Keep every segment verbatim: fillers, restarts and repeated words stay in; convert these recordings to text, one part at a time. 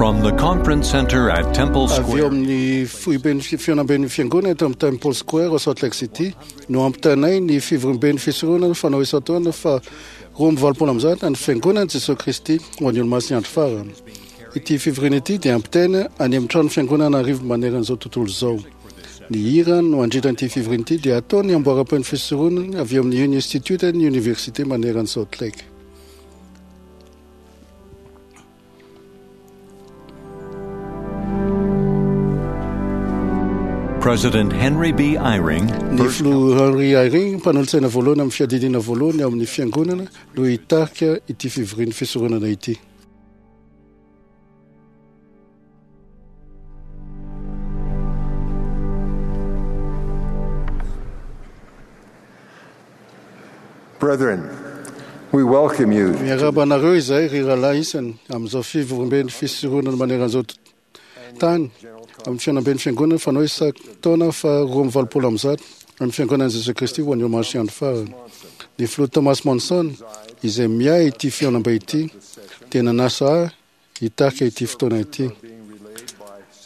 From the Conference Center at Temple Avy eo Square, amin'ny foiben'ny fi- fihaonamben'ny fiangonana eto amin'ny Temple Square ao Salt Lake City no ampitanay ny fivoriamben'ny fisoronana fanao isan-taona fa roa amby valopolo amby zato ny fiangonana Jesosy Kristy ho an'ny olomasin'ny andro farany. Ity fivoriana ity dia ampitaina any amin'ny trano fiangonana arivo maneran'izao tontolo izao. Ny hira no andritra ity fivoriana ity dia ataony amboaram-pen'ny fisoronana avy eo amin'ny Union Institute ny Université maneran'ny Salt Lake. President Henry B. Eyring, Ny first filoha Henry Eyring, mpanolotsaina voalohany amin'ny fiadidiana voalohany ao amin'ny fiangonana no hitarika ity fivorian'ny fisoronana ity. Brethren, we welcome you Miarahaba anareo izay ry rahalahy isany amin'izao fivoriamben'ny fisoronana maneran'izao t- tany amin'ny fihaonamben'ny fiangonana fanao isan-taona fa roa amby valopolo amby zato amin'ny fiangonana Jesosy Kristy ho an'ny olomasin'ny andro farany. Ny filoha Thomas Monson izay miahy ity fihaonambe ity dia nanasa ahy hitarika ity fotoana ity.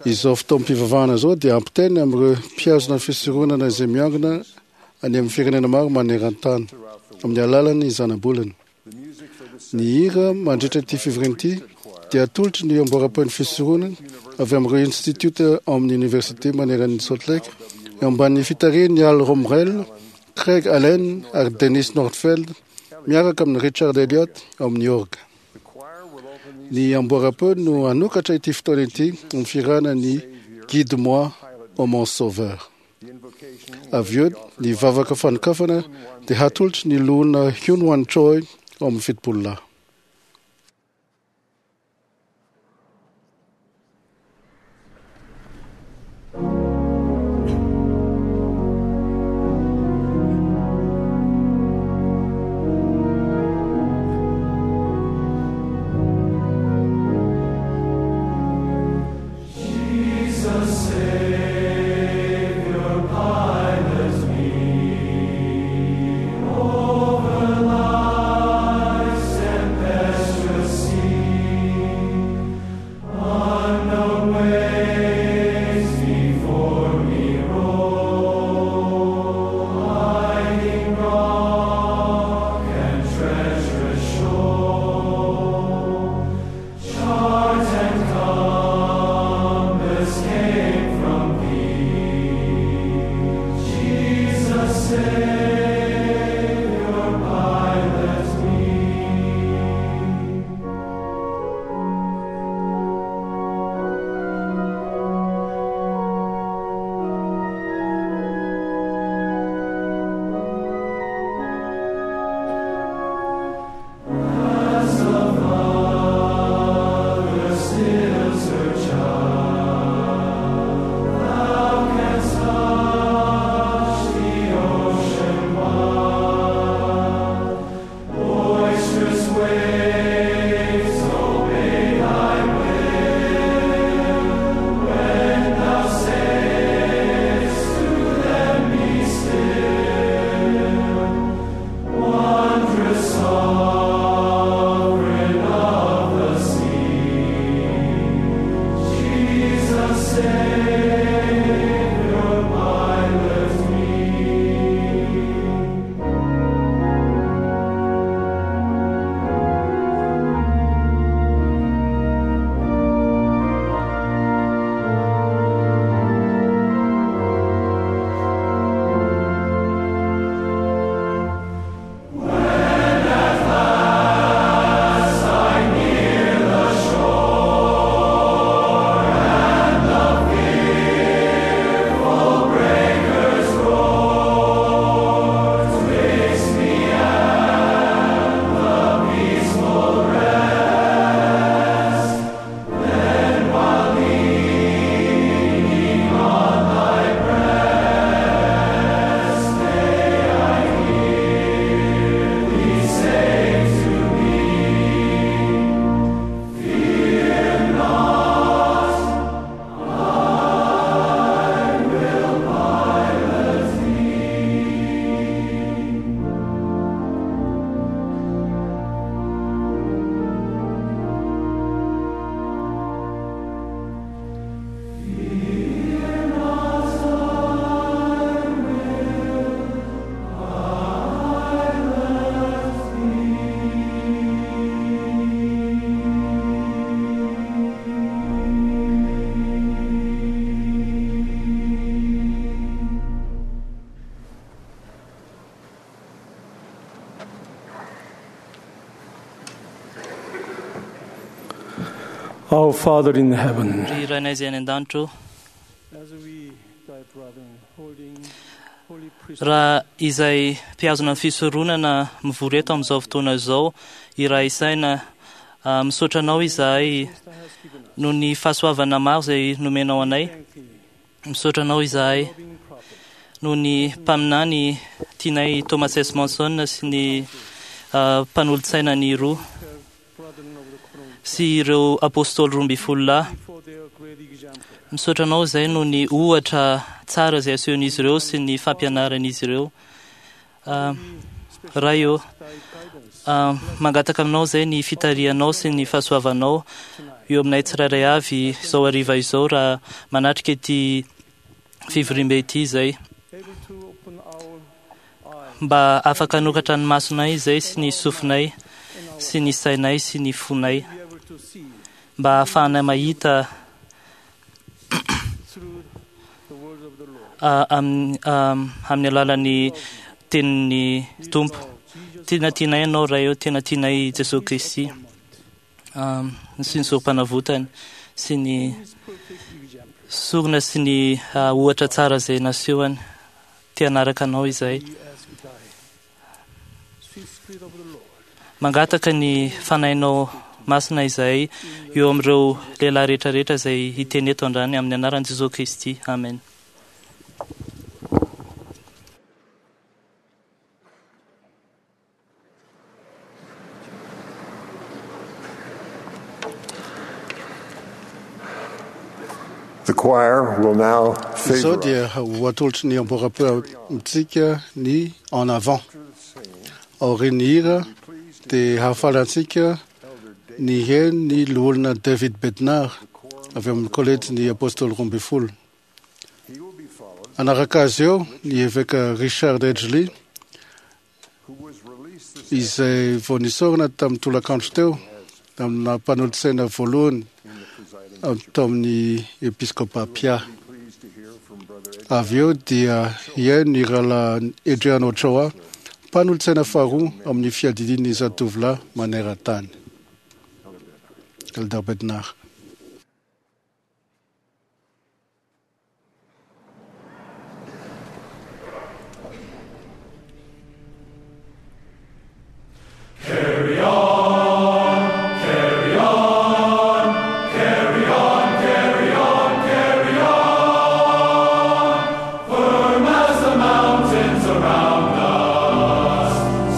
Izao fotoam-pivavahana izao dia ampitainy amin'ireo mpihazona ny fisoronana izay miangona any amin'ny firenena maro maneran-tany amin'ny alalan'ny zanabolana. Ny hira mandritra ity fivoriana ity dia atolotry ny amboaram-pen'ny fisoronana avy amin'ireo institute ao amin'ny université maneran'ny Salt Lake eo ambanin'ny fitarihan'ny Al Romrel, Craig Allen ary Dennis Nordfeld miaraka amin'ny Richard Elliott ao amin'ny orgue. Ny amboaram-peo no hanokatra ity fotoana ity amin'ny firana ny Guide-moi ô mon sauveur. Avy eo ny vavaka fanokafana dia hatolotry ny loholona Hyun Wan Choi ao amin'ny fitopolo lahy. Over life's Our Father in heaven, Ry Rainay izay any an-danitra ô, as we, thy brethren, holding holy priesthood, raha izay mpihazona ny fisoronana mivory eto amin'izao fotoana izao iray saina, ah, misaotra anao izahay thou hast given us, noho ny fahasoavana maro izay nomenao anay. thank thee, Misaotra anao izahay loving prophet, noho ny mpaminany tianay Thomas S. Monson sy ny ah, mpanolotsaina ny roa her brethren of the quorum, sy ireo apôstôly roa ambin'ny folo lahy. for their great example. Misaotra anao izay noho ny ohatra tsara izay asehon'izy ireo sy ny fampianaran'izy ireo. Ah, Ray ô, Thy guidance ah, mangataka aminao izay ny fitarihanao sy ny fahasoavanao eo aminay tsirairay avy izao hariva izao raha manatrika ity fivoriambe ity izay, able to open our eyes mba afaka hanokatra ny masonay izay sy ny sofinay and our sy ny sainay sy ny fonay, be able to see mba ahafahanay mahita through the words of the Lord. ah, amin'ny ah, amin'ny alalan'ny tenin'ny Tompo. Jesus Tena tianay ianao Ray ô, tena tianay Jesosy Kristy ah, sy ny sorom-panavotany sy ny is perfect example. sorona sy ny ah, ohatra tsara izay nasehony. Te hanaraka anao izahay. We ask thy sweet Spirit of the Lord Mangataka ny fanahinao masina izahay eo amin'ireo lehilahy rehetrarehetra izay hiteny eto androany amin'ny anaran'i Jesosy Kristy. Amen. The choir will now Izao favor dia ho atolotry ny amboram-peo amintsika ny en avant. Aorian'ny hira dia hahafaly antsika ny heno ny loholona David Bednar avy amin'ny kolejy apôstôly roa ambin'ny folo. He will be followed, Anaraka azy eo ny eveka Richard Edgley who was released this izay vao nisorona tamin'ny tolakandro teo amina mpanolotsaina voalohany in the presiding. tao amin'ny episkopa Pia. Be pleased to hear from Brother Ed Avy eo dia hihaino ny rahalahy Adrian Ochoa, mpanolotsaina faharoa amin'ny fiadidian'ny zatovolahy maneran-tany. Elder Bednar.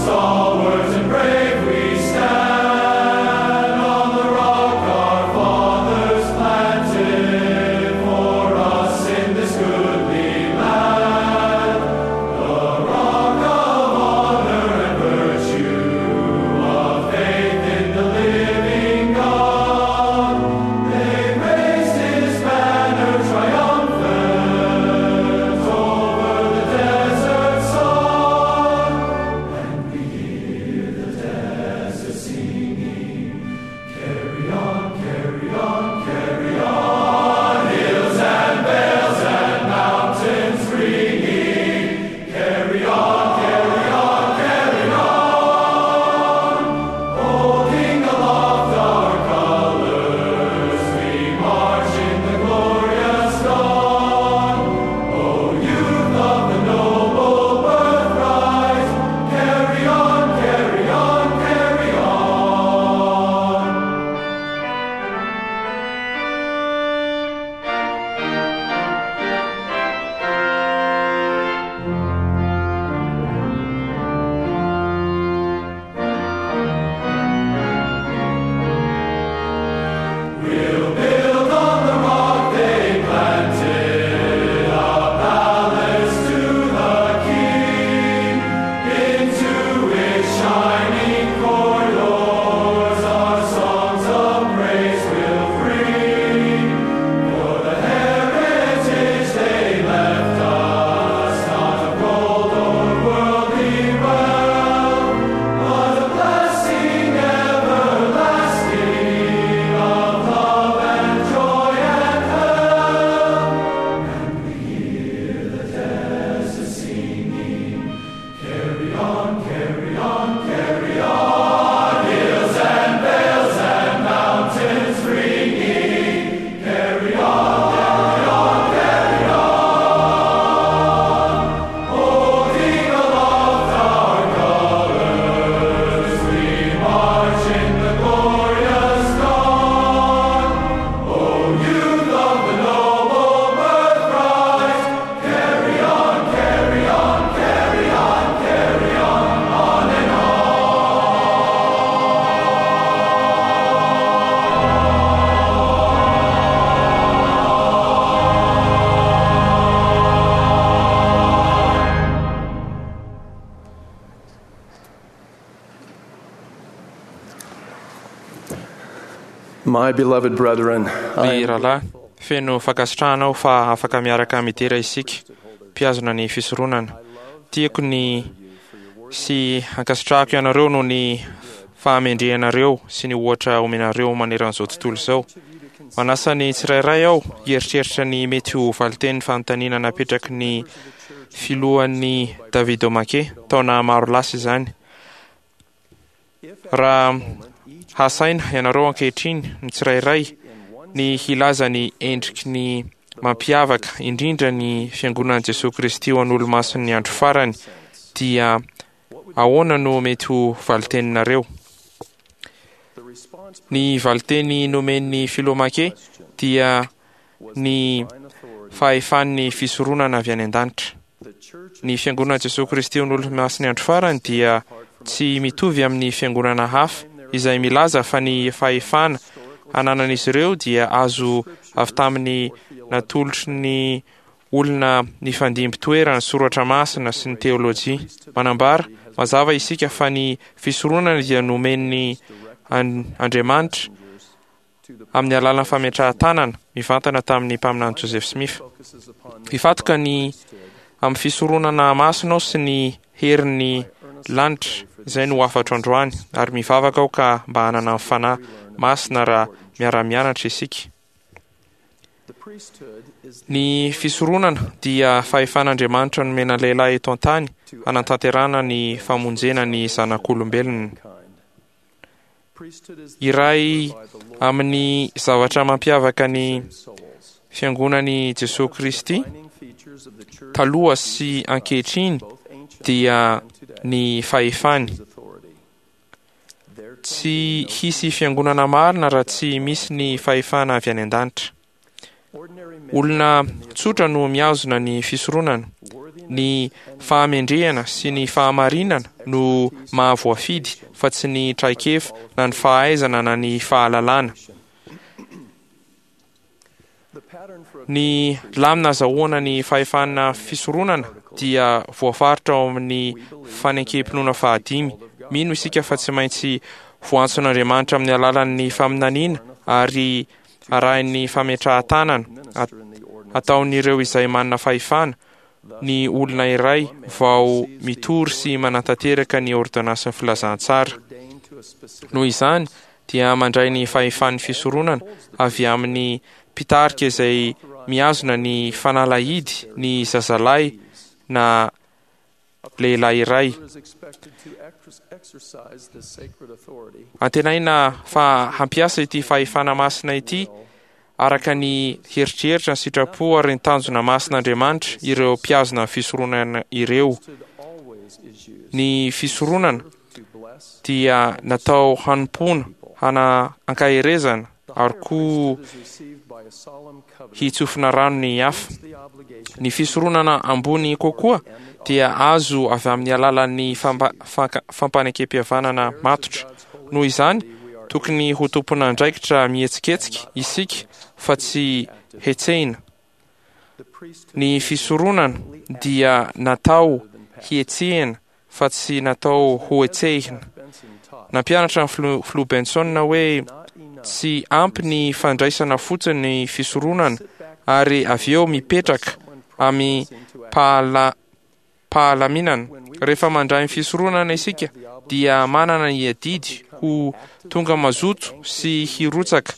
Stalwart and brave we stand on the rock our My beloved brethren, Ry rahalahy, feno fankasitrahana aho fa afaka miaraka midera isika mpihazona ny fisoronana. Tiako ny sy ankasitrahako ianareo noho ny fahamendrehanareo sy ny ohatra omenareo maneran'izao tontolo izao. Manasa ny tsirairay aho hieritreritra ny mety ho valitenin'ny fanontaniana napetraky ny filohan'ny David O'Mackey taona maro lasa izany. Raha hasaina ianareo ankehitriny ny tsirairay ny hilaza ny endriky ny mampiavaka indrindra ny fiangonan'i Jesoa Kristy ho an'olo-masin'ny andro farany, dia ahoana no mety ho valiteninareo? Ny valiteny nomen'ny filoha Mackey dia ny fahefan'ny fisoronana avy any an-danitra. Ny fiangonan'i Jesoa Kristy ho an'olo-masin'ny andro farany dia tsy mitovy amin'ny fiangonana hafa izay milaza fa ny fahefana ananan'izy ireo dia azo avy tamin'ny natolotry ny olona nifandimby toerana soratra masina sy ny teolojia. Manambara mazava isika fa ny fisoronana dia nomen'ny Andriamanitra amin'ny alalan'ny fametrahan-tanana mivantana tamin'ny mpaminany Joseph Smith. Hifatoka ny amin'ny fisoronana masina ao sy ny herin'ny lanitra izay no hafatro androany, ary mivavaka aho ka mba hanana ny fanahy masina raha miara-mianatra isika. Ny fisoronana dia fahefan'Andriamanitra nomena lehilahy eto an-tany hanatanterahana ny famonjena ny zanak'olombelona. Iray amin'ny zavatra mampiavaka ny fiangonan'i Jesoa Kristy taloha sy ankehitriny dia ny fahefany. Tsy hisy fiangonana marina raha tsy misy ny fahefana avy any an-danitra. Olona tsotra no mihazona ny fisoronana. Ny fahamendrehana sy ny fahamarinana no mahavoafidy fa tsy ny traikefa na ny fahaizana na ny fahalalana. Ny lamina azahoana ny fahefana fisoronana dia voafaritra ao amin'ny fanekempinoana fahadimy. Mino isika fa tsy maintsy voantson'Andriamanitra amin'ny alalan'ny faminaniana ary arahin'ny fametrahan-tanana ataon'ireo izay manana fahefana ny olona iray vao mitory sy manatanteraka ny ordonansin'ny filazantsara. Noho izany dia mandray ny fahefan'ny fisoronana avy amin'ny mpitarika izay mihazona ny fanalahidy ny zazalahy na lehilahy iray. Antenaina fa hampiasa ity fahefana masina ity araka ny heritreritra ny sitrapo ary ny tanjona masin'Andriamanitra ireo mpihazona ny fisoronana ireo. Ny fisoronana dia natao hanompoana, hana ankaherezana ary koa hitsofina rano ny hafa. Ny fisoronana ambony kokoa dia azo avy amin'ny alalan'ny fampanekempihavanana matotra. Noho izany, tokony ho tompon'andraikitra mihetsiketsika isika fa tsy hetsehina. Ny fisoronana dia natao hihetsehina fa tsy natao ho hetsehina. Nampianatra ny filoha Benson hoe tsy ampy ny fandraisana fotsiny ny fisoronana ary avy eo mipetraka amin'ny pahala pahalaminana. Rehefa mandray ny fisoronana isika dia manana ny adidy ho tonga mazoto sy hirotsaka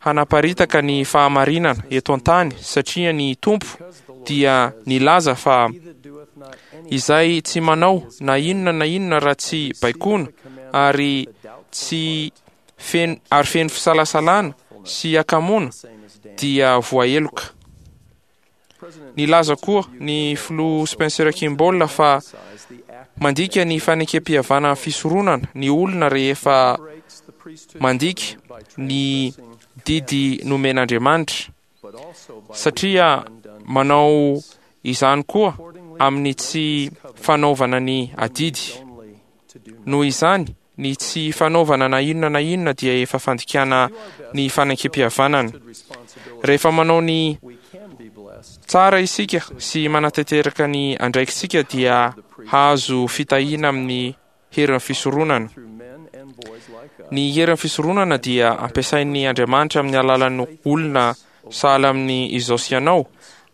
hanaparitaka ny fahamarinana eto an-tany, satria ny Tompo dia nilaza fa izay tsy manao na inona na inona raha tsy baikoana ary tsy feno ary feno fisalasalana sy akamoana dia voaheloka. Nilaza koa ny filoha Spencer Kimball fa mandika ny fanekempihavanana fisoronana ny olona rehefa mandika ny didy nomen'Andriamanitra, satria manao izany koa amin'ny tsy fanaovana ny adidy. Noho izany, ny tsy fanaovana na inona na inona dia efa fandikana ny fanekempihavanana. Rehefa manao ny tsara isika sy manatanteraka ny andraikitsika dia hahazo fitahiana amin'ny herin'ny fisoronana. Ny herin'ny fisoronana dia ampiasain'ny Andriamanitra amin'ny alalan'ny olona sahala amin'ny izao sy ianao,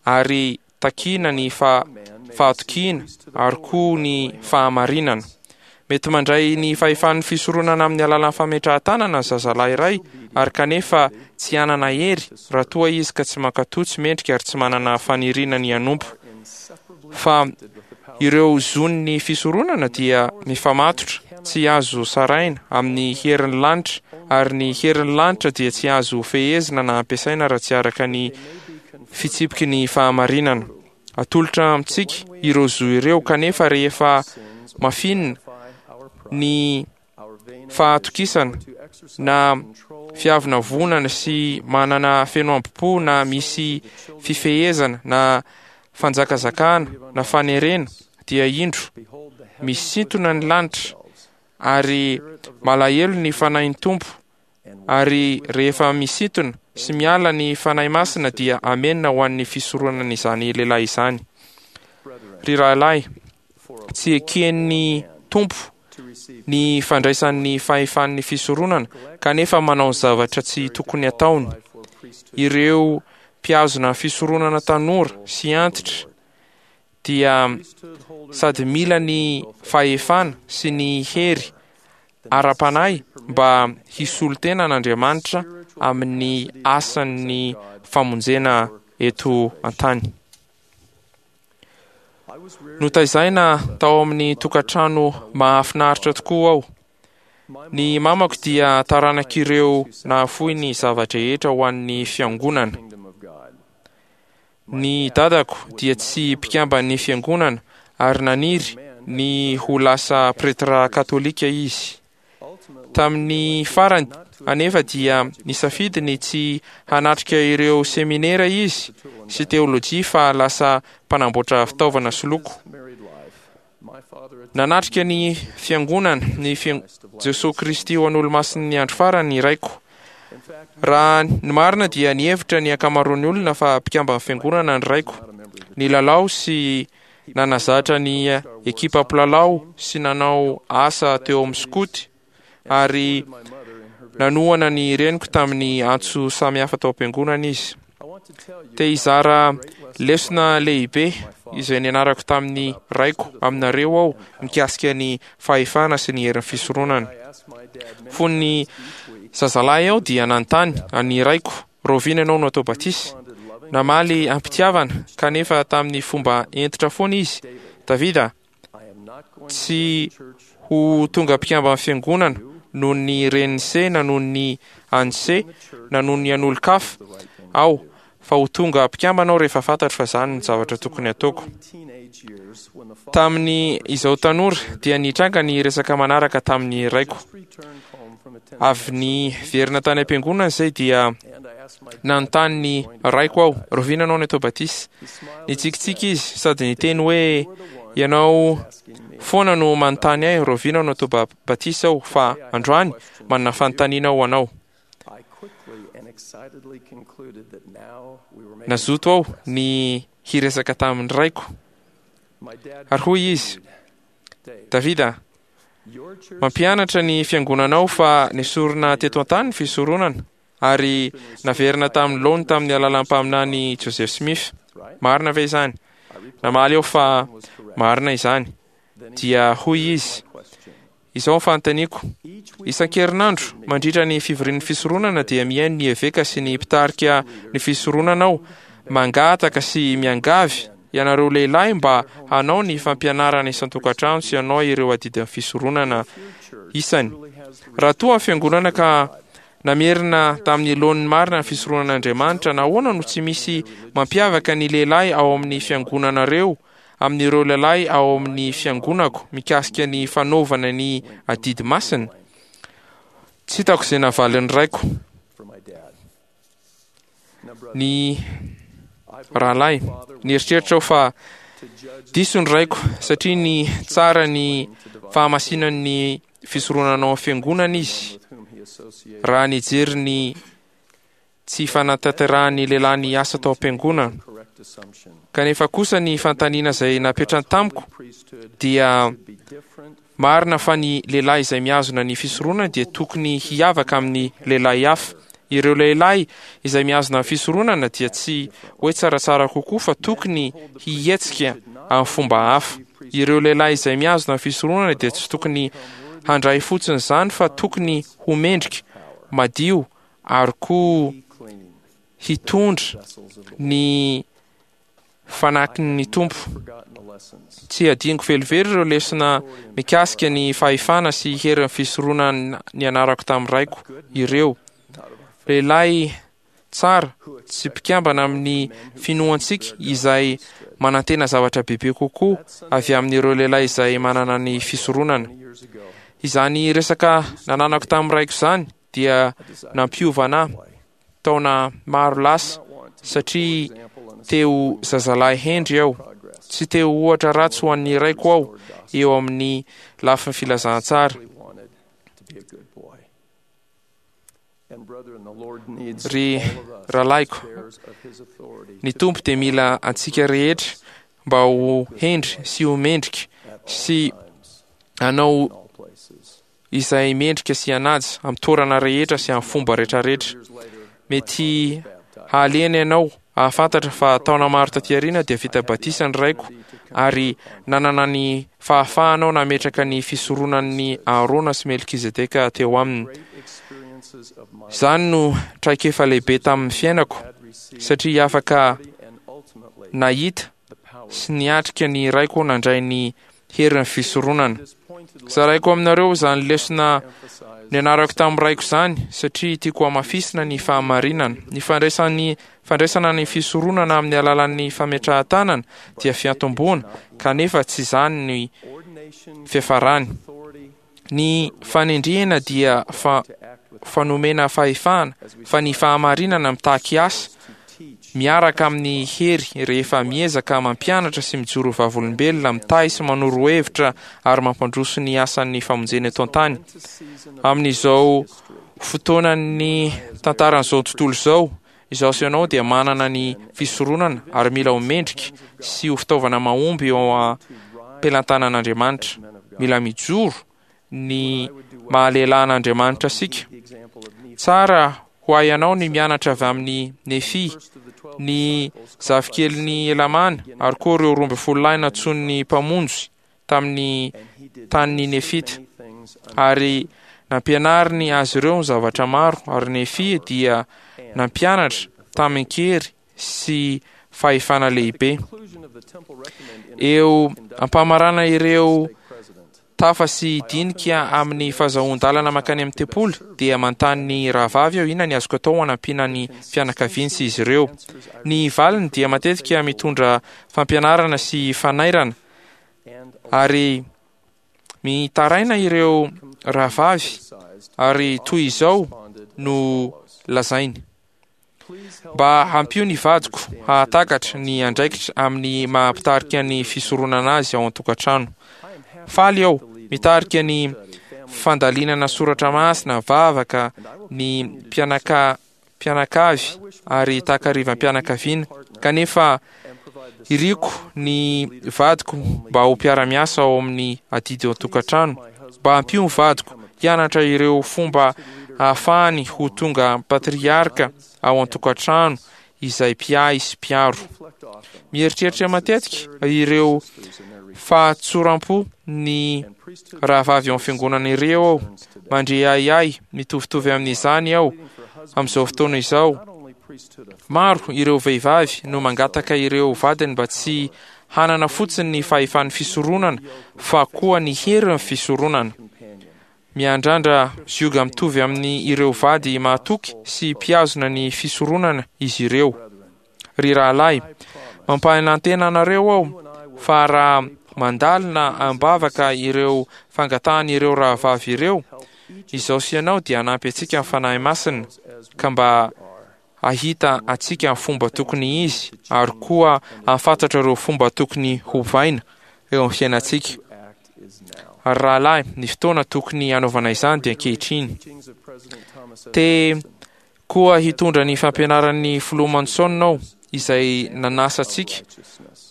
ary takiana ny fa fahatokiana ary koa ny fahamarinana. Mety mandray ny fahefan'ny fisoronana amin'ny alalan'ny fametrahan-tanana ny zazalahy iray, ary kanefa tsy hanana hery raha toa izy ka tsy mankatò, tsy mendrika ary tsy manana faniriana ny hanompo. Fa ireo zon'ny fisoronana dia mifamatotra, tsy azo sarahina amin'ny herin'ny lanitra, ary ny herin'ny lanitra dia tsy azo fehezina na ampiasaina raha tsy araka ny fitsipiky ny fahamarinana. Atolotra amintsika ireo zo ireo, kanefa rehefa mafinina ny fahatokisana na fiavonavonana sy manana feno ambo-po na misy fifehezana na fanjakazakana na fanerena, dia indro misintona ny lanitra ary malahelo ny fanahin'ny Tompo, ary rehefa misintona sy miala ny Fanahy Masina dia amenina ho an'ny fisoronana izany lehilahy izany. Ry rahalahy, tsy eken'ny Tompo ny fandraisan'ny fahefan'ny fisoronana kanefa manao ny zavatra tsy tokony ataony. Ireo mpihazona fisoronana tanora sy antitra dia sady mila ny fahefana sy ny hery ara-panahy mba hisolo tena an'Andriamanitra amin'ny asan'ny famonjena eto an-tany. Notaizaina tao amin'ny tokantrano mahafinaritra tokoa aho. Ny mamako dia taranak'ireo nahafoy ny zava-drehetra ho an'ny fiangonana. Ny dadako dia tsy mpikamban'ny fiangonana ary naniry ny ho lasa pretra katolika izy. Tamin'ny farany anefa dia nisafidy ny tsy hanatrika ireo seminera izy sy teolojia fa lasa mpanamboatra fitaovana sy loko. Nanatrika ny fiangonana ny Jesoa Kristy ho an'Olomasin'ny andro farany ny raiko. Raha ny marina dia nihevitra ny ankamaroan'ny olona fa mpikamban'ny fiangonana ny raiko. Nilalao sy nanazatra ny ekipa mpilalao sy nanao asa teo amin'ny skoty ary nanohana ny reniko tamin'ny antso samihafa tao am-piangonana izy. Te hizara lesona lehibe izay nianarako tamin'ny raiko aminareo aho mikasika ny fahefana sy ny herin'ny fisoronana. Fony zazalahy aho dia nanontany an'ny raiko, rahoviana ianao no atao batisa? Namaly am-pitiavana kanefa tamin'ny fomba hentitra foana izy. Davida, tsy ho tonga mpikamban'ny fiangonana noho ny renin'ny se na noho ny an'ny se na noho ny an'olon-kafa aho, fa ho tonga mpikambana aho rehefa fantatro fa izany ny zavatra tokony ataoko. Tamin'ny izao tanora dia nitranga ny resaka manaraka tamin'ny raiko. Avy niverina tany am-piangonana izay dia nanontany ny raiko aho, rahoviana ianao no atao batisa? Nitsikitsiky izy sady niteny hoe, ianao foana no manontany ahy rahoviana no atao batisa aho, fa androany manana fanontaniana ho anao. Nazoto aho ny hiresaka tamin'ny raiko. Ary hoy izy, Davida, mampianatra ny fiangonanao fa nesorina teto an-tany ny fisoronana ary naverina tamin'ny laony tamin'ny alalan'ny mpaminany Joseph Smith. Marina ve izany? Namaly aho fa marina izany. Dia hoy izy, izao ny fanontaniako, isan-kerinandro mandritra ny fivorian'ny fisoronana dia mihaino ny eveka sy ny mpitarika ny fisoronana aho mangataka sy miangavy ianareo lehilahy mba hanao ny fampianarana isan-tokantrano sy hanao ireo adidin'ny fisoronana isany. Raha toa ny fiangonana ka namerina tamin'ny laoniny marina ny fisoronan'Andriamanitra, nahoana no tsy misy mampiavaka ny lehilahy ao amin'ny fiangonanareo amin'ireo lehilahy ao amin'ny fiangonako mikasika ny fanaovana ny adidy masina? Tsy hitako izay navalin'ny raiko. Ny rahalahy, nieritreritra aho fa diso ny raiko satria ny tsara ny fahamasinan'ny fisoronana ao amin'ny fiangonana izy raha nijery ny tsy fanatanterahan'ny lehilahy ny asa tao am-piangonana. Kanefa kosa ny fanontaniana izay napetrany tamiko dia Marina fa ny lehilahy izay mihazona ny fisoronana dia tokony hiavaka amin'ny lehilahy hafa. Ireo lehilahy izay mihazona ny fisoronana dia tsy hoe tsaratsara kokoa fa tokony hihetsika amin'ny fomba hafa. Ireo lehilahy izay mihazona ny fisoronana dia tsy tokony handray fotsiny izany fa tokony ho mendrika, madio ary koa hitondra ny fanakin'ny Tompo. Tsy adinoko velively ireo lesona mikasika ny fahefana sy herin'ny fisoronana nianarako tamin'ny raiko ireo. Lehilahy tsara tsy mpikambana amin'ny finoantsika izay manantena zavatra bebe kokoa avy amin'ireo lehilahy izay manana ny fisoronana. Izany resaka nananako tamin'ny raiko izany dia nampiova ahy taona maro lasa satria teo zazalahy hendry aho. Tsy teo ohatra ratsy ho an'ny raiko aho eo amin'ny lafin'ny filazantsara. Ry rahalahiko, ny Tompo dia mila antsika rehetra mba ho hendry sy ho mendrika sy hanao izay mendrika sy hanaja amin'ny toerana rehetra sy amin'ny fomba rehetrarehetra. Mety hahalena ianao hahafantatra fa taona maro taty aoriana dia vita batisa ny raiko ary nanana ny fahafahanao nametraka ny fisoronan'ny Aharona sy Melkizedeka teo aminy. Izany no traikefa lehibe tamin'ny fiainako satria afaka nahita sy niatrika ny raiko nandray ny herin'ny fisoronana. Zaraiko aminareo izany lesona nianarako tamin'ny raiko izany satria tiako hamafisina ny fahamarinana. Ny fandraisan'ny fandraisana ny fisoronana amin'ny alalan'ny fametrahan-tanana dia fiantomboana, kanefa tsy izany ny fiafarany. Ny fanendrena dia fa fanomena fahefana, fa ny fahamarinana mitaky asa miaraka amin'ny hery rehefa miezaka mampianatra sy mijoro vavolombelona, mitahy sy manoro hevitra ary mampandroso ny asan'ny famonjena eto an-tany. Amin'izao fotoanan'ny tantaran'izao tontolo izao, izaho sy ianao dia manana ny fisoronana ary mila ho mendrika sy ho fitaovana mahomby eo am-pelantanan'Andriamanitra. Mila mijoro ny mahalehilahin'Andriamanitra isika. Tsara ho ahy ianao ny mianatra avy amin'ny Nefy, ny zafikelin'ny Elamana ary koa ireo roa ambin'ny folo lahy nantsoin'ny Mpamonjy tamin'ny tanin'ny Nefita. Ary nampianariny azy ireo ny zavatra maro, ary Nefy dia nampianatra tamin-kery sy fahefana lehibe. Eo ampamarana ireo tafa sy dinika amin'ny fahazoan-dalana mankany amin'ny tempoly dia manontany ny rahavavy aho inona ny azoko atao hanampiana ny fianakaviany sy izy ireo. Ny valiny dia matetika mitondra fampianarana sy fanairana ary mitaraina ireo rahavavy ary toy izao no lazainy: mba hampio ny vadiko hahatakatra ny andraikitra amin'ny maha-mpitarika ny fisoronana azy ao an-tokantrano. Faly aho mitarika ny fandalinana soratra masina, vavaka, ny mpianaka mpianakavy ary takarivam-pianakaviana, kanefa iriko ny vadiko mba ho mpiara-miasa ao amin'ny adidy ao an-tokantrano. Mba hampio ny vadiko hianatra ireo fomba ahafahany ho tonga patriarka ao an-tokantrano izay mpiahy sy mpiaro. Mieritreritra matetika ireo fahatsoram-po ny rahavavy ao amin'ny fiangonana ireo aho. Mandre ahiahy mitovitovy amin'izany aho amin'izao fotoana izao. Maro ireo vehivavy no mangataka ireo vadiny mba tsy hanana fotsiny ny fahefan'ny fisoronana fa koa ny herin'ny fisoronana. Miandrandra zioga mitovy amin'ny ireo vady mahatoky sy mpihazona ny fisoronana izy ireo. Ry rahalahy, mampanantena anareo aho fa raha mandalina am-bavaka ireo fangatahan'ireo rahavavy ireo, izaho sy ianao dia hanampy antsika ny Fanahy Masina ka mba hahita antsika ny fomba tokony izy ary koa hahafantatra ireo fomba tokony hovaina eo amin'ny fiainantsika. Ary rahalahy, ny fotoana tokony hanaovana izany dia ankehitriny. Te koa hitondra ny fampianaran'ny filoha Monson aho izay nanasa antsika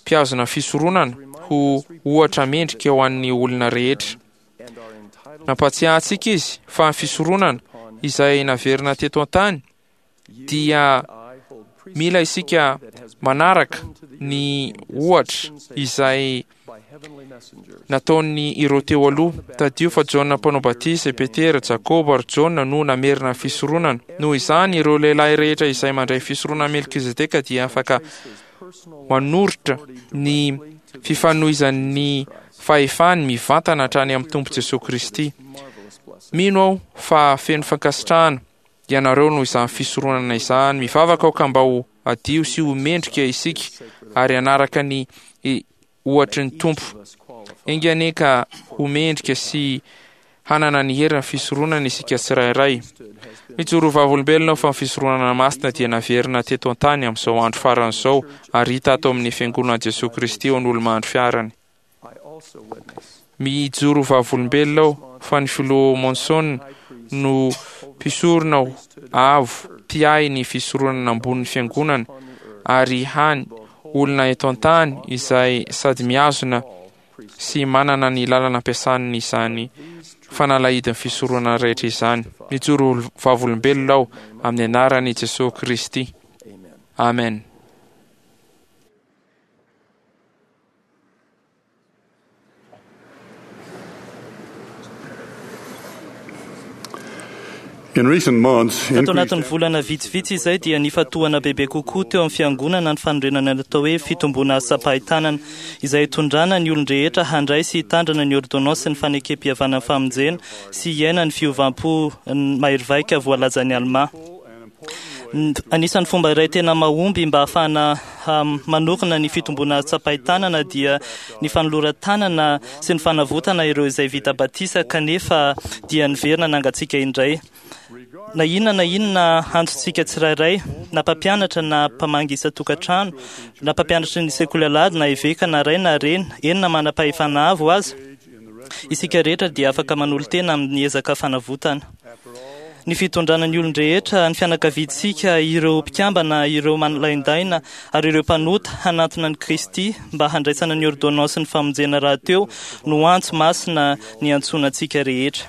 mpihazona fisoronana ho ohatra mendrika ho an'ny olona rehetra. Nampatsiahy antsika izy fa ny fisoronana izay naverina teto an-tany dia mila isika manaraka ny ohatra izay nataony ireo teo aloha. Tadio fa Jaona mpanao batisa, i Petera, Jakoba ary Jaona no namerina ny fisoronana. Noho izany, ireo lehilahy rehetra izay mandray fisoronana Melkizedeka dia afaka manoritra ny fifanohizan'ny fahefany mivantana hatrany amin'ny Tompo Jesoa Kristy. Mino aho fa feno fankasitrahana ianareo noho izany fisoronana izany. Mivavaka aho ka mba ho adio sy ho mendrika isika ary hanaraka ny ohatry ny Tompo. Enga anie ka ho mendrika sy hanana ny herin'ny fisoronana isika tsirairay. Mijoro vavolombelona aho fa ny fisoronana masina dia naverina teto an-tany amin'izao andro farany izao ary hita ato amin'ny fiangonan'i Jesoa Kristy eo an'olo-mandry fiarany. Mijoro vavolombelona aho fa ny filoha Monson no mpisorona avo mpiahy ny fisoronana ambonin'ny fiangonana ary hany olona eto an-tany izay sady mihazona sy manana ny lalana ampiasaniny izany fanalahidin'ny fisoronana rehetra izany. Mijoro vavolombelona aho amin'ny anaran'i Jesoa Kristy. Amen. In recent months, Tato anatin'ny increased volana vitsivitsy izay dia nifatohana bebe kokoa teo amin'ny fiangonana ny fanorenana natao hoe fitomboana asam-pahitanana izay hitondrana ny olon-drehetra handray sy hitandrana ny ordonnance ny fanekem-pihavanana famonjena sy hiaina ny fiovam-po mahery vaika voalazan'ny Alma. N- Anisan'ny fomba iray tena mahomby mba ahafahana um, manorina ny fitomboana tsapain-tanana dia ny fanoloran-tanana sy ny fanavotana ireo izay vita batisa kanefa dia niverina nangatsiaka indray. Na inona na inona antsontsika tsirairay, na mpampianatra na mpamangy isan-tokantrano, na mpampianatra ny sekoly alahady na eveka na ray na reny, eny na manam-pahefana avo aza, isika rehetra dia afaka manolo-tena amin'ny ezaka fanavotana. Ny fitondrana ny olon-drehetra, ny fianakaviantsika, ireo mpikambana, ireo manolaindaina ary ireo mpanota hanantona an'i Kristy mba handraisana ny ordonnance ny famonjena rahateo no antso masina ny antsoina antsika rehetra.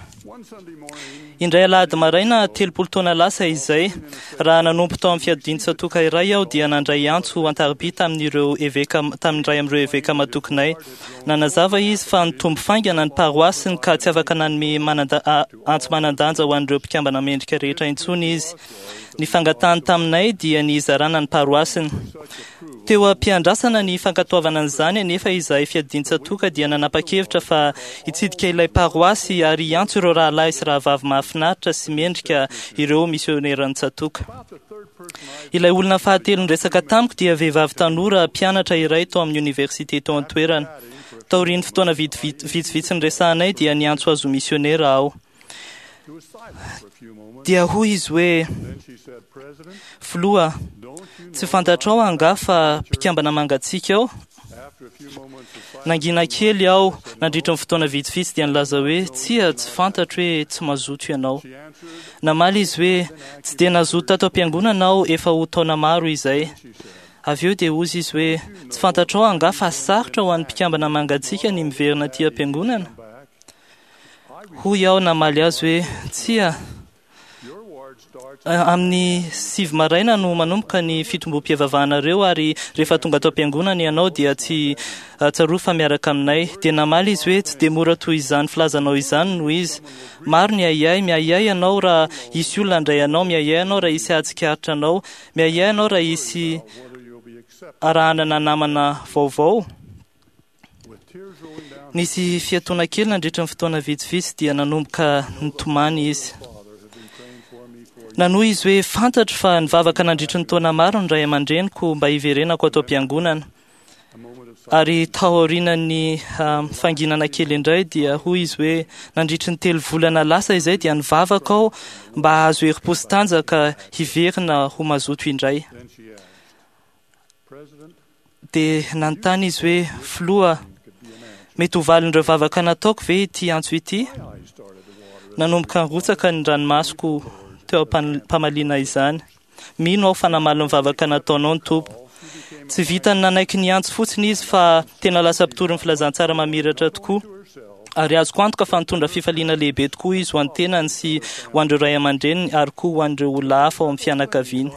Indray alahady maraina telopolo taona lasa izay, raha nanompo tao amin'ny fiadian-tsatoka iray aho dia nandray antso an-tariby tamin'ireo eveka tamin'ny iray amin'ireo eveka matokinay. Nanazava izy fa nitombo faingana ny paroasiny ka tsy afaka nanome mananda- a- antso manan-danja ho an'ireo mpikambana mendrika rehetra intsony izy. Ny fangatahany taminay dia ny hizarana ny paroasiny. Teo am-piandrasana ny fankatoavana an'izany anefa izahay fiadian-tsatoka dia nanapa-kevitra fa hitsidika ilay paroasy ary hiantso ireo rahalahy sy rahavavy mahafinaritra sy mendrika ireo misioneran'ny tsatoka. Ilay olona fahatelo niresaka tamiko dia vehivavy tanora mpianatra iray tao amin'ny oniversite tao an-toerana. Taorian'ny fotoana vitsivitsy vitsivitsy niresahanay dia niantso azy ho misionera aho. Dia hoy izy hoe, filoha, tsy fantatrao angaha fa mpikambana mangatsiaka aho? Nangina kely aho nandritra ny fotoana vitsivitsy dia nilaza hoe, tsia, tsy fantatro hoe tsy mazoto ianao. Namaly izy hoe, tsy dia nazoto tato am-piangonana aho efa ho taona maro izay. Avy eo dia hozy izy hoe, tsy fantatrao angaha fa sarotra ho an'ny mpikambana mangatsiaka ny miverina aty am-piangonana? Hoy aho namaly azy hoe, tsia, amin'ny sivy maraina no manomboka ny fitombom-pivavahanareo ary rehefa tonga ato am-piangonana ianao dia tsy tsarovy fa miaraka aminay. Dia namaly izy hoe, tsy dia mora toy izany filazanao izany no izy. Maro ny ahiahy, miahiahy ianao raha hisy olona handray anao, miahiahy ianao raha hisy hahatsikaritra anao, miahiahy ianao raha hisy arahanana namana vaovao. Nisy fiatoana kely nandritra ny fotoana vitsivitsy dia nanomboka nitomany izy. Nanohy izy hoe, fantatro fa nivavaka nandritra ny taona maro ny ray aman-dreniko mba hiverenako ato am-piangonana. Ary tao aorian'ny um, fanginana kely indray dia hoy izy hoe, nandritra ny telo volana lasa izay dia nivavaka aho mba hahazo herim-po sy tanjaka hiverina ho mazoto indray. Dia nanontany izy hoe, filoha, mety ho valin'ireo vavaka nataoko ve ity antso ity? Nanomboka nirotsaka ny ranomasoko teo am-pamaliana izany. Mino aho fa namaly ny vavaka nataonao ny Tompo. Tsy vitany nanaiky ny antso fotsiny izy fa tena lasa mpitory ny filazantsara mamiratra tokoa. Ary azoko antoka fa nitondra fifaliana lehibe tokoa izy ho an'ny tenany sy ho an'ireo ray aman-dreniny ary koa ho an'ireo olona hafa ao amin'ny fianakaviany.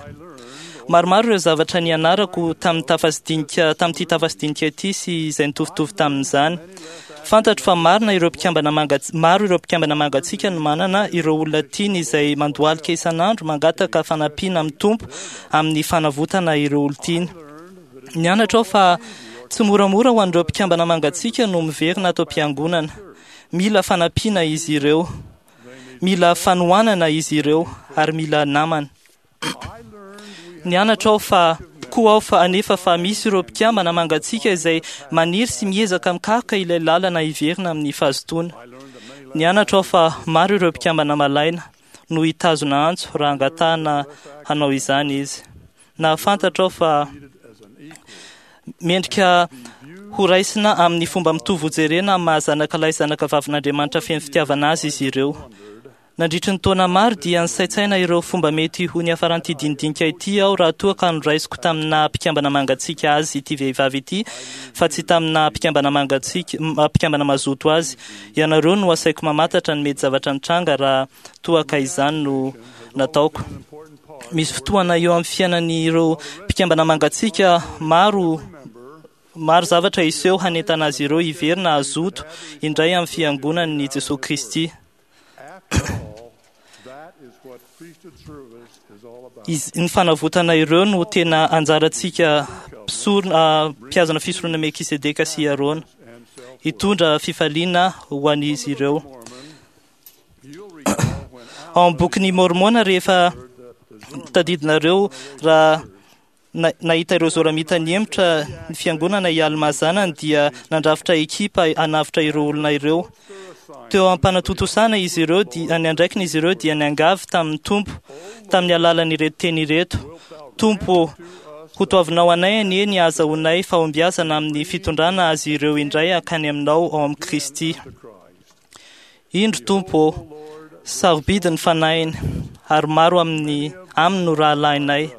Maromaro ireo zavatra nianarako tamin'ny tafasidinika tamin'ity tafasidinika ity sy izay nitovitovy tamin'izany. Fantatro fa marina ireo mpikambana mangatsy maro ireo mpikambana mangatsiaka no manana ireo olona tiany izay mandohalika isan'andro mangataka fanampiana amin'ny Tompo amin'ny fanavotana ireo olon-tiany. Nianatra aho fa tsy moramora ho an'ireo mpikambana mangatsiaka no miverina ato am-piangonana. Mila fanampiana izy ireo, mila fanohanana izy ireo ary mila namana. Nianatra aho fa koa aho fa anefa fa misy ireo mpikambana mangatsiaka izay maniry sy miezaka mikaroka ilay lalana hiverina amin'ny fahazotoana. Nianatra aho fa maro ireo mpikambana malaina no hitazona antso raha angatahana hanao izany izy. Nahafantatra aho fa mendrika ho raisina amin'ny fomba mitovy hojerena amin'ny maha zanaka lahy zanaka vavin'Andriamanitra feno fitiavana azy izy ireo. Nandritry ny taona maro dia nisaintsaina ireo fomba mety ho niafaran'ity dinidinika ity aho raha toa ka noraisiko tamina mpikambana mangatsiaka azy ity vehivavy ity fa tsy tamina mpikambana mangatsiaka mpikambana mazoto azy. Ianareo no asaiko mamantatra ny mety zavatra nitranga raha toa ka izany no nataoko. Misy fotoana eo amin'ny fiainan'ireo mpikambana mangatsiaka maro maro zavatra hiseho hanentana azy ireo hiverina hazoto indray amin'ny fiangonan'i Jesosy Kristy. After all, that is what priesthood service is all about. Izy- ny fanavotana ireo no tena anjarantsika mpisorona mpihazona fisoronana Melkisedeka sy Arona And self hitondra fifaliana ho an'izy ireo. Mormon, you'll recall when Ao amin'ny bokin'ny Mormona rehefa tadidinareo raha na- nahita ireo Zoramita nihemotra ny fiangonana i Alma zanany dia nandrafitra ekipa hanavotra ireo olona ireo. Teo am-panatontosana izy ireo dia ny andraikiny izy ireo dia niangavy tamin'ny Tompo tamin'ny alalan'ireto teny ireto. Tompo, ho toavinao anay anie ny ahazoanay fahombiazana amin'ny fitondrana azy ireo indray hankany aminao ao amin'i Kristy. Indro Tompo, sarobidy ny fanahiny ary maro amin'ny aminy no rahalahinay.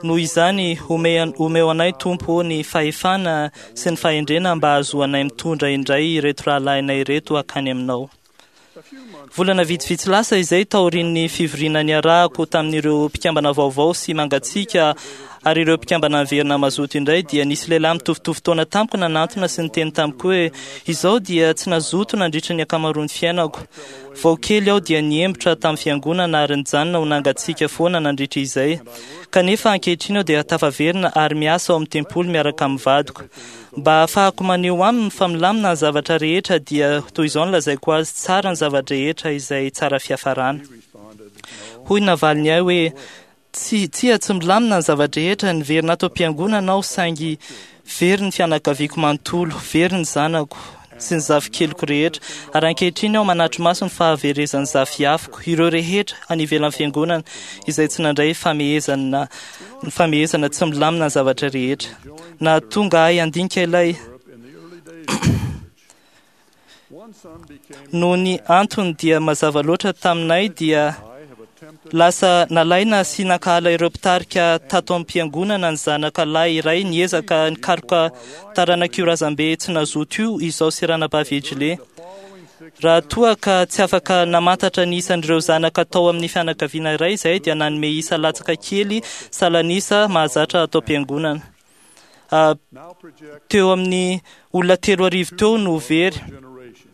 Noho izany, ome- omeo anay Tompo ny fahefana sy ny fahendrena mba hahazoanay mitondra indray ireto rahalahinay ireto hankany aminao. Volana vitsivitsy lasa izay taorian'ny fivoriana niarahako tamin'ireo mpikambana vaovao sy mangatsiaka ary ireo mpikambana niverina mazoto indray dia nisy lehilahy mitovitovy taona tamiko nanantona sy niteny tamiko hoe izao dia tsy nazoto nandritra ny ankamaroan'ny fiainako. Vao kely aho dia niembotra tamin'ny fiangonana ary nijanona ho nangatsiaka foana nandritra izay. Kanefa ankehitriny aho dia tafaverina ary miasa ao amin'ny tempoly miaraka amin'ny vadiko. Mba ahafahako maneho aminy fa milamina ny zavatra rehetra dia toy izao no lazaiko azy tsara ny zavatra rehetra izay tsara fiafarana. Hoy ny navaliny ahy hoe tsy tsia tsy milamina ny zava-drehetra niverina ato am-piangonana aho saingy very ny fianakaviako manontolo, very ny zanako sy ny zafikeliko rehetra ary ankehitriny aho manatri-maso ny fahaverezan'ny zafiafiko ireo rehetra any ivelan'ny fiangonana izay tsy nandray famehezana ny famehezana tsy milamina ny zavatra rehetra. Nahatonga ahy handinika ilay in the early days of the church. One son became noho ny antony dia mazava loatra taminay dia I have attempted lasa nalaina sy nankahala ireo mpitarika tato am-piangonana ny zanaka lahy iray niezaka nikaroka taranak'io razambe tsy nazoto io izao sy ranabavy Ejile. following six Raha toa ka tsy afaka namantatra ny isan'ireo zanaka tao amin'ny fianakaviana iray izay dia nanome isa latsaka kely salanisa mahazatra ato am-piangonana. Ah, now project teo amin'ny olona telo arivo teo no very generations.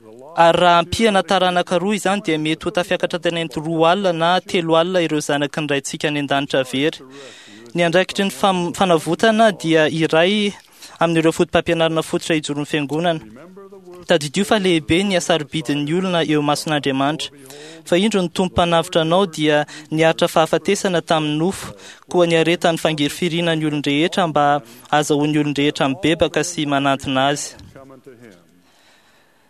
The law ary raha ampiana taranaka roa izany dia mety ho tafiakatra tany amin'ny roa alina na telo alina ireo zanaky ny raintsika any an-danitra very. Ny andraikitry ny fam- fanavotana dia iray amin'ireo foto-pampianarana fototra hijoron'ny fiangonana. remember the word Tadidio fa lehibe ny hasarobidin'ny olona eo mason'Andriamanitra. Fa indro ny Tompo mpanavotra anao dia niaritra fahafatesana tamin'ny nofo, koa niaretan'ny fangirifiriana ny olon-drehetra mba ahazahoan'ny olon-drehetra mibebaka sy manantona azy. come unto him.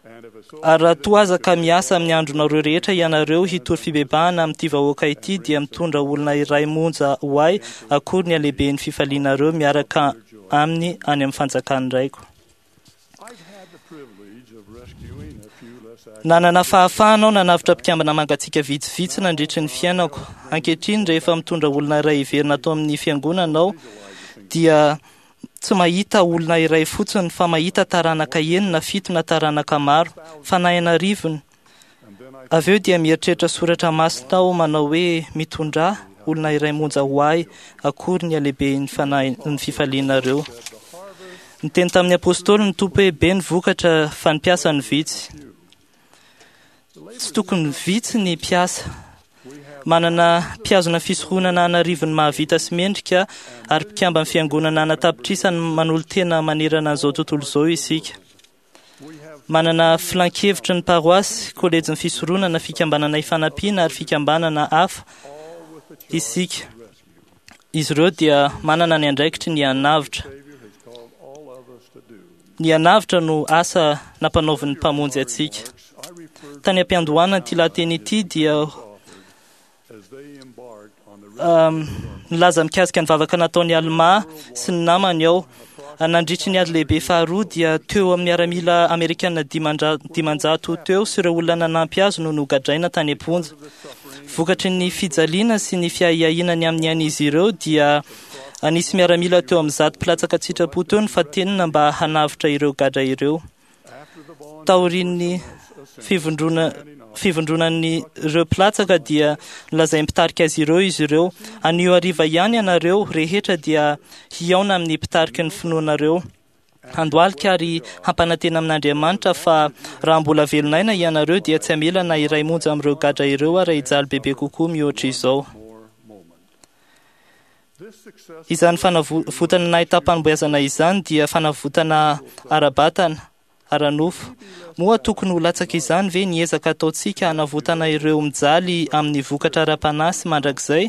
And if a soul Ary raha toa aza ka miasa amin'ny andronareo rehetra ianareo hitory fibebahana amin'ity vahoaka ity dia mitondra olona iray monja ho ahy akory ny halehiben'ny fifalianareo miaraka aminy any amin'ny fanjakan'ny raiko. I've had the privilege of rescuing a few less active Nanana fahafahana aho nanavotra mpikambana mangatsiaka vitsivitsy nandritry ny fiainako. Ankehitriny rehefa mitondra olona iray hiverina ato amin'ny fiangonana aho dia Tsy mahita olona iray fotsiny fa mahita taranaka enina, fito na taranaka maro, fanahy an'arivony. Avy eo dia mieritreritra soratra masina aho manao hoe mitondrà olona iray monja ho ahy, akory ny halehiben'ny fanahy ny fifalianareo. Niteny tamin'ny apôstôly ny Tompo hoe be ny vokatra fa ny mpiasa no vitsy. Tsy tokony vitsy ny mpiasa. Manana mpihazona fisoronana an'arivony mahavita sy mendrika ary mpikamban'ny fiangonana anatapitrisany manolo-tena manerana an'izao tontolo izao isika. Manana filankevitry ny paroasy, kolejin'ny fisoronana, fikambanana ifanampiana ary fikambanana hafa isika. Izy ireo dia manana ny andraikitry ny hanavotra. Ny hanavotra no asa nampanaovin'ny Mpamonjy antsika. Tany am-piandohana ity lahateny ity dia um, nilaza mikasika ny vavaka nataon'i Alma sy ny namany aho. Nandritry ny ady lehibe faharoa dia teo amin'ny miaramila amerikana dimandra- dimanjato teo sy ireo olona nanampy azy no nogadraina tany am-ponja. Vokatry ny fijaliana sy ny fiahiahiana ny amin'ny ain'izy ireo dia anisy miaramila teo amin'ny zato mpilatsaka an-tsitrapo teo ny fatenina mba hanavotra ireo gadra ireo. Taorian'ny fivondrona fivondronan'ireo mpilatsaka dia nolazain'ny mpitarika azy ireo izy ireo. Anio hariva ihany ianareo rehetra dia hihaona amin'ny mpitariky ny finoanareo. Handohalika ary hampanantena amin'Andriamanitra fa raha mbola velon'aina ianareo dia tsy hamela na iray monja amin'ireo gadra ireo ary hijaly bebe kokoa mihoatra izao. Izany fanavotana nahitam-panomboazana izany dia fanavotana ara-batana, ara-nofo. Moa tokony ho latsaka izany ve ny ezaka ataontsika hanavotana ireo mijaly amin'ny vokatra ara-panahy sy mandrakizay?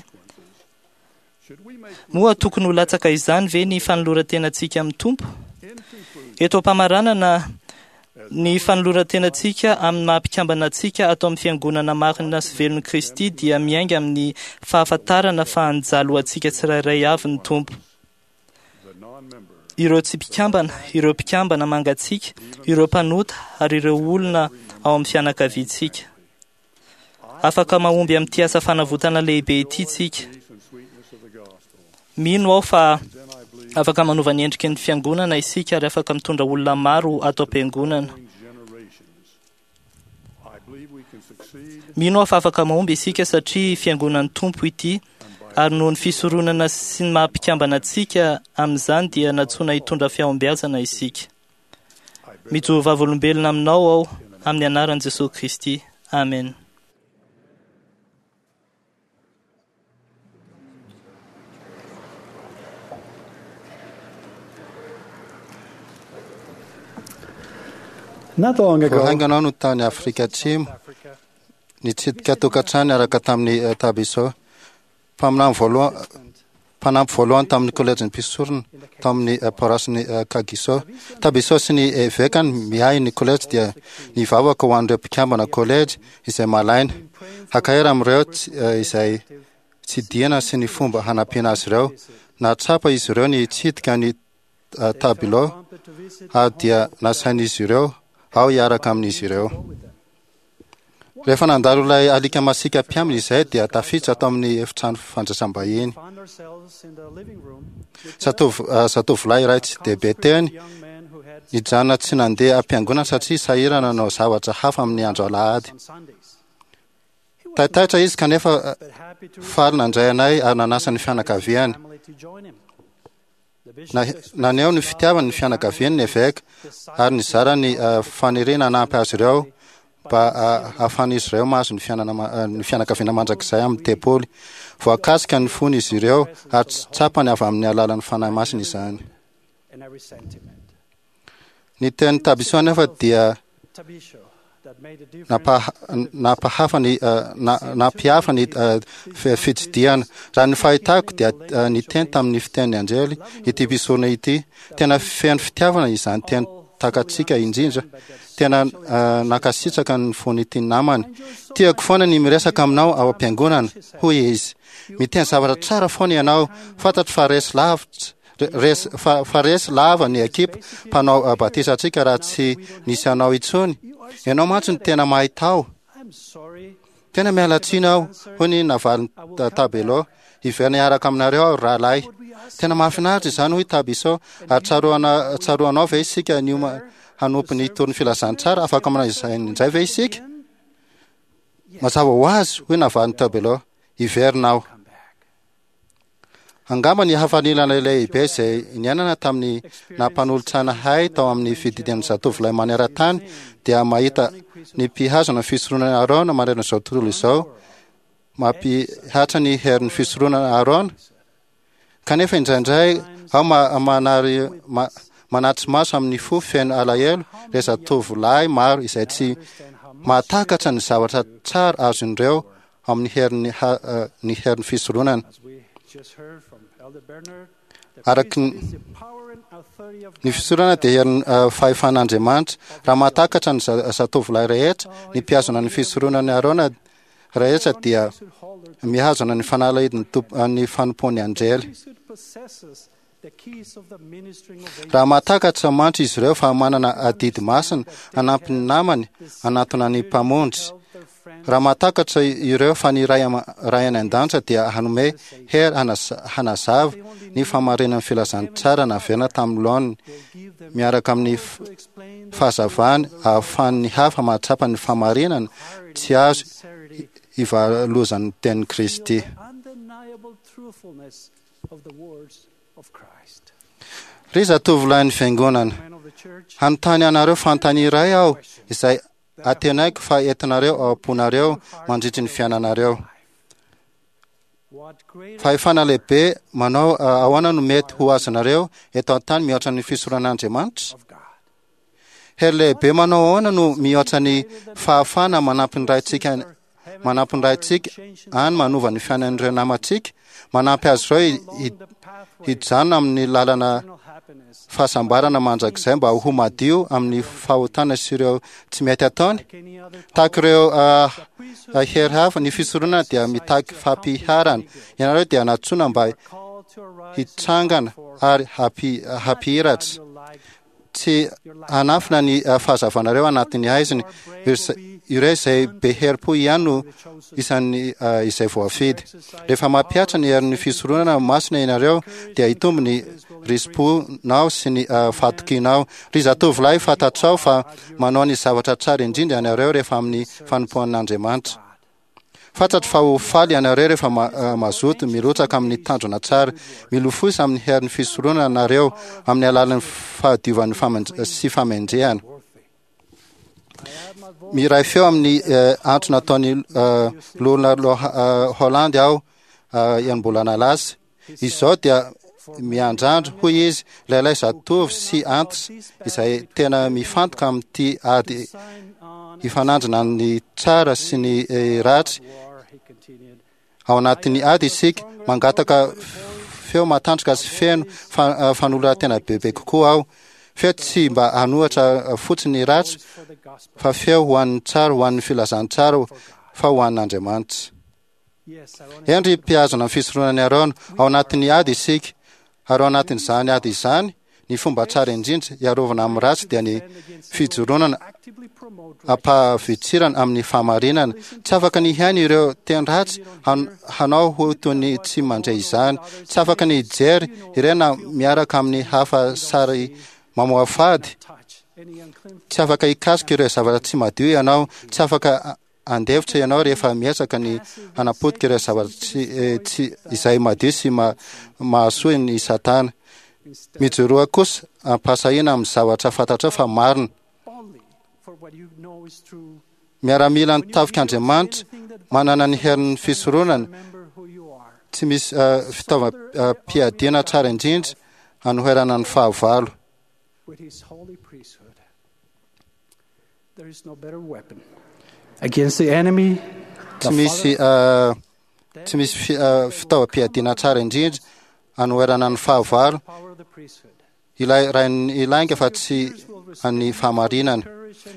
Moa tokony ho latsaka izany ve ny fanoloran-tenantsika amin'ny Tompo? Eto am-pamaranana ny fanoloran-tenantsika amin'ny maha-mpikambana antsika ato amin'ny fiangonana marina sy velon'i Kristy dia miainga amin'ny fahafantarana fa nijaly ho antsika tsirairay avy ny Tompo. Ireo tsy mpikambana, ireo mpikambana mangatsiaka, ireo mpanota ary ireo olona ao amin'ny fianakaviantsika. Afaka mahomby amin'ity asa fanavotana lehibe ity tsika. Mino aho fa afaka manova ny endriky ny fiangonana isika ary afaka mitondra olona maro ato am-piangonana. Mino aho fa afaka mahomby isika satria fiangonan'ny Tompo ity ary noho ny fisoronana sy ny maha-mpikambana antsika amin'izany dia nantsoina hitondra fahombiazana isika. Mijoro vavolombelona aminao aho amin'ny anaran'i Jesosy Kristy. Amen. Not long ago, Vao haingana aho no tany Afrika Atsimo, nitsidika tokantrano niaraka tamin'ny eh, Tabiso, mpaminany voalohany mpanampy voalohany tamin'ny kolejin'ny mpisorona tamin'ny eh, paroasin'ny eh, Kagiso. Tabiso sy ny evekany miahy ny kolejy dia nivavaka ho an'ireo mpikambana kolejy izay malaina. Hakahery amin'ireo tsy- eh, izay tsidihana sy ny fomba hanampiana azy ireo. Nahatsapa izy ireo ny hitsidika ny eh, Tabilo ary dia nasain'izy ireo aho hiaraka amin'izy ireo. Rehefa nandalo ilay alika masiaka mpiambina izay dia tafiditra tao amin'ny efitrano fandraisam-bahiny. found ourselves in the living room with Zatovo- eh, Zatovolahy iray tsy dia be teny a young man who had nijanona tsy nandeha am-piangonana satria sahirana nanao zavatra hafa amin'ny andro alahady. on Sundays. Taitaitra izy kanefa eh, But happy to faly nandray anay ary nanasa ny fianakaviany. family to join him. The bishop Na- Naneho ny fitiavany ny fianakaviany ny eveka ary nizara ny eh, faniriana hanampy azy ireo mba eh, hahafahan'izy ireo mahazo ny fiainana ma- eh, ny fianakaviana mandrakizay amin'ny tempoly. Voakasika ny fony izy ireo ary tsy tsapany avy amin'ny alalan'ny Fanahy Masina izany. and every sentiment. Ny teny Tabiso anefa dia Tabisho that made a difference nampaha- nampahafa ny eh, na- nampihafa ny eh, fi- fitsidihana. Raha ny fahitako dia eh, niteny tamin'ny fitenin'ny anjely ity mpisorona ity. Tena feno fitiavana izany teny takatsika indrindra. Tena eh, nankasitraka ny fon'ity namany. Tiako foana ny miresaka aminao ao am-piangonana, hoy izy. Miteny zavatra tsara foana ianao. Fantatro fa resy lavitra res, fa, fa resy lava ny ekipa mpanao eh, batisa antsika raha tsy nisy anao intsony. Ianao mantsy no tena mahay tao. I'm sorry Tena miala tsiny aho, hoy ny navaliny ta- Tabelo. Hiverina hiaraka aminareo aho, rahalahy. Tena mahafinaritra izany, hoy Tabiso. Ary tsaroana tsaroanao ve isika nioma hanompo ny tory ny filazantsara? Afaka manao izay indray ve isika? Mazava ho azy, hoy navalin'i Tabelo. Hiverina aho. Angamba ny hafaliana lehibe izay niainana tamin'ny nampanolotsaina hay tao amin'ny fididian'ny zatovolahy maneran-tany dia mahita ny mpihazona fisoronana Aarona manerana izao tontolo izao mampihatra ny herin'ny fisoronana Aarona. Kanefa indraindray aho manary manatri-maso amin'ny fo feno alahelo ireo zatovolahy maro izay tsy mahatakatra ny zavatra tsara azon'ireo amin'ny herin'ny ny herin'ny fisoronana. Araka ny fisoronana dia herin'ny fahefan'Andriamanitra. Raha mahatakatra ny zatovolahy rehetra, ny mpihazona ny fisoronana Aarona rehetra dia mihazona ny fanalahidin'ny ny fanompoan'ny anjely. Raha mahatakatra mantsy izy ireo fa manana adidy masina hanampy ny namany hanatona ny Mpamonjy. Raha mahatakatra ireo fa ny Ray Ray any an-danitra dia hanome hery hanazava ny fahamarinan'ny filazantsara naverina tamin'ny laoniny miaraka amin'ny fahazavany ahafahan'ny hafa mahatsapa ny fahamarinana tsy azo ivalozan'ny tenin'i Kristy. Ry zatovolahin'ny fiangonana, hanontany anareo fanontaniana iray aho izay antenaiko fa entinareo ao am-ponareo mandritry ny fiainanareo. Fahefana lehibe manao ahoana no mety ho azonareo eto an-tany mihoatra ny fisoronan'Andriamanitra? Hery lehibe manao ahoana no mihoatra ny fahafahana manampy ny Raintsika manampy ny Raintsika any manova ny fiainan'ireo namantsika, manampy azy ireo hijanona amin'ny lalana fahasambarana mandrakizay mba ho madio amin'ny fahotana sy ireo tsy mety ataony? Tahaka ireo hery hafa, ny fisoronana dia mitaky fampiharana. Ianareo dia nantsoina mba hitsangana ary hampihiratra. Tsy hanafina ny fahazavanareo anatin'ny haizina. Ireo izay be herim-po ihany no isan'ny izay voafidy. Rehefa mampihatra ny herin'ny fisoronana masina ianareo, dia hitombo ny risi-ponao sy ny fahatokianao. Ry zatovolahy, fantatrao fa manao ny zavatra tsara indrindra ianareo rehefa amin'ny fanompoan'Andriamanitra. Fantatro fa ho faly ianareo rehefa mazoto mirotsaka amin'ny tanjona tsara. Milofosa amin'ny herin'ny fisoronana nareo amin'ny alalan'ny fahadiovan'ny sy famendrehana. Miray feo amin'ny antso nataon'ny loholona Holland aho enim-bolana lasa. Izao dia miandrandra, hoy izy, lehilahy zatovo sy antitra izay tena mifantoka amin'ity ady hifanandrina ny tsara sy ny ratsy. Ao anatin'ny ady isika, mangataka feo matanjaka sy feno fanoloran-tena bebe kokoa aho. Feo tsy mba hanohatra fotsiny ny ratsy, fa feo ho an'ny tsara, ho an'ny filazantsara, fa ho an'Andriamanitra. Eny ry mpihazona ny fisoronan'i Aarona, ao anatin'ny ady isika, ary ao anatin'izany ady izany, ny fomba tsara indrindra hiarovana amin'ny ratsy dia ny fijoronana am-pahavitsirana amin'ny fahamarinana. Tsy afaka ny hihaino ireo teny ratsy hanao ho toy ny tsy mandre izany. Tsy afaka ny hijery ireo na miaraka amin'ny hafa sary mamoafady. Tsy afaka hikasika ireo zavatra tsy madio ianao. Tsy afaka handefitra ianao rehefa miezaka ny hanapotika ireo zavatra tsy, tsy izay madio sy ma, mahasoa ny Satana. Mijoroa kosa am-pahasahiana amin'ny zavatra fantatrao fa marina. Miaramila ny tafik'Andriamanitra, manana ny herin'ny fisoronana, tsy misy uh, fitaovam-piadiana tsara indrindra hanoherana ny fahavalo. There is no better weapon against the enemy. Tsy misy tsy misy fitaovam-piadiana tsara indrindra anoherana ny fahavalo ilay rain'ny lainga fa tsy an'ny fahamarinana.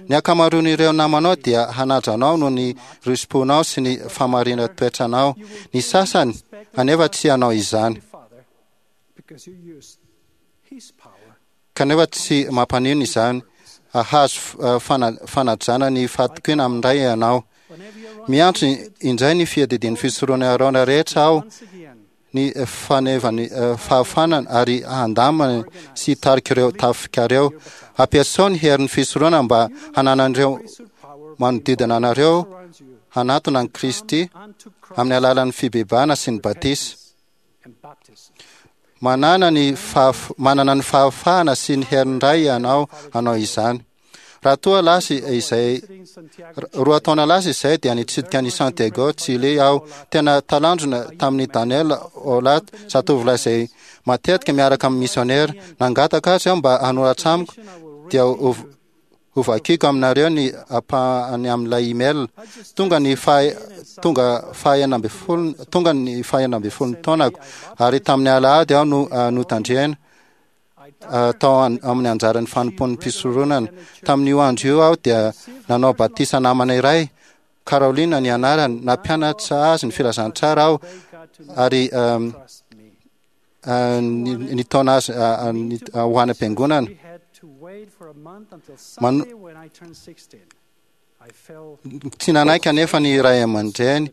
Ny ankamaroan'ireo namanao dia hanaja anao noho ny risi-ponao sy ny fahamarinan-toetranao. Ny sasany anefa tsy hanao izany. Kanefa tsy mampanino izany. Hahazo fanajana ny fahatokiana amin'ny Ray ianao. Miantso indray ny fiadidian'ny fisoronan'i Aarona rehetra aho ny fanevany fahafanana ary handamana sy hitarika ireo tafikareo. Ampiasao ny herin'ny fisoronana mba hananan'ireo manodidina anareo hanatona an'i Kristy amin'ny alalan'ny fibebahana sy ny batisa. Manana ny fahaf- manana ny fahafahana sy ny herin'ny Ray ianao hanao izany. Raha toa lasa izay roa taona lasa izay dia nitsidika an'i Santiago, Chile aho. Tena talanjona tamin'i Daniel Olat, zatovolahy izay matetika miaraka amin'ny misionera. Nangataka azy aho mba hanoratra amiko, dia ho hovakiko aminareo ny ampahany amin'ilay email. Tonga ny faha tonga faha enina ambin'ny folo tonga ny faha enina ambin'ny folo taonako ary tamin'ny alahady aho no notandrena tao amin'ny anjaran'ny fanompoan'ny mpisoronana. Tamin'io andro io aho dia nanao batisa namana iray, Carolina ny anarany. Nampianatra azy ny filazantsara aho ary nitaona azy ho any am-piangonana. Mano- Tsy nanaiky anefa ny ray aman-dreny,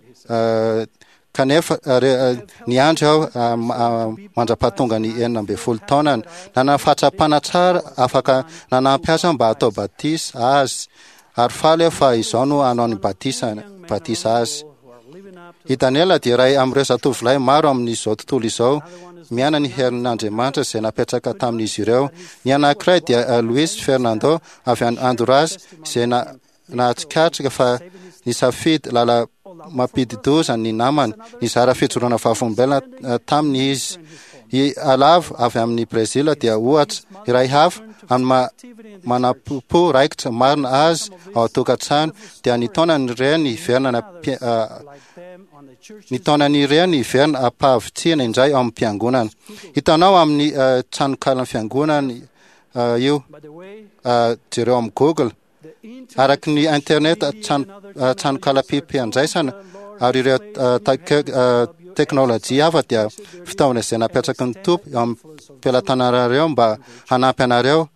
kanefa niandry aho mandra-pahatonga ny enina ambin'ny folo taonany. Nanana fahatsapana tsara afaka nanampy azy aho mba hatao batisa azy, ary faly aho fa izao no hanao ny batisa batisa azy. I Daniela dia iray amin'ireo zatovolahy maro amin'izao tontolo izao miaina ny herin'Andriamanitra izay napetraka tamin'izy ireo. Ny anankiray dia Luis Fernando avy any Honduras izay na nahatsikatrika fa nisafidy lala mampidi-doza ny namany. Nizara fijoroana vavolombelona taminy izy. I Alavo avy amin'ny Brezila dia ohatra iray hafa amin'ny maha manampo raikitra marina azy ao an-tokantrano dia nitaona ny reny hiverina nampi- nitaona ny reny hiverina am-pahavitrihana indray ao amin'ny fiangonana. Hitanao amin'ny tranokalan'ny fiangonana io, jereo amin'ny Google. Araky ny internet trano tranokalam-piandraisana ary ireo teknôlôjia hafa dia fitaovana izay napetraky ny Tompo eo amin'ny pelatananareo mba hanampy anareo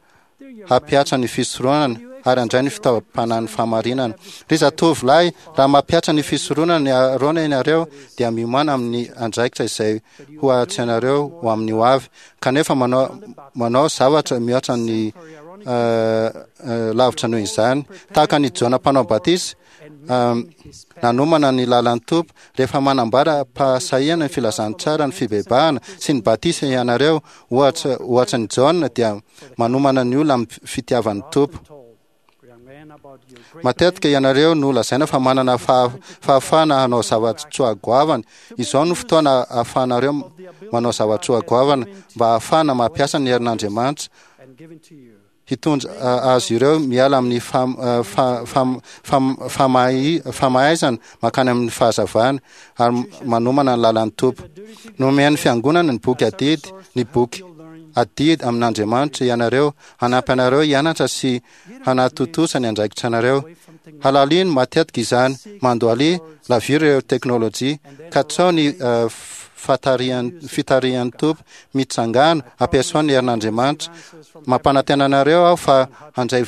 hampiatra ny fisoronana ary handray ny fitaovam-panahin'ny fahamarinana. Ry zatovolahy, raha mampiatra ny fisoronana ny Aarona ianareo dia miomàna amin'ny andraikitra izay ho atrehinareo ho amin'ny ho avy, kanefa manao manao zavatra mihoatra ny lavitra noho izany. Tahaka an'i Jaona mpanao batisa, nanomana ny lalan'ny Tompo, rehefa manambara am-pahasahiana ny filazantsara ny fibebahana sy ny batisa ianareo, ohatra ohatra an'i Jaona dia manomana ny olona amin'ny fitiavan'ny Tompo. Matetika ianareo no lazaina fa manana fahafahana hanao zava-tsoa goavana. Izao no fotoana ahafahanareo manao zava-tsoa goavana mba hahafahana mampiasa ny herin'Andriamanitra hitondra azy ireo miala amin'ny famaizana mankany amin'ny fahazavana ary manomana ny lalan'ny Tompo. Nomen'ny fiangonana ny boky adidy, ny boky adidy amin'Andriamanitra ianareo, hanampy anareo hianatra sy hanatontosa ny andraikitra anareo. Halalino matetika izany, mandohalia, laviro ireo teknôlôjia, katsao ny fatarihan'ny fitarihan'ny Tompo, mitsangàna, ampiasao ny herin'Andriamanitra. Mampanantena anareo aho fa handray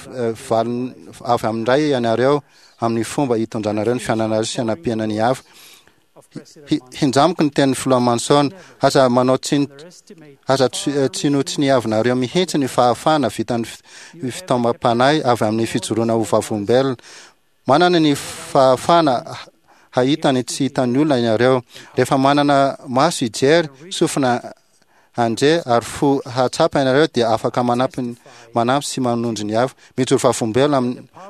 valiny avy amin'ny Ray ianareo amin'ny fomba hitondranareo ny fiainanareo sy hanampiana ny hafa. Hinjamiko ny tenin'ny filoha Manson, aza manao tsiny aza tsinotsiniavinareo mihitsy ny fahafahana vitan'ny fitaomam-panahy avy amin'ny fijoroana ho vavolombelona. Manana ny fahafahana hahita ny tsy hitan'ny olona ianareo. Rehefa manana maso hijery, sofina handre ary fo hahatsapa ianareo dia afaka manampy manampy sy manondro ny hafa. Mijoro vavolombelona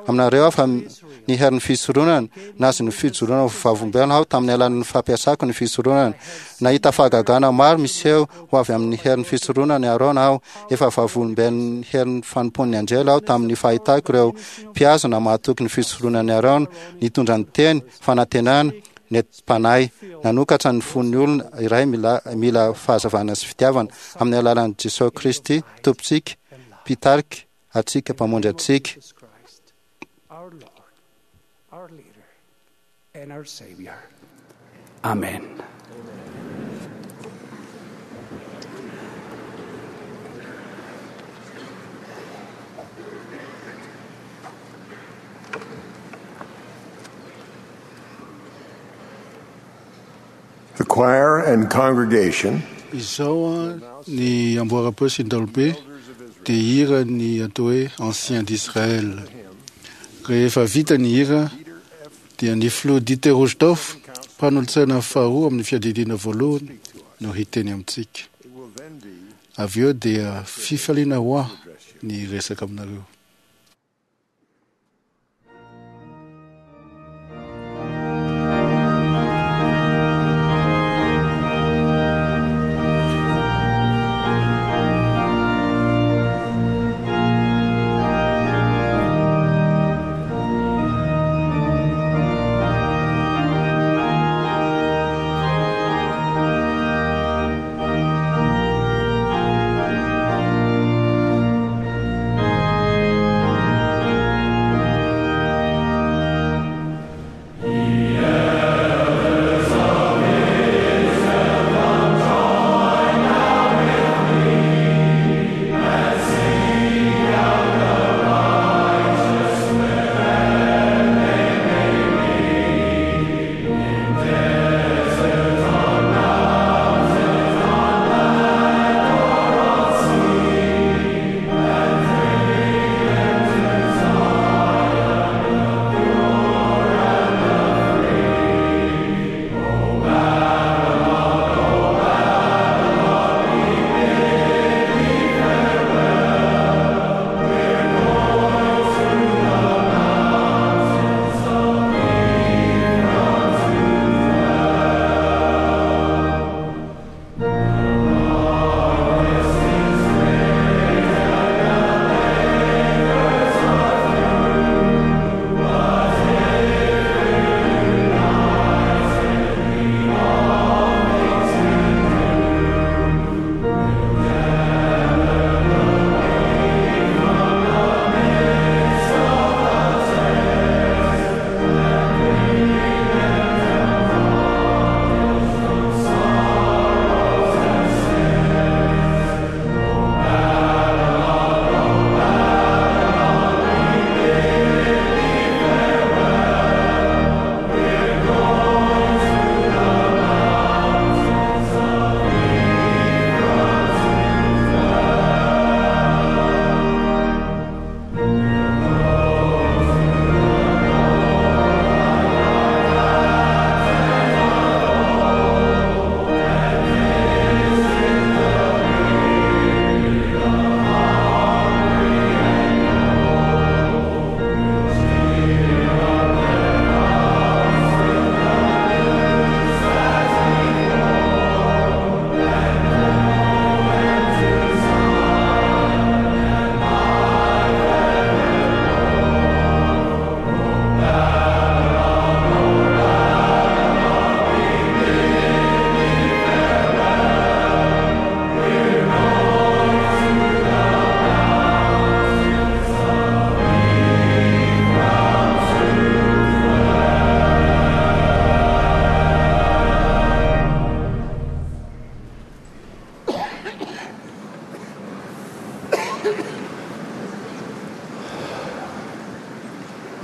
aminareo aho fa ny herin'ny fisoronana, nahazo ny fijoroana ho vavolombelona aho tamin'ny alalan'ny fampiasako ny fisoronana. Nahita fahagagana maro miseho ho avy amin'ny herin'ny fisoronana i Arona aho. Efa vavolombelon'ny herin'ny fanompoan'ny anjely aho tamin'ny fahitako ireo mpihazona mahatoky ny fisoronan'i Arona, nitondra ny teny, fanantenana, nentim-panahy, nanokatra ny fon'ny olona iray mila mila fahazavana sy fitiavana, amin'ny alalan'i Jesoa Kristy Tompontsika, Mpitarika antsika, Mpamonjy antsika. Amen. The choir and congregation Izao a ny amboara-peo sy ny daholobe dia hira ny atao hoe ancien d'Israël. Rehefa vita ny hira dia ny filoha Dieter Uchtdorf, mpanolotsaina faharoa amin'ny fiadidiana voalohany no hiteny amintsika. Avy eo dia fifaliana ho ahy ny resaka aminareo.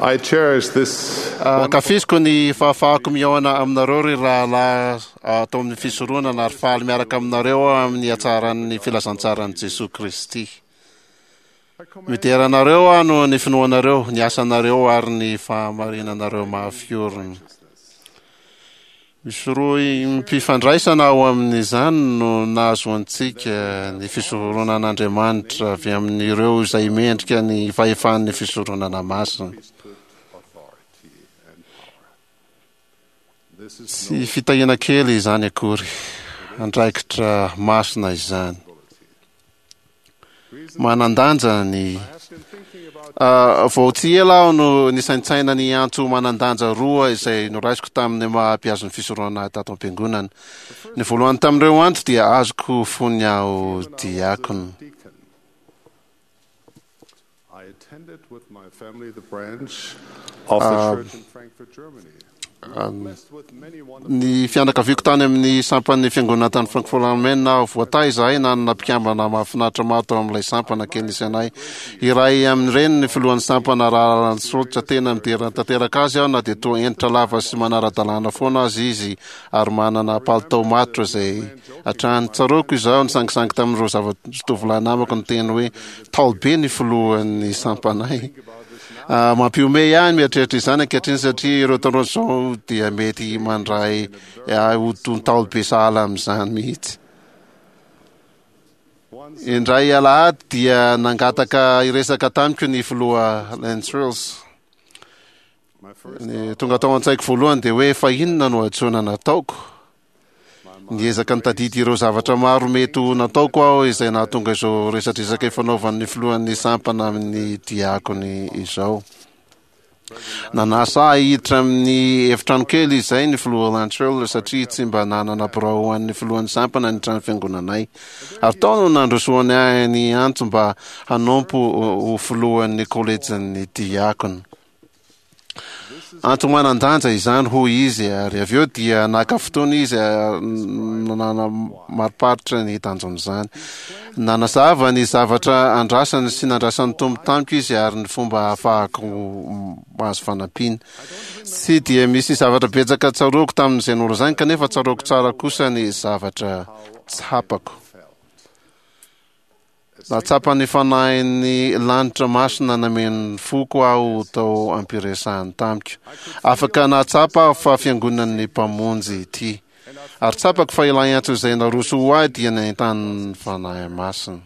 I cherish this Ankafiziko ny fahafahako mihaona aminareo ry rahalahy atao amin'ny fisoronana ary faly miaraka aminareo aho amin'ny hatsaran'ny filazantsaran'i Jesoa Kristy. Midera anareo aho noho ny finoanareo, ny asanareo ary ny fahamarinanareo mahafiorina. Misy rohy mpifandraisana ao amin'izany no nahazoantsika ny fisoronan'Andriamanitra avy amin'ireo izay mendrika ny fahefan'ny fisoronana masina. Tsy fitahiana kely izany akory, andraikitra masina izany. Manan-danja ny vao tsy ela aho no nisaintsaina ny antso manan-danja roa izay noraisiko tamin'ny maha mpihazo ny fisoronana tato am-piangonana. Ny voalohany tamin'ireo antso dia azoko fony aho diakona. I attended with my family the branch of the church in Frankfurt, Germany. Ny fianakaviako tany amin'ny sampan'ny fiangonana tany Francfort am Main aho. Voatahy izahay nanana mpikambana mahafinaritra maro tao amin'ilay sampana kely nisy anay. Iray amin'ireny ny filohan'ny sampana, Rahalahy Lance Schultz. Tena midera tanteraka azy aho, na dia toa hentitra lava sy manara-dalàna foana azy izy ary manana palitao matotra izay hatrany. Tsaroako izaho nisangisangy tamin'ireo zava-tovolahy namako niteny hoe ntaolo be ny filohan'ny sampanay. Mampihomehy ahy ny mieritreritra izany ankehitriny, satria ireo tanora izao dia mety mandray ahy ho toy ntaolo be sahala amin'izany mihitsy. Indray alahady dia nangataka hiresaka tamiko ny filoha Lance Schultz. Ny tonga tao an-tsaiko voalohany dia hoe fa inona no hadisoana nataoko? Niezaka nitadidy ireo zavatra maro mety ho nataoko aho izay nahatonga izao resadresaka ifanaovan'ny filohan'ny sampana amin'ny diakony izao. Nanasa ahy hiditra amin'ny efitrano kely izay ny filoha Lance Schultz, satria tsy mba nanana birao ho an'ny filohan'ny sampana ny trano fiangonanay. Ary tao no nandrosoany ahy ny antso mba hanompo ho filohan'ny kolejin'ny diakona. Antso manan-danja izany, hoy izy, ary avy eo dia naka fotoana izy nanamariparitra ny tanjon'izany. Nanazava ny zavatra andrasany sy nandrasan'ny Tompo tamiko izy ary ny fomba ahafahako mahazo fanampiana. Tsy dia misy zavatra betsaka tsaroako tamin'izay nolazainy, kanefa tsaroako tsara kosa ny zavatra tsapako. Nahatsapa ny fanahin'ny lanitra masina nameno ny foko aho tao am-piresahany tamiko. Afaka nahatsapa aho fa fiangonan'ny Mpamonjy ity. Ary tsapako fa ilay antso izay naroso ho ahy dia nentanin'ny Fanahy Masina.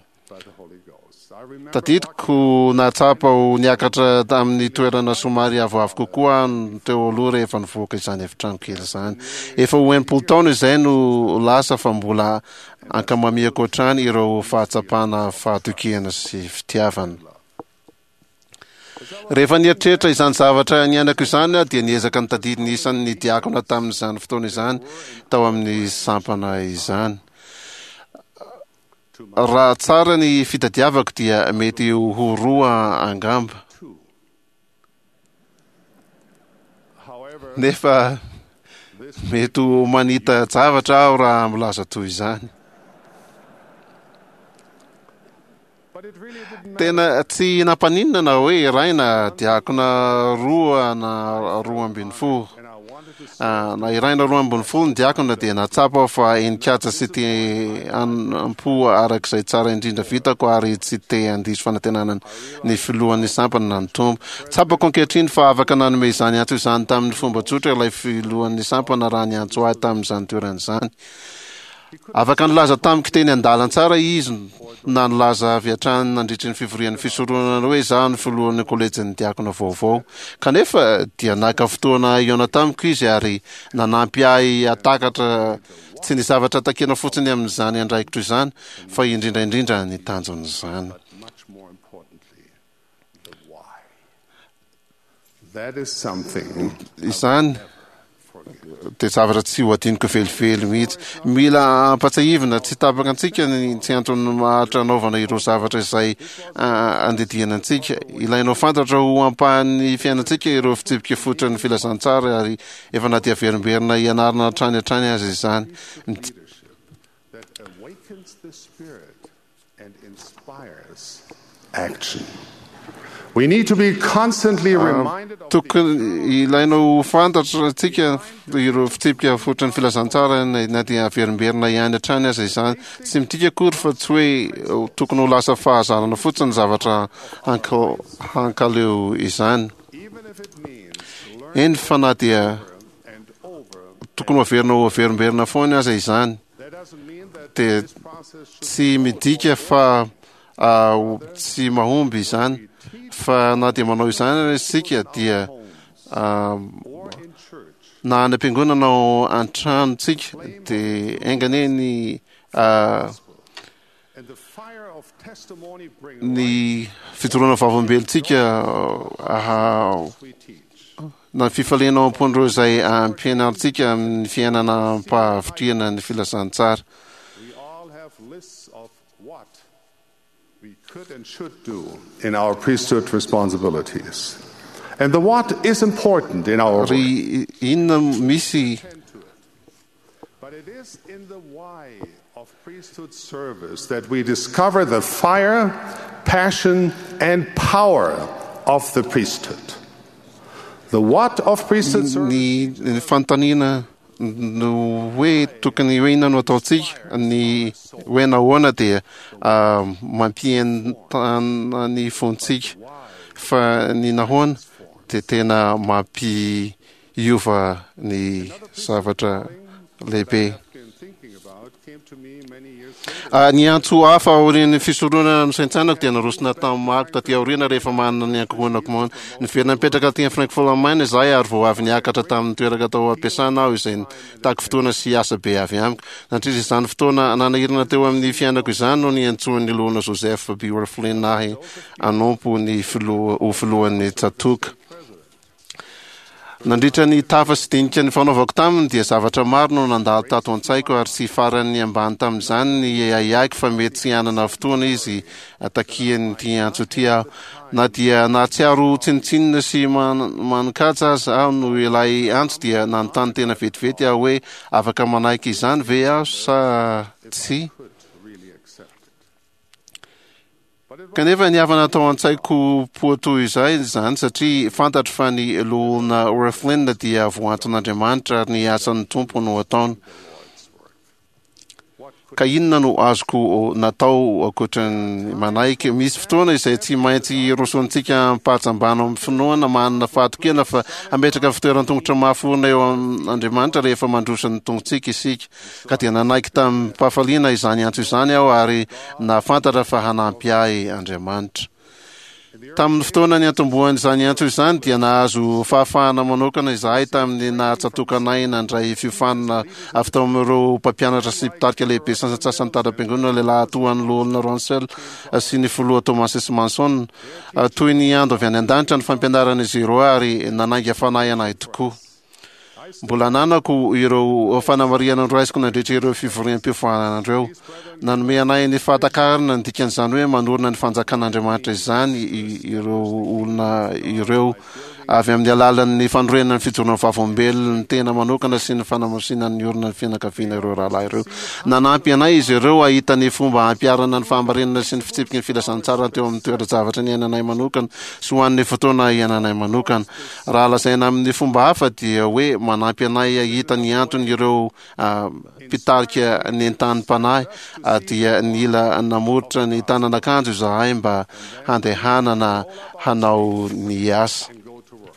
Tadidiko nahatsapa ho niakatra tamin'ny toerana somary avoavo kokoa aho teo aloha rehefa nivoaka izany efitrano kely izany. Efa ho enimpolo taona izay no lasa fa mbola ankamamiako hatrany ireo fahatsapana fahatokiana sy fitiavana. Rehefa nieritreritra izany zavatra niainako izany aho dia niezaka nitadidy ny isan'ny diakona tamin'izany fotoana izany tao amin'ny sampana izany. Raha tsara ny fitadiavako dia mety ho roa angamba. Nefa mety ho manita-javatra aho raha milaza toy izany. Tena tsy nampaninona na hoe iray na diakona roa na roa ambin'ny folo. Na iray na roa ambin'ny folo ny diakona dia nahatsapa aho fa henin-kaja sy te hanampo araka izay tsara indrindra vitako ary tsy te handiso fanantenana ny filohan'ny sampana na ny Tompo. Tsapako ankehitriny fa afaka nanome izany antso izany tamin'ny fomba tsotra ilay filohan'ny sampana raha niantso ahy tamin'izany toerana izany. Afaka nilaza tamiko teny an-dalantsara izy na nilaza avy hatrany nandritry ny fivorian'ny fisoronana hoe izaho no filohan'ny kolejin'ny diakona vaovao. Kanefa dia naka fotoana hihaona tamiko izy ary nanampy ahy hahatakatra tsy ny zavatra takiana fotsiny amin'izany andraikitro izany fa indrindra indrindra ny tanjon'izany. Izany dia zavatra tsy ho adinoko velively mihitsy. Mila ampatsiahivina tsy tapaka antsika ny tsy antony maharitra anaovana ireo zavatra izay andidiana antsika. Ilainao fantatra ho ampahan'ny fiainantsika ireo fitsipika fototra ny filazantsara ary efa na dia averimberina hianarana hatrany hatrany aza izany. That awakens the spirit and inspires action. We need to be constantly reminded of Tokony ilaina ho fantatra antsika ireo fitsipika fototra ny filazantsara na dia averimberina ihany hatrany aza izany. Tsy midika akory fa tsy hoe tokony ho lasa fahazarana fotsiny ny zavatra hankaleo izany. Eny fa na dia tokony ho averina ho averimberina foana aza izany dia tsy midika fa tsy mahomby izany, fa na dia manao izany isika dia na any am-piangonana ao an-tranontsika dia enga anie ny ny fijoroana vavolombelontsika na ny fifaliana ao am-pon'ireo izay ampianarintsika amin'ny fiainana am-pahavitrihana ny filazantsara. We all have lists of what we could and should do in our priesthood responsibilities. And the what is important in our work. Ry inona misy But it is in the why of priesthood service that we discover the fire, passion, and power of the priesthood. The what of priesthood service ny ny fanontaniana no hoe tokony hoe inona no ataontsika, ny hoe nahoana dia ah, mampientana ny fontsika, fa ny nahoana dia tena mampiova ny zavatra lehibe. been thinking about came to me many years later. Ah, ny antso hafa aorian'ny fisoronana no saintsainako dia narosona tamin'ny maro taty aoriana rehefa manana ny ankohonako moana. Niverina nipetraka aty amin'ny Frankfurt am Main izahay ary vao avy niakatra tamin'ny toerana tao am-piasana aho izay nitaky fotoana sy asa be avy amiko. Nandritra izany fotoana nanahirana teo amin'ny fiainako izany no niantsoan'ny loholona Joseph B. Wirthlin ahy hanompo ny filoha ho filohan'ny tsatoka. Nandritra ny tafa sy dinika ny fanaovako taminy dia zavatra maro no nandalo tato an-tsaiko ary tsy faran'ny ambany tamin'izany ny ahiahiko fa mety tsy hanana fotoana izy takian'ity antso ity aho. Na dia nahatsiaro tsinontsinona sy man- manin-kaja aza aho noho ilay antso dia nanontany tena vetivety aho hoe afaka manaiky izany ve aho sa tsy. Really accept it. Kanefa ny havana tao an-tsaiko poa toy izay izany satria fantatro fa ny loholona Wirthlin dia voanton'Andriamanitra ary ny asan'ny Tompo no ataony. Ka inona no azoko natao ankoatran'ny manaiky? Misy fotoana izay tsy maintsy rosoantsika am-pahajambana amin'ny finoana manana fahatokiana fa hametraka fitoeran-tongotra mafy orina eo amin'Andriamanitra rehefa mandroso ny tongotsika isika. Ka dia nanaiky tamim-pahafaliana izany antso izany aho ary nahafantatra fa hanampy ahy Andriamanitra. Tamin'ny fotoana niantombohan'izany antso izany dia nahazo fahafahana manokana izahay tamin'ny nahatsatokanay nandray fiofanana avy tao amin'ireo mpampianatra sy mpitarika lehibe sasantsasany tara-piangonana lehilahy toa an'ny loholona Russell sy ny filoha Thomas S. Monson. Toy ny ando avy any an-danitra ny fampianaran'izy ireo ary nanainga fanahy anay tokoa. Mbola ananako ireo fanamarihana noraisiko nandritra ireo fivoriam-piofanana ireo. Nanome anay ny fahatakarana ny dikan'izany hoe manorina ny fanjakan'Andriamanitra izany i- ireo olona ireo avy amin'ny alalan'ny fanorenana ny fijoroana vavolombelona ny tena manokana sy ny fanamasinana ny orina ny fianakaviana ireo rahalahy ireo. Nanampy anay izy ireo hahita ny fomba hampiharana ny fahamarinana sy ny fitsipiky ny filazantsara teo amin'ny toeran-javatra niainanay manokana sy ho an'ny fotoana iainanay manokana. Raha lazaina amin'ny fomba hafa dia hoe manampy anay hahita ny antony ireo ah, mpitarika nentanim-panahy ah, dia nila namoritra ny tanan'akanjo izahay mba handehanana hanao ny asa. And go to work.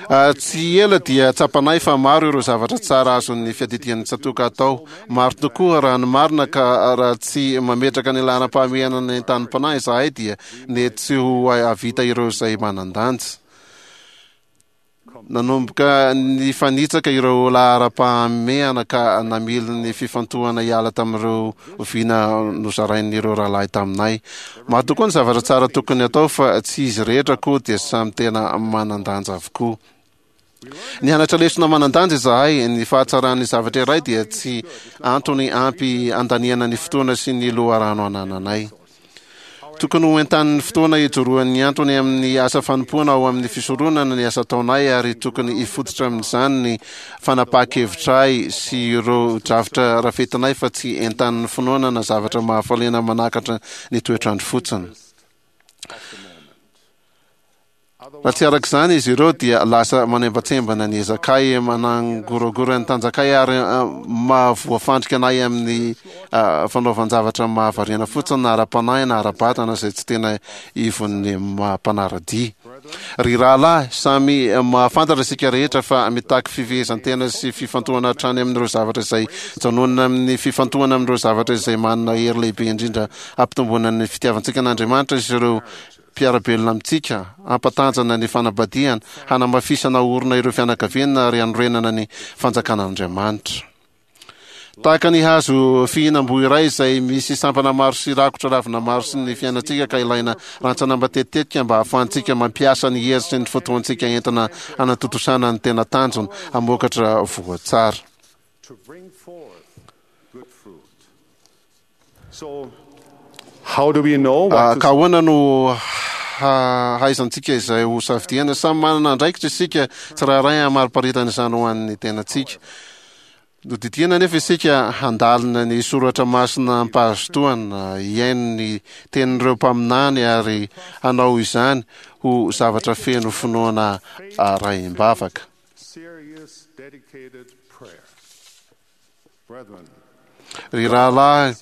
Ah, tsy ela dia tsapanay fa maro ireo zavatra tsara azon'ny fiadidian'ny tsatoka atao. Maro tokoa raha ny marina ka raha tsy mametraka ny laharam-pahamehana ny entanim-panahy izahay dia nety tsy ho hahavita ireo izay manan-danja. Nanomboka nifanitsaka ireo laharam-pahamehana ka namily ny fifantohana hiala tamin'ireo vina nozarain'ireo rahalahy taminay. Maro tokoa ny zavatra tsara tokony atao fa tsy izy rehetra koa dia samy tena manan-danja avokoa. Nianatra lesona manan-danja izahay, ny fahatsaran'ny zavatra iray dia tsy antony ampy andaniana ny fotoana sy ny loharano anananay. Tokony ho entanin'ny fotoana ijoroan'ny antony amin'ny asa fanompoana ao amin'ny fisoronana ny asa ataonay ary tokony hifototra amin'izany ny fanapahan-kevitray sy ireo drafitra rafetinay fa tsy entanin'ny finoana na zavatra mahafaliana manakatra ny toetrandro fotsiny. Raha tsy araka izany izy ireo dia lasa manembatsembana ny ezakay, manangoragora ny tanjakay ary ah, mahavoafandrika anay amin'ny ah, fanaovan-javatra mahavariana fotsiny na ara-panahy na ara-batana izay tsy tena ivon'ny maha-mpanara-dia. Ry rahalahy, samy mahafantatra isika rehetra fa mitaky fifehezan-tena sy fifantohana hatrany amin'ireo zavatra izay janonana amin'ny fifantohana amin'ireo zavatra izay manana hery lehibe indrindra hampitomboana ny fitiavantsika an'Andriamanitra sy ireo mpiara-belona amintsika, hampatanjana ny fanambadiana, hanamafisana orina ireo fianakaviana ary hanorenana ny fanjakan'Andriamanitra. Tahaka ny hazo fihinam-boa iray izay misy sampana maro sy rakotra ravina maro sy ny fiainantsika ka ilaina rantsana matetitetika mba hahafahantsika mampiasa ny hery sy ny fotoantsika entina hanatontosana ny tena tanjona hamokatra voa tsara. To bring forth good fruit. So, how do we know Ah, what ka to ahoana no hahaizantsika izay ho safidiana. Samy manana andraikitra isika tsirairay hamariparitana izany ho an'ny tenantsika. Nodidiana nefa isika handalina ny soratra masina am-pahazotoana, hihaino ny tenin'ireo mpaminany ary hanao izany ho zavatra feno finoana arahim-bavaka. Ry rahalahy,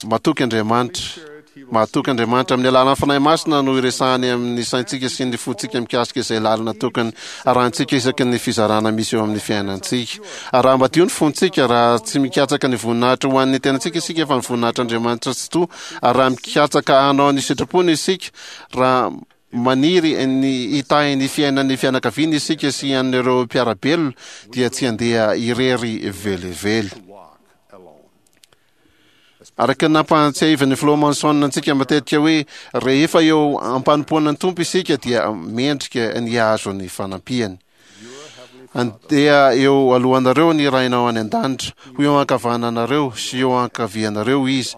matoky Andriamanitra. Mahatoky Andriamanitra. Amin'ny alalan'ny Fanahy Masina no iresahany amin'ny saintsika sy ny fontsika mikasika izay lalana tokony harahintsika isaky ny fizarana misy eo amin'ny fiainantsika. Ary raha madio ny fontsika, raha tsy mikatsaka ny voninahitra ho an'ny tenantsika isika fa ny voninahitr'Andriamanitra tsitoha, ary raha mikatsaka hanao ny sitrapony isika, raha maniry ny hitahy ny fiainan'ny fianakaviana isika sy an'ireo mpiara-belona, dia tsy handeha irery velively. Araka ny nampahatsiahivan'ny Filoha Monson antsika matetika hoe rehefa eo am-panompoana ny Tompo isika dia mendrika ny hahazo ny fanampiany. Andeha eo alohanareo ny Rainao any an-danitra, ho eo ankavananareo sy eo ankavianareo Izy,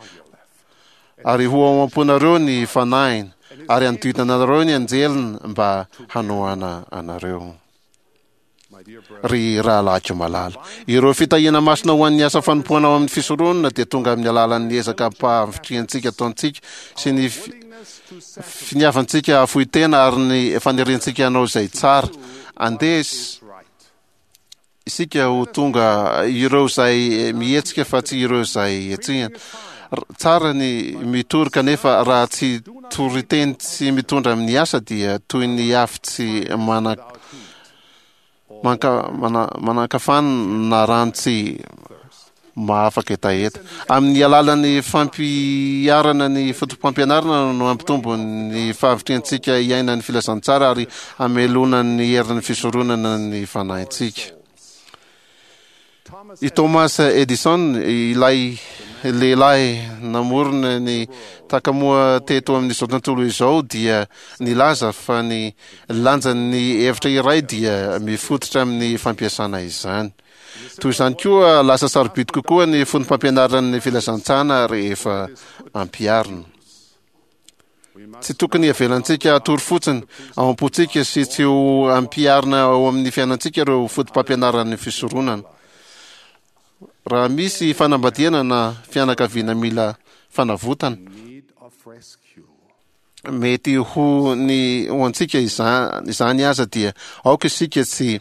ary ho ao am-ponareo ny Fanahiny, ary hanodidina anareo ny anjeliny mba hanohana anareo. Ry rahalahiko malala, ireo fitahiana masina ho an'ny asa fanompoana ao amin'ny fisoronana dia tonga amin'ny alalan'ny ezaka am-pahavitrihantsika ataontsika sy ny finiavantsika hahafoy tena ary ny faniriantsika hanao izay tsara. Andeha isika ho tonga ireo izay mihetsika fa tsy ireo izay hetsehina. Tsara ny mitory kanefa raha tsy toriteny tsy mitondra amin'ny asa dia toy ny afo tsy mana manka mana manankafana na rano tsy mahafaka hetaheta. Amin'ny alalan'ny fampiharana ny fotopampianarana no hampitombo ny fahavitrihantsika hiaina ny filazantsara ary hamelona ny herin'ny fisoronana ny fanahintsika. I Thomas Edison, ilay lehilahy namorona ny takamoa teto amin'izao tontolo izao dia nilaza fa ny lanjan'ny hevitra iray dia mifototra amin'ny fampiasana izany. Toy izany koa, lasa sarobidy kokoa ny fotopampianaran'ny filazantsana rehefa ampiharina. Tsy tokony havelantsika hatory fotsiny ao am-pontsika sy tsy ho ampiharina ao amin'ny fiainantsika ireo fotopampianaran'ny fisoronana. Raha misy fanambadiana na fianakaviana mila fanavotana, mety ho ny ho antsika izany aza dia aoka isika tsy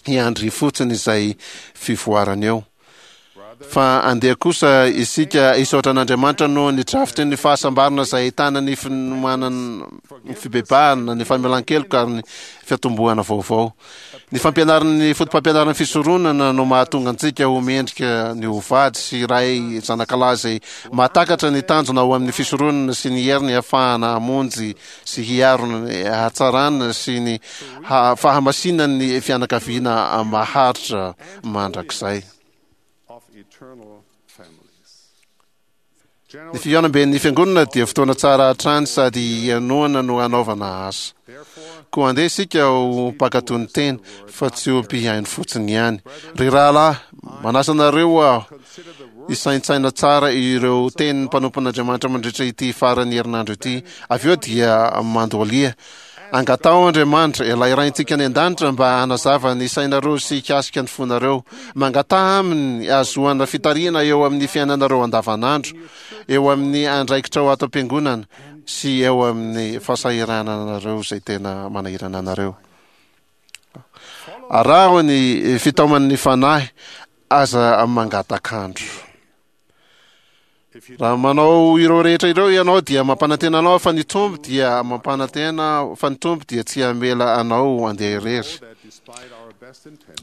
hiandry fotsiny izay fivoarana eo. Fa andeha kosa isika hisaotra an'Andriamanitra noho ny drafitry ny fahasambarana izay ahitana ny finomanana, ny fibebahana, ny famelan-keloka ary ny fiatombohana vaovao. Ny fampianaran'ny fotopampianaran'ny fisoronana no mahatonga antsika ho mendrika ny ho vady sy ray zanakalahy izay mahatakatra ny tanjona ao amin'ny fisoronana sy ny heriny hahafahana hamonjy sy hiaro ny hatsarana sy ny fahamasinan'ny fianakaviana maharitra mandrakizay. Ny fihaonamben'ny fiangonana dia fotoana tsara hatrany sady hihainoana no hanaovana asa. Koa andeha isika ho mpankatò ny teny fa tsy ho mpihaino fotsiny ihany. Ry rahalahy, manasa anareo aho hisaintsaina tsara ireo tenin'ny mpanompon'Andriamanitra mandritra ity faran'ny herinandro ity. Avy eo dia mandohalia. Angataho Andriamanitra, ilay Raintsika any an-danitra, mba hanazava ny sainareo sy hikasika ny fonareo. Mangataha Aminy hahazoana fitarihana eo amin'ny fiainanareo andavanandro, eo amin'ny andraikitrao ato am-piangonana, sy eo amin'ny fahasahirananareo izay tena manahirana anareo. Araho ny fitaoman'ny Fanahy, aza mangatak'andro. Raha manao ireo rehetra ireo ianao dia mampanantena anao fa ny Tompo dia mampanantena fa ny Tompo dia tsy hamela anao handeha irery.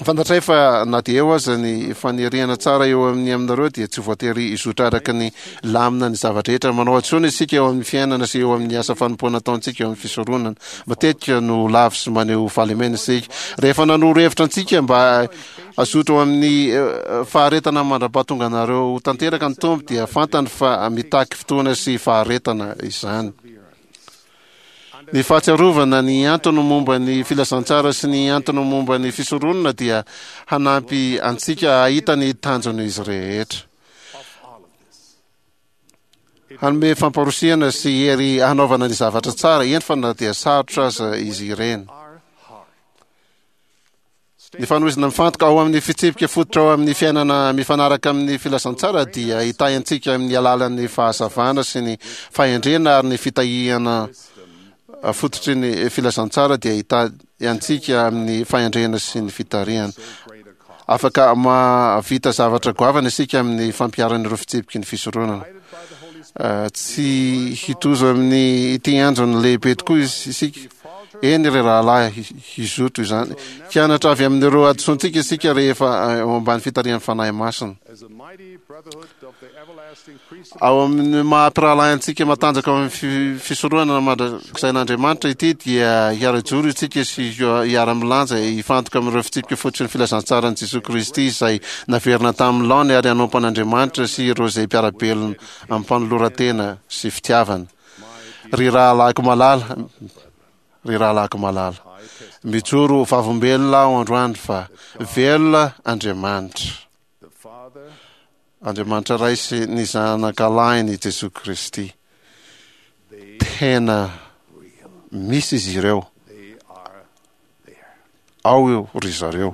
Fantatray fa na dia eo aza ny faniriana tsara eo amin'ny aminareo dia tsy voatery hizotra araka ny lamina ny zava-drehetra. Manao hadisoana isika eo amin'ny fiainana sy eo amin'ny asa fanompoana ataontsika eo amin'ny fisoronana. Matetika no lavo sy maneho fahalemena isika. Rehefa nanoro hevitra antsika mba Hazoto ao amin'ny faharetana mandra-pahatonga anareo ho tanteraka ny Tompo dia fantany fa mitaky fotoana sy faharetana izany. Ny fahatsiarovana ny antony momba ny filazantsara sy ny antony momba ny fisoronana dia hanampy antsika hahita ny tanjon'izy rehetra. Hanome famporosihana sy hery hanaovana ny zavatra tsara, eny fa na dia sarotra aza izy ireny. Ny fanohizana mifantoka ao amin'ny fitsipika fototra ao amin'ny fiainana mifanaraka amin'ny filazantsara dia hitahy antsika amin'ny alalan'ny fahazavana sy ny fahendrena, ary ny fitahiana fototry ny filazantsara dia hitahy antsika amin'ny fahendrena sy ny fitarihana. Afaka mahavita zavatra goavana isika amin'ny fampiharana ireo fitsipiky ny fisoronana. Tsy hitozo amin'ny ity androny lehibe tokoa isika. Eny ry rahalahy, hizoto izany. Hianatra avy amin'ireo hadisoantsika isika rehefa eo ambany fitarihan'ny Fanahy Masina. Ao amin'ny maha mpirahalahy antsika matanjaka ao amin'ny fisoronana mandrakizay-n'Andriamanitra ity dia hiara-joro isika sy hiara-milanja hifantoka amin'ireo fitsipika fototry ny filazantsaran'i Jesoa Kristy izay naverina tamin'ny laony ary hanompo an'Andriamanitra sy ireo izay mpiara-belona amin'ny-panoloran-tena sy fitiavana. Ry rahalahiko malala, ry rahalahiko malala, mijoro ho vavolombelona aho androany fa velona Andriamanitra. Andriamanitra Ray sy ny Zanakalahiny Jesoa Kristy. Tena misy izy ireo. Ao io ry zareo.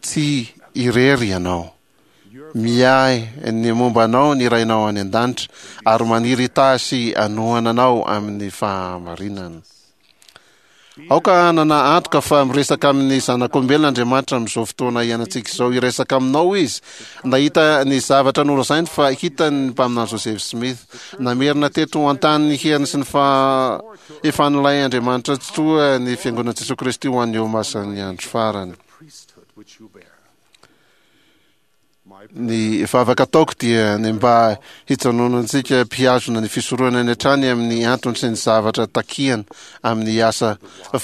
Tsy irery ianao. Miahy ny momba anao ny Rainao any an-danitra ary maniry hitahy sy hanohana anao amin'ny fahamarinana. Aoka hanana antoka fa miresaka amin'ny zanak'olombelona Andriamanitra amin'izao fotoana iainantsika izao. Hiresaka aminao Izy. Nahita ny zavatra nolazainy fa hitany ny mpaminany Joseph Smith. Namerina teto an-tany ny heriny sy ny fahefan'ilay Andriamanitra Tsitoha ny Fiangonan'i Jesoa Kristy ho an'ny olomasin'ny andro farany. Ny vavaka ataoko dia ny mba hijanonantsika mpihazona ny fisoronana hatrany amin'ny antony sy ny zavatra takiana amin'ny asa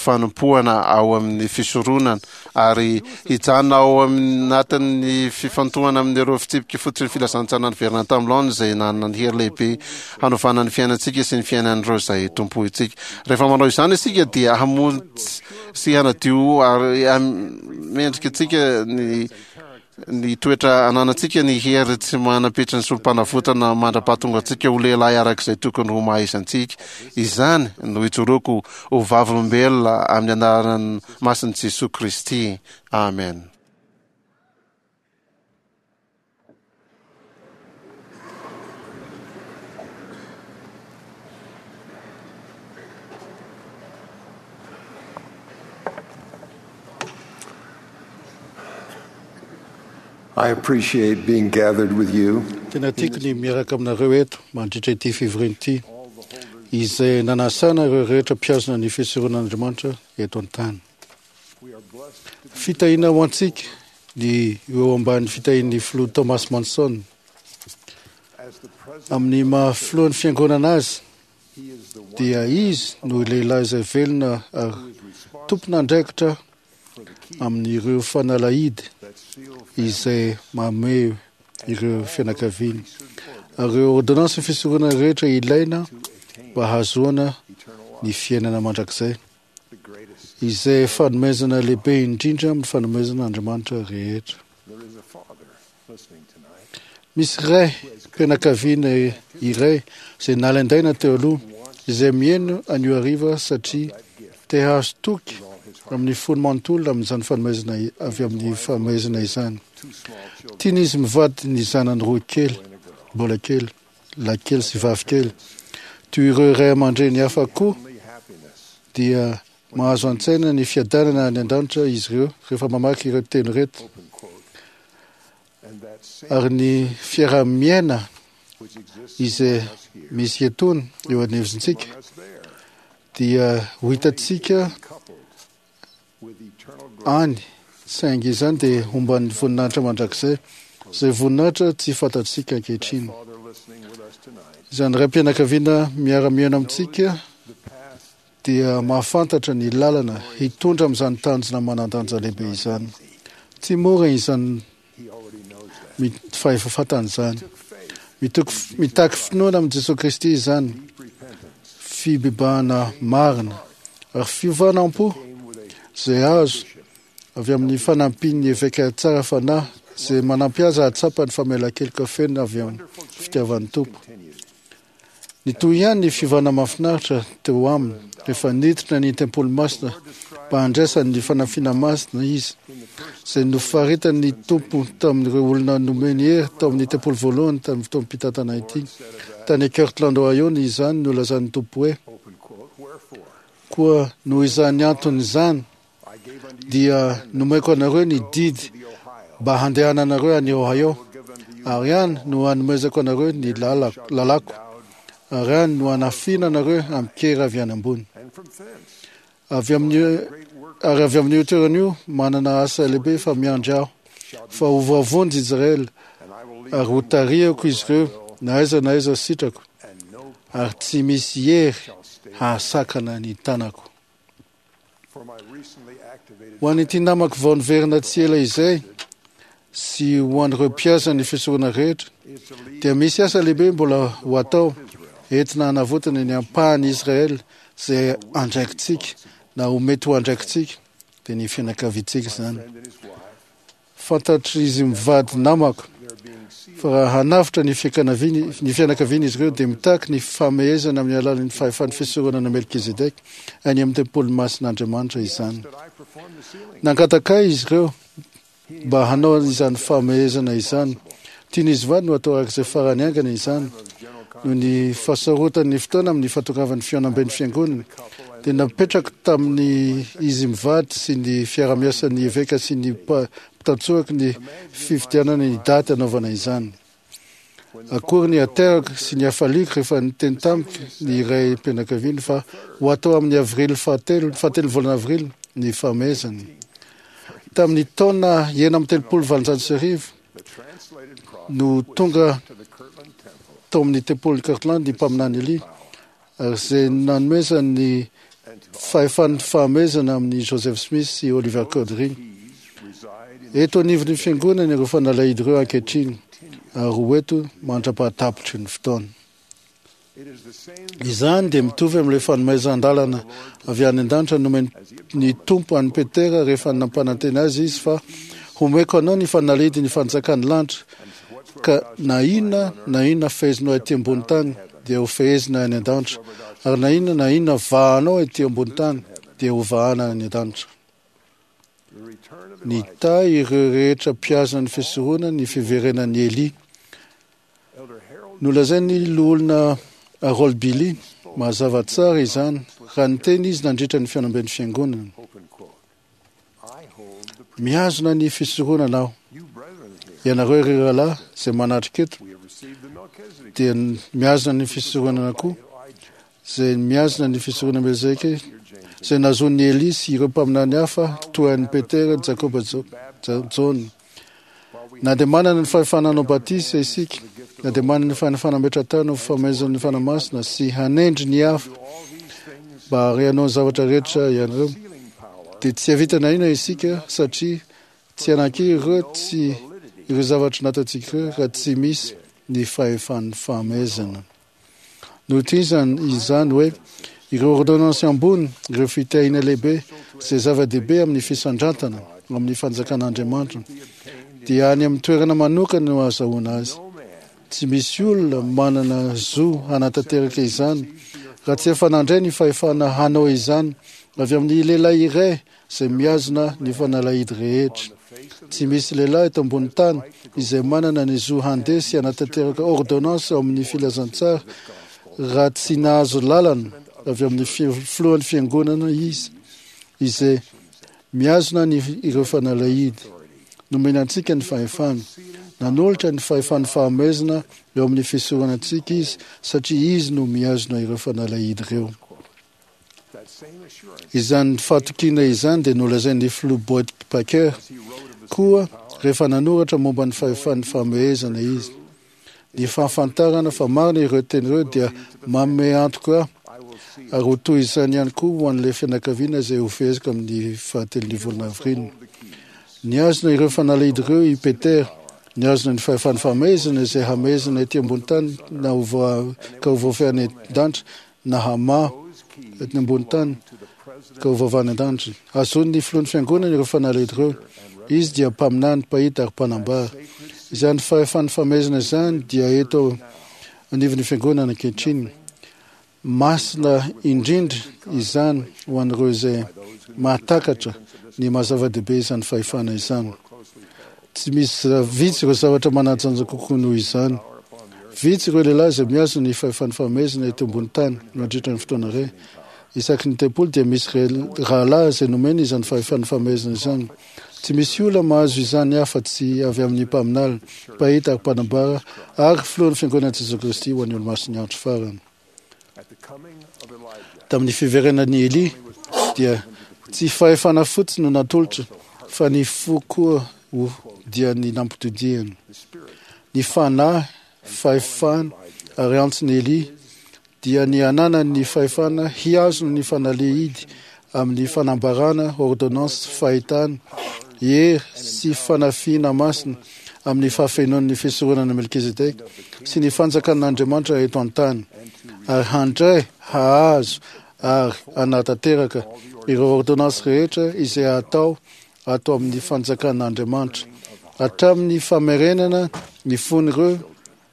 fanompoana ao amin'ny fisoronana ary hijanona ao anatin'ny fifantohana amin'ireo fitsipika fototry ny filazantsara niverina tamin'ny laoniny izay nanana ny hery lehibe hanovana ny fiainantsika sy ny fiainan'ireo izay tompointsika. Rehefa manao izany isika dia hamonjy sy hanadio ary mendrika antsika ny ny toetra ananantsika, ny hery tsy manam-petry ny solom-panavotana mandra-pahatonga antsika ho lehilahy araka izay tokony ho maha izy antsika. Izany no ijoroako ho vavolombelona amin'ny anaran'ny masin'i Jesoa Kristy. Amen. I appreciate being gathered with you. Tena tiako ny miaraka aminareo eto mandritra ity fivoriana ity, izay nanasana ireo rehetra mpihazona ny fisoronan'Andriamanitra eto an-tany. Fitahiana ho antsika ny eo ambany fitahian'ny filoha Thomas Monson. Amin'ny maha filohan'ny fiangonana azy, dia izy no lehilahy izay velona ary tompon'andraikitra amin'ireo fanalahidy izay mamehy ireo fianakaviany. Ary ireo ordonnance fisoronana rehetra ilaina mba hahazoana ny fiainana mandrakizay, izay fanomezana lehibe indrindra amin'ny fanomezana Andriamanitra rehetra. Misy ray mpianakaviana iray izay nalaindaina teo aloha, izay mihaino anio hariva satria te hahazo toky amin'ny fony manontolo amin'izany fanomezana avy amin'ny fanomezana izany. Tian'izy mivady ny zanany roa kely, mbola kely, lahy kely sy vavy kely. Toy ireo ray aman-dreny hafa koa dia mahazo an-tsaina ny fiadanana any an-danitra izy ireo rehefa mamaky ireo teny ireto. Ary ny fiaraha-miaina izay misy etoana eo anivontsika dia ho hitantsika any, saingy izany dia homban'ny voninahitra mandrakizay, izay voninahitra tsy fantatsika ankehitriny. Izany ray-mpianakaviana miara-miaina amintsika dia mahafantatra ny lalana hitondra amin'izany tanjona manan-danja lehibe izany. Tsy mora izany fahefafatana izany. Mitaky finoana amin'i Jesoa Kristy izany, fibebahana marina ary fiovana am-po izay azo avy amin'ny fanampian'ny eveka tsara fanahy izay manampy azy hahatsapa ny famelan-keloka feno avy amin'ny fitiavan'ny Tompo. Nitohy ihany ny fiovana mahafinaritra teo aminy rehefa niditra ny tempoly masina mba handraisany ny fanafiana masina izy, izay nofaritan'ny Tompo tamin'ireo olona nomeny hery tao amin'ny tempoly voalohany tamin'ny fotoam-pitantana ity. Tany Kirtland, Ohio, ny izany nolazan'ny Tompo hoe: "Koa noho izany antony izany dia nomeko anareo ny didy mba handehananareo any Ohio, ary any no hanomezako anareo ny lalako, ary any no hanafiana anareo amin-kery avy any ambony. Avy amin'ny ary avy amin'io toerana io manana asa lehibe fa miandry aho, fa ho voavonjy Israely, ary ho tarihako izy ireo na aiza na aiza sitrako, ary tsy misy hery hahasakana ny tanako." Ho an'ity namako vao niverina tsy ela izay sy ho an'ireo mpiasa ny fisorona rehetra, dia misy asa lehibe mbola ho atao entina hanavotana ny ampahan'i Israely izay andraikitsika na ho mety ho andraikitsika, dia ny fianakaviantsika izany. Fantatr'izy mivady namako fa raha hanavotra ny fianakaviany ny fianakaviany izy ireo dia mitaky ny famehezana amin'ny alalan'ny fahefan'ny fisoronana Melkizedeka any amin'ny tempoly masin'Andriamanitra izany. Nangataka ahy izy ireo mba hanao izany famehezana izany. Tian'izy vady no atao araka izay farany haingana izany. Noho ny fahasarotan'ny fotoana amin'ny fahatongavan'ny fihaonamben'ny fiangonana, dia napetrako tamin'ny izy mivady sy ny fiarahamiasan'ny eveka sy ny mpitantsorako ny fifidianana ny daty hanaovana izany. Akory ny haterako sy ny hafaliako rehefa niteny tamiko ny iray mpianakaviany fa ho atao amin'ny avrily fahatelo, fahatelo volana avrily ny fahamehezana. Tamin'ny taona enina amby telopolo valonjato sy arivo no tonga tao amin'ny tempoly Kirtland ny mpaminany Elia, ary izay nanomezany ny fahefan'ny fahamehezana amin'i Joseph Smith sy Oliver Cowdery. Eto anivon'ny fiangonana ireo fanalahidy ireo ankehitriny, ary ho eto mandra-pahatapitry ny fotoana. Izany dia mitovy amin'ilay fanomezan-dalana avy any an-danitra nomen'ny Tompo an'i Petera rehefa nampanantena azy izy fa homeko anao ny fanalahidy ny fanjakan'ny lanitra, ka na inona na inona fehezinao ety ambony tany dia ho fehezina any an-danitra, ary na inona na inona vahanao ety ambony tany dia ho vahana any an-danitra. Nitahy ireo rehetra mpiazona ny fisoronana ny fiverenan'i Elia. Nolazain'ny loholona Harold Billy mazava tsara izany raha niteny izy nandritra ny fihaonamben'ny fiangonana. Mihazona ny fisoronana aho. Ianareo ry rahalahy izay manatrika eto dia mihazona ny fisoronana koa, izay mihazona ny fisoronana Melzeke, izay nahazoan'i Elia sy ireo mpaminany hafa toa an'i Petera, Jakoba, Jaona. Na dia manana ny fahefana hanao batisa isika, na dia manana ny fahefana hametra-tany ho fanomezan'ny Fanahy Masina sy hanendry ny hafa mba hanao ny zavatra rehetra ianareo, dia tsy hahavita na inona isika satria tsy hanan-kery ireo tsy ireo zavatra nataontsika ireo raha tsy misy ny fahefan'ny fahamehezana. Notohizany izany hoe ireo ordonnance ambony, ireo fitahiana lehibe izay zava-dehibe amin'ny fisandratana amin'ny fanjakan'Andriamanitra, dia any amin'ny toerana manokana no ahazahoana azy. Tsy misy olona manana zo hanatanteraka izany raha tsy efa nandray ny fahefana hanao izany avy amin'ny lehilahy iray izay mihazona ny fanalahidy rehetra. Tsy misy lehilahy eto ambony tany izay manana ny zo handeha sy hanatanteraka ordonnance ao amin'ny filazantsara raha tsy nahazo lalana avy amin'ny filohan'ny fiangonana izy, izay mihazona ny ireo fanalahidy. Nomena antsika ny fahefana. Nanolotra ny fahefan'ny fahamehezana eo amin'ny fisorana antsika izy satria izy no mihazona ireo fanalahidy ireo. Izany fahatokiana izany dia nolazain'ny filoha Boyd Packer koa rehefa nanoratra momba ny fahefan'ny fahamehezana izy. Ny fahafantarana fa marina ireo teny ireo dia manome antoka ahy, ary ho toy izany ihany koa ho an'ilay fianakaviana izay ho feheziko amin'ny fahatelon'ny volana avrily. Nihazona ireo fanalahidy ireo i Peter, nihazona ny fahefan'ny fahamehezana izay hamehezana ety ambony tany na ho voa, ka ho voafehy any an-danitra na hamaha ety ambony tany ka ho voavaha any an-danitra. Azon'ny filohan'ny fiangonana ireo fanalahidy ireo. Izy dia mpaminany, mpahita ary mpanambara. Izany fahefan'ny fahamehezana izany dia eto anivon'ny fiangonana ankehitriny. Masina indrindra izany ho an'ireo izay mahatakatra ny maha-zava-dehibe izany fahefana izany. Tsy misy vitsy ireo zavatra manan-danja kokoa noho izany. Vitsy ireo lehilahy izay mihazona ny fahefan'ny fahamehezana eto ambony tany mandritra ny fotoana iray. Isaky ny tempoly dia misy rahalahy izay nomena izany fahefan'ny fahamehezana izany. Tsy misy olona mahazo izany afa-tsy avy amin'ny mpaminany, mpahita ary mpanambara ary filohan'ny Fiangonan'i Jesoa Kristy ho an'ny Olomasin'ny Andro Farany. Tamin'ny fiverenan'i Elia dia tsy fahefana fotsiny no natolotra fa ny fo koa ho dia ny nampitodihany. Ny fanahy, fahefana ary antson'i Elia dia ny hananany ny fahefana hihazona ny fanalehidy amin'ny fanambarana ordonnance fahitana, hery sy fanafiana masina amin'ny fahafenoan'ny fisoronana Melkizedeka sy ny fanjakan'Andriamanitra eto an-tany, ary handray, hahazo ary hanatanteraka ireo ordonnance rehetra izay hatao ato amin'ny fanjakan'Andriamanitra, hatramin'ny famerenana ny fon'ireo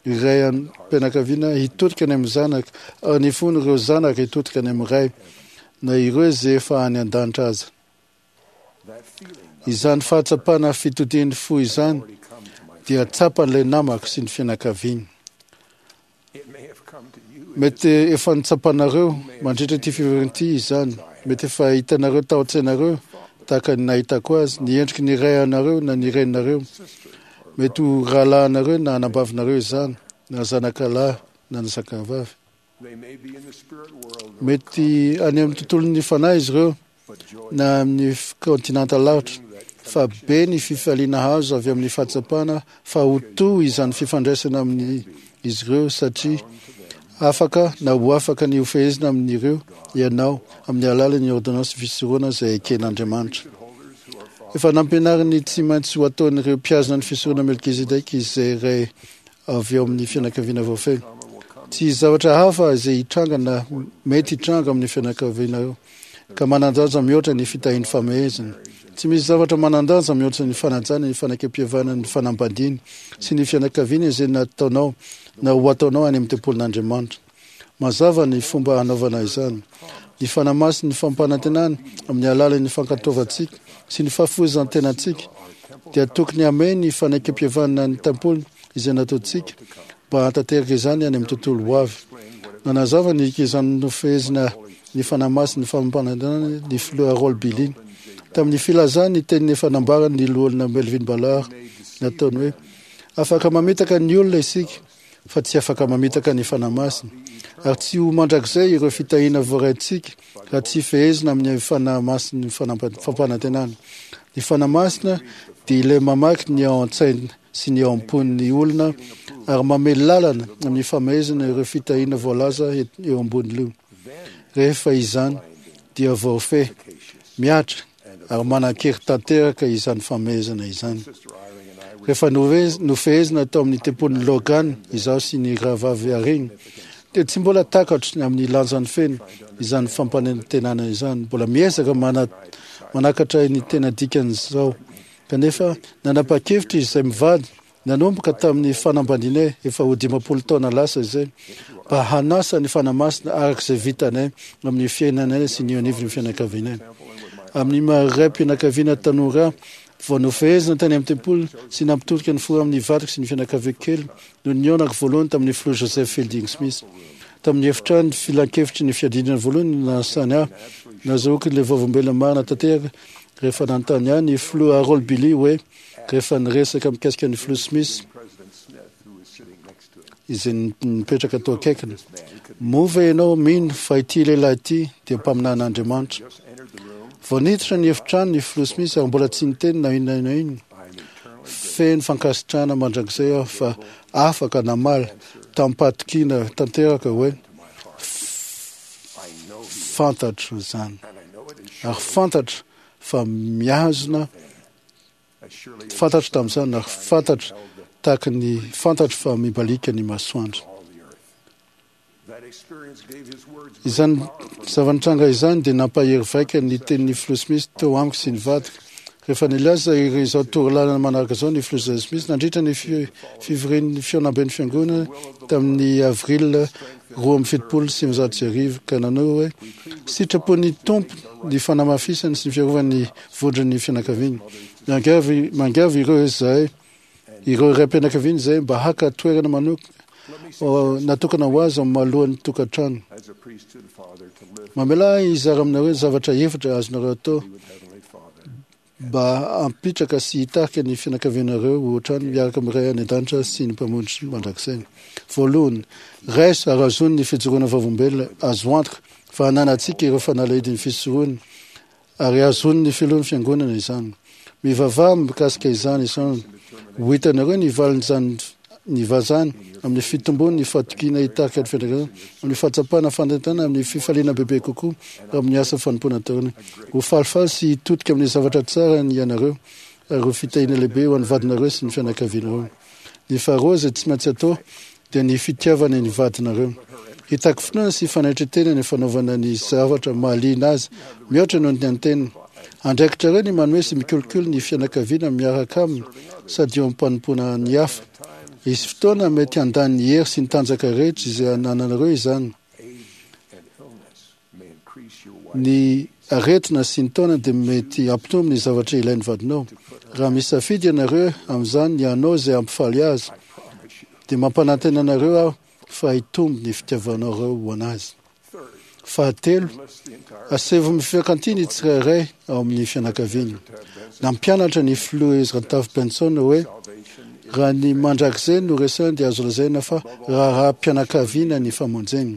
ray am-pianakaviana hitodika any amin'ny zanaka, ary ny fon'ireo zanaka hitodika any amin'ny ray, na ireo izay efa any an-danitra aza. Izany fahatsapana fitodian'ny fo izany dia tsapan'ilay namako sy ny fianakaviany. Mety efa nitsapanareo mandritra ity fivoriana ity izany. Mety efa hitanareo tao an-tsainareo tahaka ny nahitako azy, ny endriky ny ray anareo na ny reninareo. Mety ho rahalahinareo na anabavinareo izany, na zanakalahy na ny zanakavavy. Mety any amin'ny tontolon'ny fanahy izy ireo na amin'ny kontinanta lavitra, fa be ny fifaliana azo avy amin'ny fahatsapana fa ho to izany fifandraisana amin'ny izy ireo satria afaka na ho afaka ny hofehezina amin'ireo ianao amin'ny alalan'ny ordonnance fisorona izay eken'Andriamanitra. Efa nampianariny tsy maintsy ho ataon'ireo mpihazona ny fisorona Melkizedeka izay ray avy ao amin'ny fianakaviana voafehy. Tsy zavatra hafa izay hitranga na mety hitranga amin'ny fianakavianareo ka manan-danja mihoatra ny fitahian'ny famehezana. Tsy misy zavatra manan-danja mihoatra ny fanajana ny fanekempihavanana ny fanambadiana sy ny fianakaviana izay nataonao na ho ataonao any amin'ny tempolin'Andriamanitra. Mazava ny fomba hanaovana izany. Ny Fanahy ny fampanantenana amin'ny alalan'ny fankatoavantsika sy ny fahafoizan-tenantsika dia tokony hamehy ny fanekempihavanana ny tempoly izay nataontsika mba hahatanteraka izany any amin'ny tontolo ho avy. Nanazava ny izany nofehezina ny Fanahy Masina ny fampanantenana ny filoha Harold Billy tamin'ny filazany ny teniny efa nambarany ny loholona Melvin Ballard nataony hoe afaka mamitaka ny olona isika fa tsy afaka mamitaka ny Fanahy Masina, ary tsy ho mandrakizay ireo fitahiana voaraintsika raha tsy fehezina amin'ny Fanahy Masina ny fampanantenana. Ny Fanahy Masina dia ilay mamaky ny ao an-tsaina sy ny ao am-pon'ny olona ary mamely lalana amin'ny famehezana ireo fitahiana voalaza eo ambony io. Rehefa izany dia voafehy, mihatra ary manan-kery tanteraka izany famehezana izany. Rehefa nofehezina tao amin'ny tempolin'i Logan izaho sy ny rahavavy Haring, dia tsy mbola takatro ny amin'ny lanjany feno izany fampanantenana izany. Mbola miezaka manakatra ny tena dikan'izao. Kanefa nanapa-kevitra izy izay mivady nanomboka tamin'ny fanambadianay efa ho dimampolo taona lasa izay mba hanasa ny Fanahy Masina araka izay vitanay amin'ny fiainanay sy ny anivon'ny fianakavianay. Amin'ny maha raim-pianakaviana tanora vao nofehezina tany amin'ny tempoly sy nampitodika ny fo amin'ny vadiko sy ny fianakaviako kely no nihaonako voalohany tamin'ny filoha Joseph Fielding Smith. Tamin'ny efitrano filankevitry ny fiadiana voalohany no nanasany ahy, nazahoako ilay vavolombelona marina tanteraka rehefa nanontany ahy ny filoha Harold Billy hoe rehefa niresaka mikasika ny filoha Smith izay nipetraka tao akaikiny, moa ve ianao mino fa ity lehilahy ity dia mpaminan'Andriamanitra? Vao niditra ny efitrano ny filoha Smith ary mbola tsy niteny na inona na inona. Feno fankasitrahana mandrakizay aho fa afaka namaly tamim-pahatokiana tanteraka hoe fantatro izany ary fantatro fa mihazona fantatro tamin'izany ary fantatro tahaka ny fantatro fa mibalika ny masoandro. Izany zava-nitranga izany dia nampahery vaika ny tenin'ny filoha Smith teo amiko sy ny vadiko Rehefa nilaza izao torolalana manaraka izao ny filoha Joseph Smith nandritra ny fivorian'ny fihaonamben'ny fiangonana tamin'ny avril roa amby fitopolo sy sivinjato sy arivo ka nanao hoe sitrapon'ny Tompo ny fanamafisany sy ny fiarovany ny vondron'ny fianakaviana. Miangavy miangavy ireo izay ireo raim-pianakaviana izay mba haka toerana manoka natokana ho azy amin'ny mahalohan'ny tokantrano. Mamelà hizara aminareo zavatra efatra azonareo atao mba hampitraka sy hitarika ny fianakavianareo ho hatrany miaraka amin'ny Ray any an-danitra sy ny Mpamonjy mandrakizay. Voalohany, raiso ary azony ny fijoroana vavolombelona azo antoka fa ananantsika ireo fanalahidin'ny fisoronana ary azon'ny filohan'ny fiangonana izany. Mivavaha mikasika izany isan'andro. Ho hitanareo ny valin'izany ny vazany amin'ny fitombon'ny fahatokiana hitarika ny fianakaviana, amin'ny fahatsapana fanentanana, amin'ny fifaliana bebe kokoa amin'ny asa fanompoana ataonareo. Ho falifaly sy hitodika amin'ny zavatra tsara ny ianareo ary ho fitahiana lehibe ho an'ny vadinareo sy ny fianakavianareo. Ny faharoa izay tsy maintsy atao dia ny fitiavana ny vadinareo. Hitaky finoana sy fanetren-tena ny fanaovana ny zavatra mahaliana azy mihoatra noho ny an'ny-tena. Andraikitrareo ny manome sy mikolokolo ny fianakaviana miaraka aminy sady eo am-panompoana ny hafa. Hisy fotoana mety handany ny hery sy ny tanjaka rehetra izay anananareo izany. Ny aretina sy ny taona dia mety hampitombo ny zavatra ilain'ny vadinao. Raha misafidy ianareo amin'izany ny hanao izay hampifaly azy, dia mampanantena anareo aho fa hitombo ny fitiavanareo ho an'azy. Fahatelo, asaivo mifiankantia ny tsirairay ao amin'ny fianakaviana. Nampianatra ny filoha Ezra Taft Benson hoe raha ny mandrakizay no resahina dia azo lazaina fa raharaham-pianakaviana ny famonjena.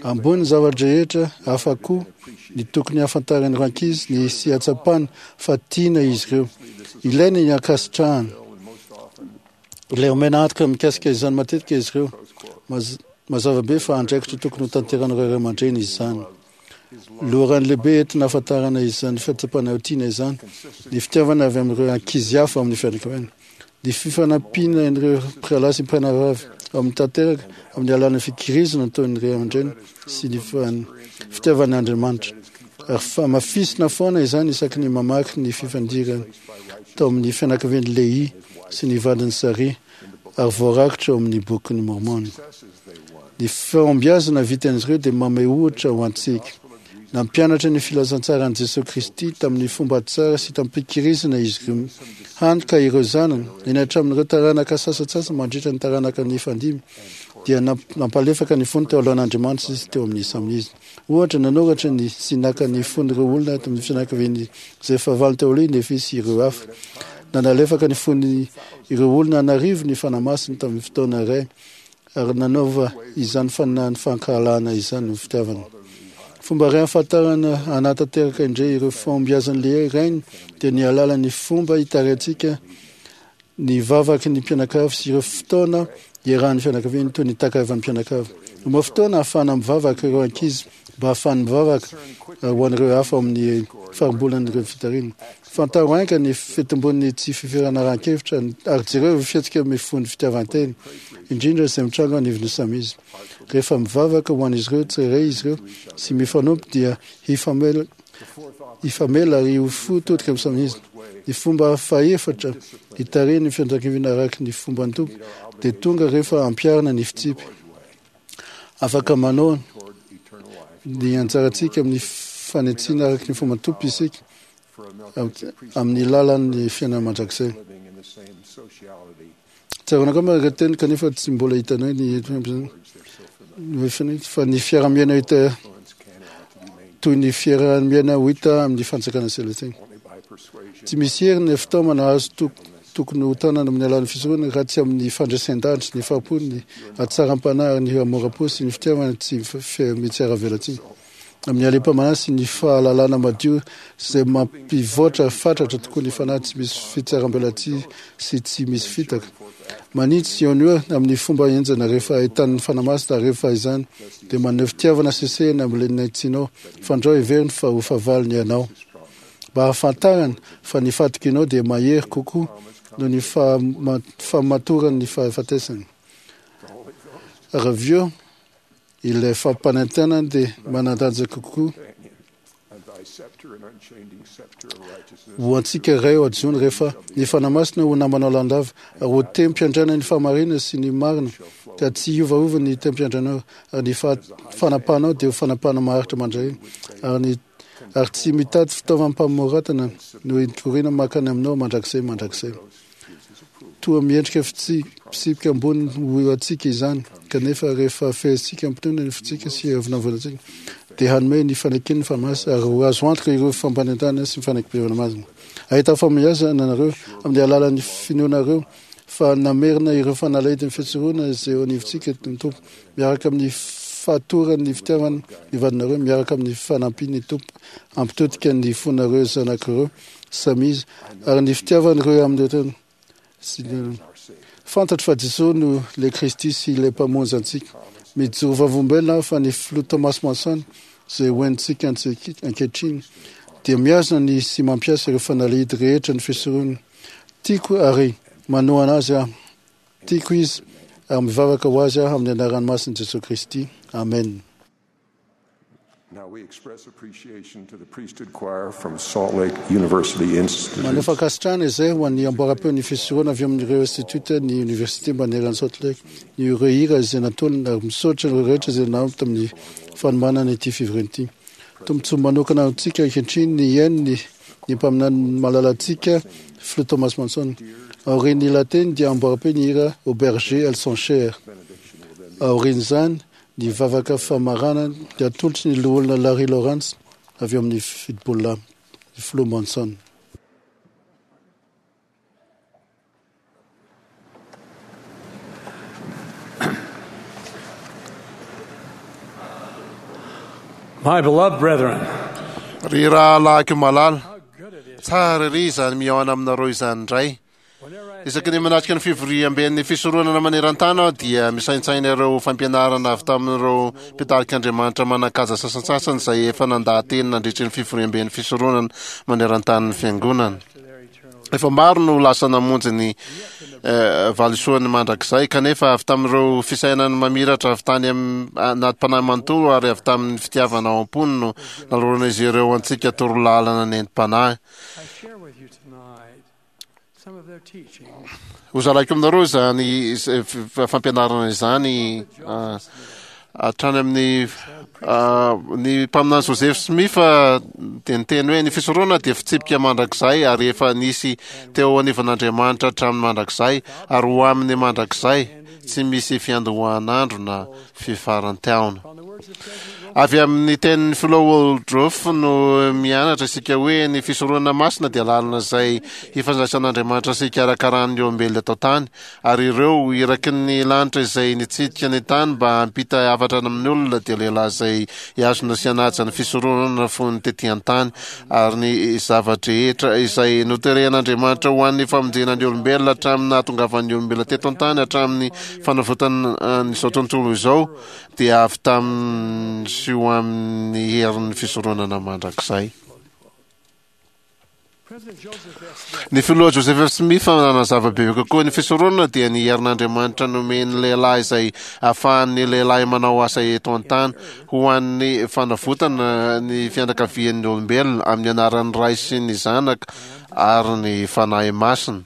Ambonin'ny zava-drehetra hafa koa ny tokony hahafantaran'ireo ankizy ny sy hahatsapany fa tiana izy ireo. Ilaina ny hankasitrahana. Ilay omena antoka mikasika izany matetika izy ireo. Mazava be fa andraikitra tokony ho tanteran'ireo ray aman-dreny izany. Loharano lehibe entina hahafantarana izany fahatsapana ho tiana izany ny fitiavana avy amin'ireo ankizy hafa amin'ny fianakaviana. Ny fifanampiana ireo mpirahalahy sy mpirahavavy ao amin'ny tanteraka amin'ny alalan'ny fikirizana ataon'ny ray aman-dreny sy ny fitiavan'Andriamanitra. Ary hamafisina foana izany isaky ny mamaky ny fifandirana tao amin'ny fianakavian'i Lehi sy ny vadiny Saria ary voarakitra ao amin'ny Bokin'i Môrmôna. Ny fahombiazana vitan'izy ireo dia mamehy ohatra ho antsika. Nampianatra ny filazantsaran'i Jesoa Kristy tamin'ny fomba tsara sy tamim-pikirizana izy ireo, hany ka ireo zanany, eny hatramin'ireo taranaka sasantsasany mandritra ny taranaka nifandimby, dia nampalefaka ny fony teo alohan'Andriamanitra sy teo amin'ny samy izy. Ohatra, nanoratra ny sy naka ny fon'ireo olona tamin'ny fianakaviany izay fahavalo teo aloha i Nefy sy ireo hafa. Nanalefaka ny fony ireo olona an'arivo ny Fanahy Masina tamin'ny fotoana iray, ary nanaova izany fanan'ny fankahalana izany ho fitiavana. Fomba iray ahafantarana hanatanteraka indray ireo fahombiazan'ny lehilahy rainy dia ny alalan'ny fomba hitarihantsika ny vavaky ny mpianakavy sy ireo fotoana iarahan'ny fianakaviana toy ny takarivan'ny mpianakavy. Omeo fotoana ahafahana mivavaka ireo ankizy mba ahafahany mivavaka ho an'ireo hafa ao amin'ny farimbolan'ireo fitarihana. Fantaro haingana ny fitombon'ny tsy fifiranarahan-kevitra ary jereo ireo fihetsika mifono fitiavan-tena, indrindra izay mitranga anivon'ny samy izy. Rehefa mivavaka ho an'izy ireo tsirairay izy ireo sy mifanompo dia hifamela hifamela ary ho fo todika amin'ny samy izy. Ny fomba fahefatra hitarihan'ny fianakaviana araka ny fomban'ny Tompo dia tonga rehefa ampiharina ny fitsipy. Afaka manao ny anjarantsika amin'ny fanitsiana araka ny fomban'ny Tompo isika amin'ny lalan'ny fiainana mandrakizay. Tsaroana angamba ireo teny kanefa tsy mbola hitanay ny fa ny fiaraha-miaina hita toy ny fiaraha-miaina ho hita amin'ny fanjakana selestina. Tsy misy hery ny fitaomana azo tokony ho tanana amin'ny alalan'ny fisoronana raha tsy amin'ny fandresen-danitra, ny fahampo, ny hatsaram-panahy ary ny hamoram-po sy ny fitiavana tsy mitsiaravelatsihy. Amin'ny halem-panahy sy ny fahalalana madio izay mampivoatra fatratra tokoa ny fanahy tsy misy fitsaram-belatsihy sy tsy misy fitaka. Manitsy eo no eo amin'ny fomba henjana rehefa ahitan'ny Fanahy Masina ary rehefa izany dia maneho fitiavana sesehena amin'ilay naitsinao fandrao heveriny fa ho fahavalony ianao. Mba hahafantarany fa ny fahatokianao dia mahery kokoa noho ny fahamatoran'ny fahafatesana. Ary avy eo, ilay fampanantenana dia manan-danja kokoa Ho antsika Ray ao an-danitra, rehefa ny Fanahy Masina ho namanao lalandava ary ho tehim-piandrianana ny fahamarinana sy ny marina, ka tsy hiovaova ny tehim-piandriananao, ary ny fanapahanao dia ho fanapahana maharitra mandrakizay, ary ny ary tsy mitady fitaovam-pamoratana no hitoriana mankany aminao mandrakizay mandrakizay. Toa miendrika fitsipika ambony ho antsika izany, kanefa rehefa fehezintsika am-pinoana ny fontsika sy avonavonantsika, dia hanome ny fanekeny ny Fanahy Masina ary ho azo antoka ireo fampanentanana sy ny fanekempihavanana masina. Hahita fahombiazana anareo amin'ny alalan'ny finoanareo fa namerina ireo fanalahidin'ny fisoronana izay eo anivontsika ny Tompo, miaraka amin'ny fahatoran'ny fitiavana ny vadinareo, miaraka amin'ny fanampian'ny Tompo hampitodika ny fonareo zanak'ireo samy izy, ary ny fitiavan'ireo amin'ireo sy ny fantatro fa Jesosy no ilay Kristy sy ilay Mpamonjy antsika. Mijoro vavolombelona aho fa ny filoha Thomas Monson izay hoentintsika ankehitriny dia mihazona ny sy mampiasa ireo fanalahidy rehetra ny fisoronana. Tiako ary manohana azy aho. Tiako izy ary mivavaka ho azy aho amin'ny anaran'ny masin'i Jesosy Kristy. Amen. Now we express appreciation to the priesthood choir from Salt Lake University Institute. Maneho fankasitrahana izay ho an'ny amboaram-peon'ny fisoronana avy amin'ireo institut ny université manerana Salt Lake, ny ireo hira izay natolony, ary misaotra ireo rehetra izay nanampy tamin'ny fanomanana ity fivoriana ity. Tombontsoa manokana antsika ankehitriny ny hihaino ny ny mpaminany malalantsika filoha Thomas Monson. Aorian'ny lahateny dia amboaram-peo ny hira Aux bergers elles sont chères. Aorian'izany, ny vavaka famaranana dia atolotry ny loholona Larry Lawrence avy eo amin'ny fitopololahy, ny filoha Monson. My beloved brethren, Ry rahalahiko malala, tsara ery izany mihaona aminareo izany indray. Isaky ny manatrika ny fivoriamben'ny fisoronana maneran-tany aho dia misaintsaina ireo fampianarana avy tamin'ireo mpitarik'Andriamanitra manan-kaja sasantsasany izay efa nandaha-teny nandritry ny fivoriamben'ny fisoronana maneran-tanin'ny fiangonana. Efa maro no lasa namonjy ny eh, valisoany mandrakizay, kanefa avy tamin'ireo fisainany mamiratra avy tany anaty mpanahy manontolo ary avy tamin'ny fitiavana ao am-pony no naloran'izy ireo antsika torolalana nentim-panahy. I share with you tonight some of their teachings. Hozaraiko aminareo izany fampianarana izany hatrany amin'ny ny mpaminany Joseph Smith dia niteny hoe ny fisoronana dia fitsipika mandrakizay ary efa nisy teo anivon'Andriamanitra hatramin'ny mandrakizay ary ho amin'ny mandrakizay, tsy misy fiandohan'andro na fifaran-taona. Avy amin'ny tenin'ny filoha Woodruff no mianatra isika hoe ny fisoronana masina dia lalana izay hifandraisan'Andriamanitra sy hikarakaran'ny olombelona eto an-tany, ary ireo iraky ny lanitra izay nitsidika ny tany mba hampita hafatra amin'ny olona dia lehilahy izay hihazona sy hanaja ny fisoronana fony tety an-tany, ary ny zava-drehetra izay noterehan'Andriamanitra ho an'ny famonjena ny olombelona hatramin'ny nahatongavan'ny olombelona teto an-tany hatramin'ny fanavotana an'izao tontolo izao dia avy tamin'ny sy ho amin'ny herin'ny fisoronana mandrakizay. Ny filoha Joseph F. Smith nanazava bebe kokoa ny fisoronana dia ny herin'Andriamanitra nomen'ny lehilahy izay ahafahan'ny lehilahy manao asa eto an-tany ho an'ny fanavotana ny fianakavian'ny olombelona amin'ny anaran'ny Ray sy ny Zanaka ary ny Fanahy Masina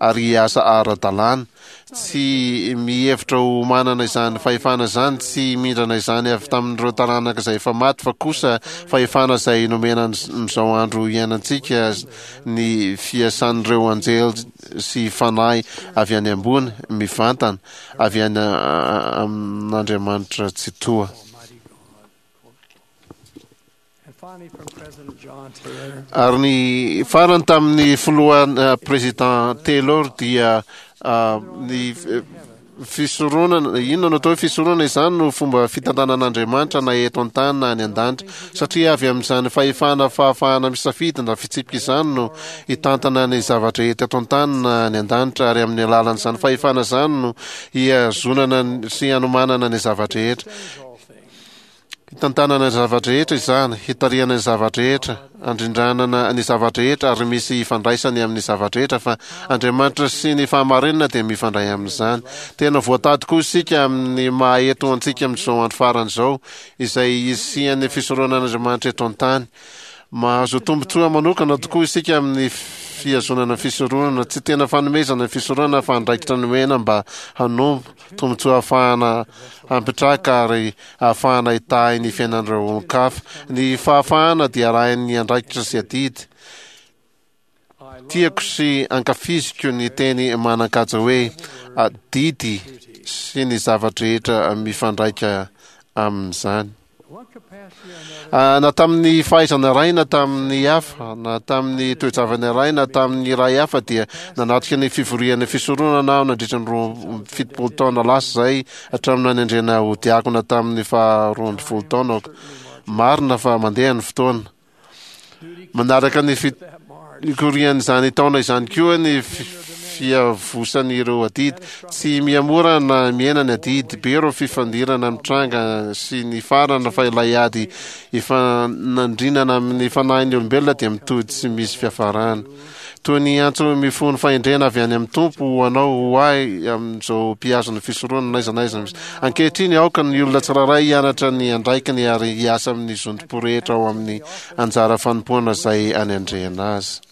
ary hiasa ara-dalàna Tsy mihevitra ho manana izany fahefana izany, tsy mindrana izany avy tamin'ireo taranaka izay efa maty, fa kosa fahefana izay nomena amin'izao andro iainantsika ny fiasan'ireo anjely sy fanahy avy any ambony, mivantana avy any amin'Andriamanitra Tsitoha. Ary ny farany tamin'ny filoha président Taylor dia ny fisoronana, inona no atao hoe fisoronana? Izany no fomba fitantanan'Andriamanitra na eto an-tany na any an-danitra, satria avy amin'izany fahefana fahafahana misafidy na fitsipika izany no hitantana ny zava-drehetra eto an-tany na any an-danitra, ary amin'ny alalan'izany fahefana izany no hihazonana sy hanomanana ny zava-drehetra. Hitantanana ny zava-drehetra izany, hitarihana ny zava-drehetra, handrindranana ny zava-drehetra ary misy ifandraisany amin'ny zava-drehetra fa Andriamanitra sy ny fahamarinana dia mifandray amin'izany. Tena voatady koa isika amin'ny maha eto antsika amin'izao andro farany izao, izay hisian'ny fisoronan'Andriamanitra eto an-tany. Mahazo tombontsoa manokana tokoa isika amin'ny fihazonana fisoronana. Tsy tena fanomezana ny fisoronana fa andraikitra nomena mba hanompo, tombontsoa ahafahana hampitraka ary ahafahana hitahy ny fiainan'ireo olon-kafa. Ny fahafahana dia arahin'ny andraikitra sy adidy. Tiako sy ankafiziko ny teny manan-kaja hoe adidy sy ny zava-drehetra mifandraika amin'izany. Na tamin'ny fahaizana iray na tamin'ny hafa, na tamin'ny toe-javana iray na tamin'ny iray hafa dia nanatrika ny fivorian'ny fisoronana aho nandritra ny roa amby fitopolo taona lasa izay hatramin'ny nanendrena ho diakona tamin'ny faha roa ambin'ny folo taonako. Marina fa mandeha ny fotoana. Manaraka ny fikorian'izany taona izany koa ny fiavosan'ireo adidy. Tsy mihamora na mihena ny adidy. Be ireo fifandirana mitranga sy ny farana fa ilay ady ifanandrinana amin'ny fanahin'ny olombelona dia mitohy tsy misy fiafarana. Toy ny antso mifono fahendrena avy any amin'ny Tompo ho anao, ho ahy amin'izao mpihazo ny fisoronana n'aiza n'aiza misy. Ankehitriny, aoka ny olona tsirairay hianatra ny andraikiny ary hiasa amin'ny zotom-po rehetra ao amin'ny anjara fanompoana izay anendrena azy.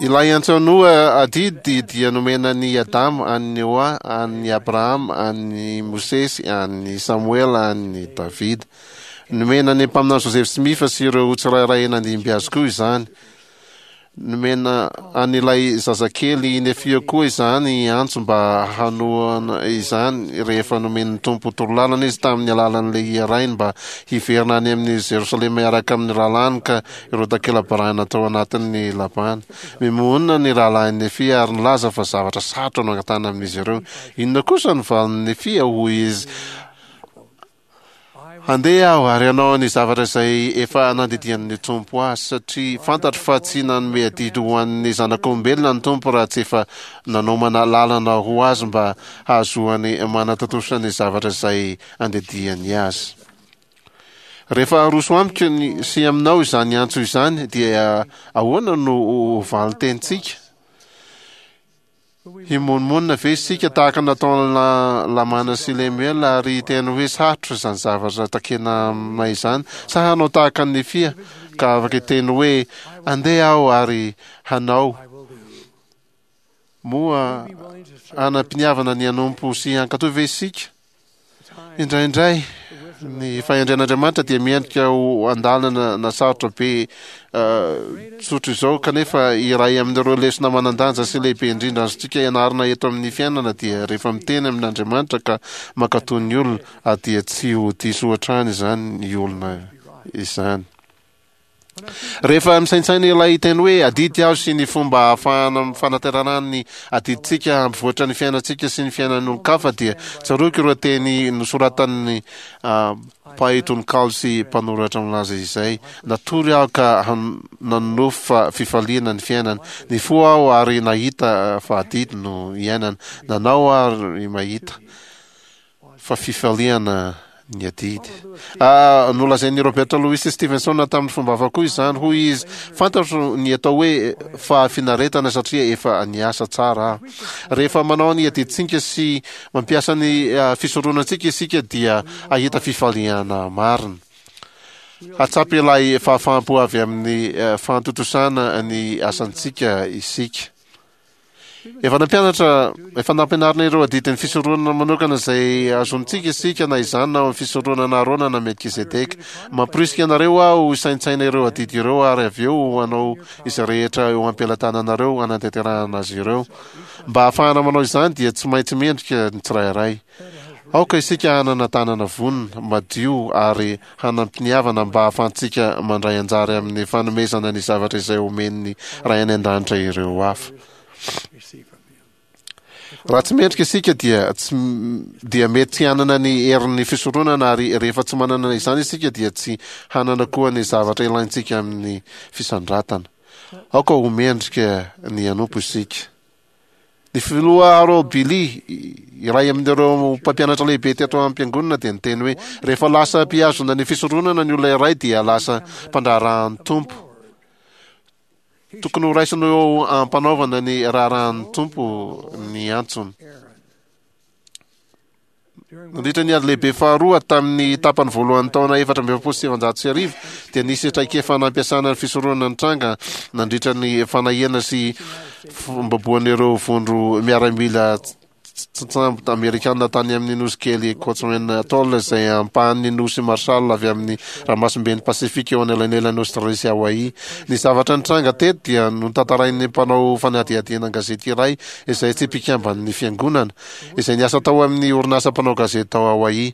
Ilay antso Noa adidy dia nomena an'i Adama, an'i Noa, an'i Abrahama, an'i Mosesy, an'i Samoela, an'i Davida. Nomena ny mpaminany Joseph Smith sy ireo tsirairay nandimby azy koa izany. Nomena an'ilay zazakely Nefia koa izany antso mba hanohana izany rehefa nomen'ny Tompo torolalana izy tamin'ny alalan'ilay rainy mba hiverina any amin'i Jerosalema hiaraka amin'ny rahalahiny ka ireo takela-barahina tao anatin'ny Labana. Mimohonina ny rahalahin'i Nefia ary nilaza fa zavatra sarotra no angatahana amin'izy ireo. Inona kosa no valin'i Nefia? Hoy izy, Handeha aho ary hanao ny zavatra izay efa nandidian'ny Tompo ahy, satria fantatro fa tsy nanome adidy ho an'ny zanak'olombelona ny Tompo raha tsy efa nanomana lalana ho azy mba hahazoany manatontosa ny zavatra izay andidiany azy. Rehefa aroso amiko ny sy aminao izany antso izany dia ahoana no ho valin-tenintsika? Himonomonona ve isika tahaka ny nataon'i Lamana sy Lemuela ary hiteny hoe sarotra izany zavatra takena aminay izany? Sa hanao tahaka an'i Nefia ka afaka hiteny hoe andeha aho ary hanao? Moa hanam-piniavana ny hanompo sy hankatò ve isika? Indraindray, ny fahendren'Andriamanitra dia miendrika ho andalana na sarotra be tsotra izao, kanefa iray amin'ireo lesona manan-danja sy lehibe indrindra azontsika ianarana eto amin'ny fiainana dia rehefa miteny amin'Andriamanitra ka mankatò ny olona, dia tsy ho diso hatrany izany olona izany. Rehefa misaintsaina ilay teny hoe adidy aho sy ny fomba ahafahana fanaterana ny adidintsika hampivoatra ny fiainantsika sy ny fiainan'ny olon-kafa dia tsaroako ireo teny nosoratan'ny mpahay tononkalo sy mpanoratra milaza izay, Natory aho ka nanonofy fa fifaliana ny fiainana, nifoha aho ary nahita fa adidy no iainana, nanao aho ary mahita fa fifaliana ny adidy. Ah, nolazain'i Robert Louis Stevenson tamin'ny fomba hafa koa izany. Hoy izy, Fantatro ny atao hoe fahafinaretana satria efa niasa tsara aho. Rehefa manao ny adidintsika sy mampiasa ny ah, fisoronantsika isika dia hahita fifaliana marina. Hahatsapa ilay fahafaham-po avy amin'ny eh, fahatontosana ny asantsika isika. Efa nampianatra, efa nampianarina ireo adidin'ny fisoronana manokana izay azontsika isika na izany na ao amin'ny fisoronana Arona na Melkizedeka. Mamporisika anareo aho hisaintsaina ireo adidy ireo ary avy eo hanao izay rehetra eo am-pelatananareo hanatanterahana azy ireo. Mba hahafahana manao izany dia tsy maintsy mendrika ny tsirairay. Aoka isika hanana tanana vonona, madio ary hanam-piniavana mba hahafahantsika mandray anjara amin'ny fanomezana ny zavatra izay omen'ny Ray any An-danitra ireo hafa. Raha tsy mendrika isika dia tsy dia mety tsy hanana ny herin'ny fisoronana ary rehefa tsy manana izany isika dia tsy hanana koa ny zavatra ilaintsika amin'ny fisandratana. Aoka ho mendrika ny hanompo isika. Ny filoha Harold Billy, iray amin'ireo mpampianatra lehibe teto am-piangonana dia niteny hoe, Rehefa lasa mpihazona ny fisoronana ny olona iray dia lasa mpandraharahan'ny Tompo. Tokony horaisina eo am-panaovana ny raharahan'ny Tompo ny antsony. Nandritra ny Ady Lehibe Faharoa, tamin'ny tapany voalohan'ny taona efatra amby efapolo sy sivinjato sy arivo, dia nisy traikefa nampiasana ny fisoronana nitranga nandritra ny fanahiana sy fombaboan'ireo vondro miaramila tantsambo amerikana tany amin'ny nosy kely Kwajalein Atoll, izay ampahan'ny nosy Marshall avy amin'ny ranomasimben'ny Pasifika eo anelanelan'i Aostralia sy Hawaii. Ny zavatra nitranga teto dia notantarain'ny mpanao fanadihadiana an-gazety iray izay tsy mpikamban'ny fiangonana, izay niasa tao amin'ny orinasa mpanao gazety tao Hawaii.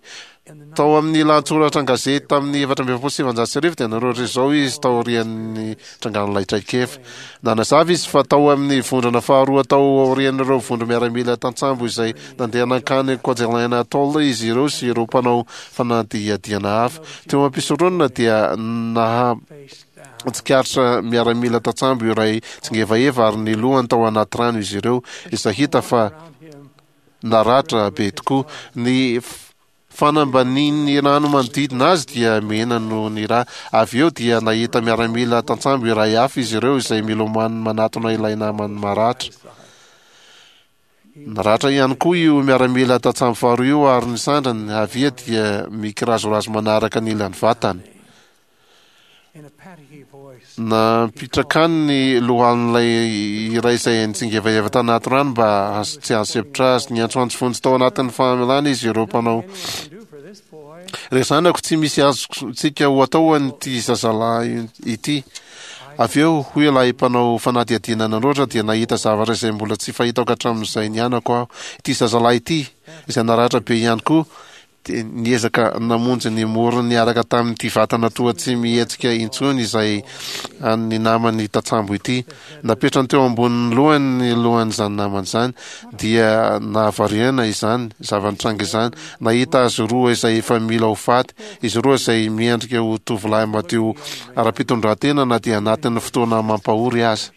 Tao amin'ny lahatsoratra an-gazety tamin'ny efatra amby efapolo sy sivinjato sy arivo dia nanoratra izao izy taorian'ny nitrangan'ilay traikefa. Nanazava izy fa tao amin'ny vondrona faharoa tao aorian'ireo vondro-miaramila tantsambo izay nandeha nankany Kwajalein Atoll izy ireo sy ireo mpanao fanadihadiana hafa. Teo am-pisoronana dia naha tsikaritra miaramila tantsambo iray tsingevaheva ary ny lohany tao anaty rano izy ireo, izay hita fa naratra be tokoa. Ny fanambanin'ny rano manodidina azy dia mena noho ny ra. Avy eo dia nahita miaramila tantsambo iray hafa izy ireo izay milomano manatona ilay namany maratra. Naratra ihany koa io miaramila tantsambo faharoa io ary ny sandriny havia dia mikirazorazo manaraka ny ilan'ny vatany. Nampitrakany ny lohan'ilay iray izay nitsingevaheva tanaty rano mba tsy hahasempotra azy. Niantsoantso vonjy tao anatin'ny famelana izy ireo mpanao. Ry zanako, tsy misy azontsika ho atao an'ity zazalahy ity. Avy eo, hoy ilay mpanao fanadihadiana nanoratra, dia nahita zavatra izay mbola tsy fahitako hatramin'izay nianako aho. Ity zazalahy ity, izay naratra be ihany koa, dia niezaka namonjy ny morony niaraka tamin'ity vatana toa tsy mihetsika intsony izay an'ny namany tantsambo ity. Napetrany teo ambonin'ny lohany ny lohan'izany namany izany, dia nahavariana izany zava-nitranga izany. Nahita azy roa izay efa mila ho faty, izy roa izay miendrika ho tovolahy madio ara-pitondrantena na dia anatin'ny fotoana mampahory aza.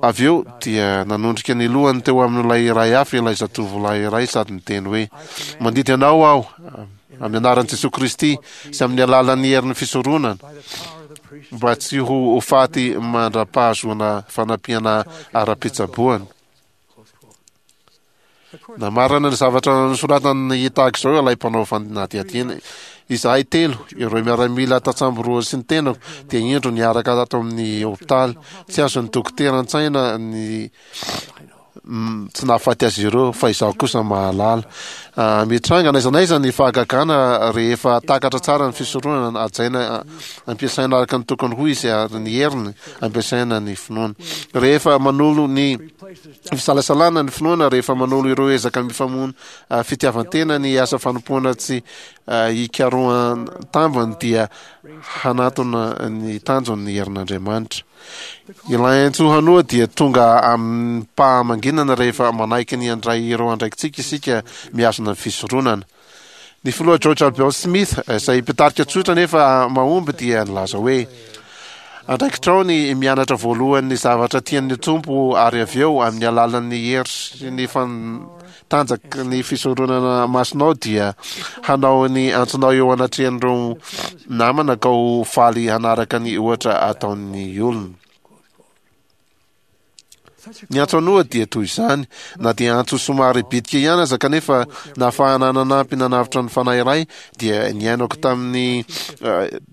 Avy eo dia nanondrika ny lohany teo amin'ilay iray hafa ilay zatovolahy iray sady niteny hoe, Mandidy anao aho, amin'ny anaran'i Jesoa Kristy sy amin'ny alalan'ny herin'ny fisoronana, mba tsy ho faty mandra-pahazoana fanampiana ara-pitsaboana. Namarana ny zavatra nosoratany tahaka izao ilay mpanao fanadihadiana, Izahay telo, ireo miaramila tantsambo roa sy ny tenako, dia indro niaraka tato amin'ny hopitaly. Tsy azon'ny dokotera an-tsaina ny tsy nahafaty azy ireo, fa izaho kosa mahalala. Mitranga n'aiza n'aiza ny fahagagana rehefa takatra tsara ny fisoronana, hajaina, ampiasaina araka ny tokony ho izy ary ny heriny ampiasaina ny finoana. Rehefa manolo ny Fisalasalana ny finoana rehefa manolo ireo ezaka mifamono fitiavan-tena ny asa fanompoana tsy hikarohan-tambiny dia hanatona ny tanjony ny herin'Andriamanitra. Ilay antso hanoa dia tonga amim-pahamanginana rehefa manaiky ny handray ireo andraikitsika isika mihazona ny fisoronana. Ny filoha George Albert Smith, izay mpitarika tsotra nefa mahomby dia nilaza hoe, Andraikitrao ny mianatra voalohany ny zavatra tian'ny Tompo ary avy eo amin'ny alalan'ny hery sy ny tanjaky ny fisoronana masinao dia hanao ny antsonao eo anatrehan'ireo namana ka ho faly hanaraka ny ohatra ataon'ny olona. Ny antso an'oha dia toy izany, na dia antso somary bitika ihany aza kanefa nahafahana nanampy nanavotra ny fanahy iray dia niainako tamin'ny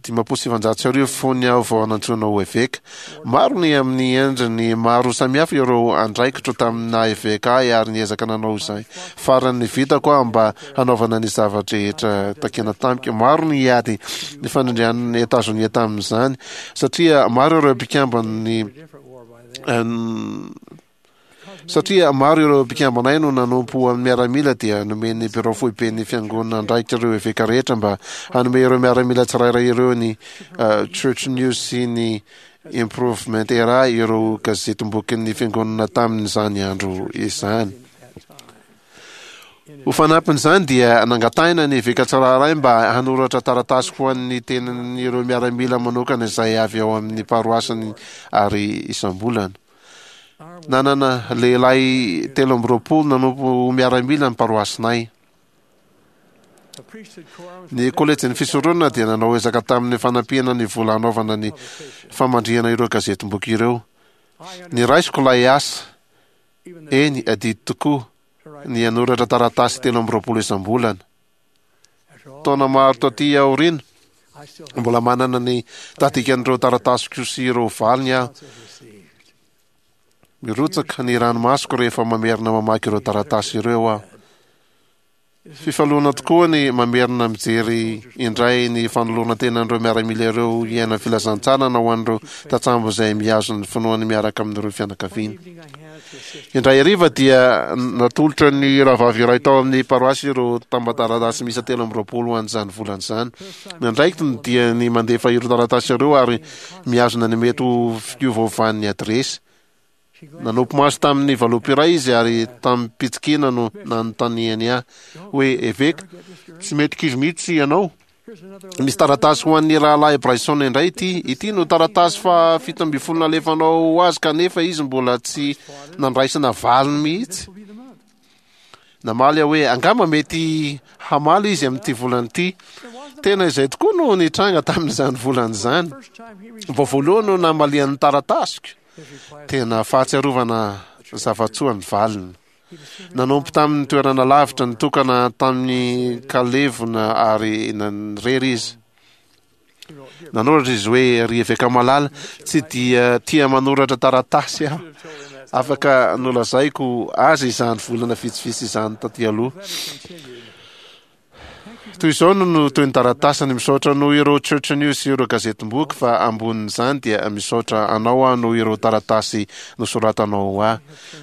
dimampolo sy sivinjato sy arivo fony aho vao nantsoina ho eveka. Maro ny amin'ny endriny maro samihafa ireo andraikitro tamin'ny naha eveka ahy ary niezaka nanao izay farany vitako aho mba hanaovana ny zava-drehetra takiana tamiko. Maro ny ady nifanindrian'i Etazonia tamin'izany satria maro ireo mpikamban'ny Satria maro ireo mpikambanay no nanompo ho amin'ny miaramila dia nomen'ny birao foiben'ny fiangonana andraikitra ireo eveka rehetra mba hanome ireo miaramila tsirairay ireo ny Church News sy ny Improvement Era ireo gazetim-bokin'ny fiangonana tamin'izany andro izany. Ho fanampin'izany dia nangatahina ny eveka tsirairay mba hanoratra taratasy ho an'ny tenan'ireo miaramila manokana izay avy ao amin'ny paroasiny ary isam-bolana. Nanana lehilahy telo amby roapolo nanompo ho miaramila ny paroasinay. Ny kolejin'ny fisoronana dia nanao ezaka tamin'ny fanampiana ny vola hanaovana ny famandrihana ireo gazetim-boky ireo. Niraisiko ilay asa. Eny, adidy tokoa. ny hanoratra taratasy telo amby roapolo isam-bolana. Taona maro taty aoriana, mbola manana ny tahadikan'ireo taratasiko sy ireo valiny aho. Mirotsaka ny ranomasoko rehefa mamerina mamaky ireo taratasy ireo aho. Fifaliana tokoa ny mamerina mijery indray ny fanoloran-tenan'ireo miaramila ireo hiaina filazantsara na ho an'ireo tantsambo izay mihazo ny finoany miaraka amin'ireo fianakaviana. Indray hariva dia natolotra ny rahavavy iray tao amin'ny paroasy ireo tamban-taratasy miisa telo amby roapolo ho an'izany volana izany. Ny andraikiny dia ny mandefa ireo taratasy ireo ary mihazona ny mety ho fiovaovan'ny adiresy. Nanopy maso tamin'ny valopy iray izy ary tamim-pitsikiana no nanontaniany ahy hoe, "Eveka, tsy mety kivy mihitsy ianao? Misy taratasy ho an'ny rahalahy Bryson indray ity. Ity no taratasy fahafito ambin'ny folo nalefanao ho azy kanefa izy mbola tsy nandraisana valiny mihitsy." Namaly aho hoe, "Angamba mety hamaly izy amin'ity volana ity." Tena izay tokoa no nitranga tamin'izany volana izany. Vao voalohany no namalian'ny taratasiko. Tena fahatsiarovana zava-tsoa ny valiny. Nanompo tamin'ny toerana lavitra nitokana tamin'ny kalevona ary nanirery izy. Nanoratra izy hoe, "Ry eveka malala, tsy dia tia manoratra taratasy aho. Afaka nolazaiko azy izany volana vitsivitsy izany taty aloha." Toy izao no no toy ny taratasiny: "Misaotra noho ireo Church News sy ireo gazetim-boky, fa ambonin'izany dia misaotra anao aho noho ireo taratasy nosoratanao ho ahy.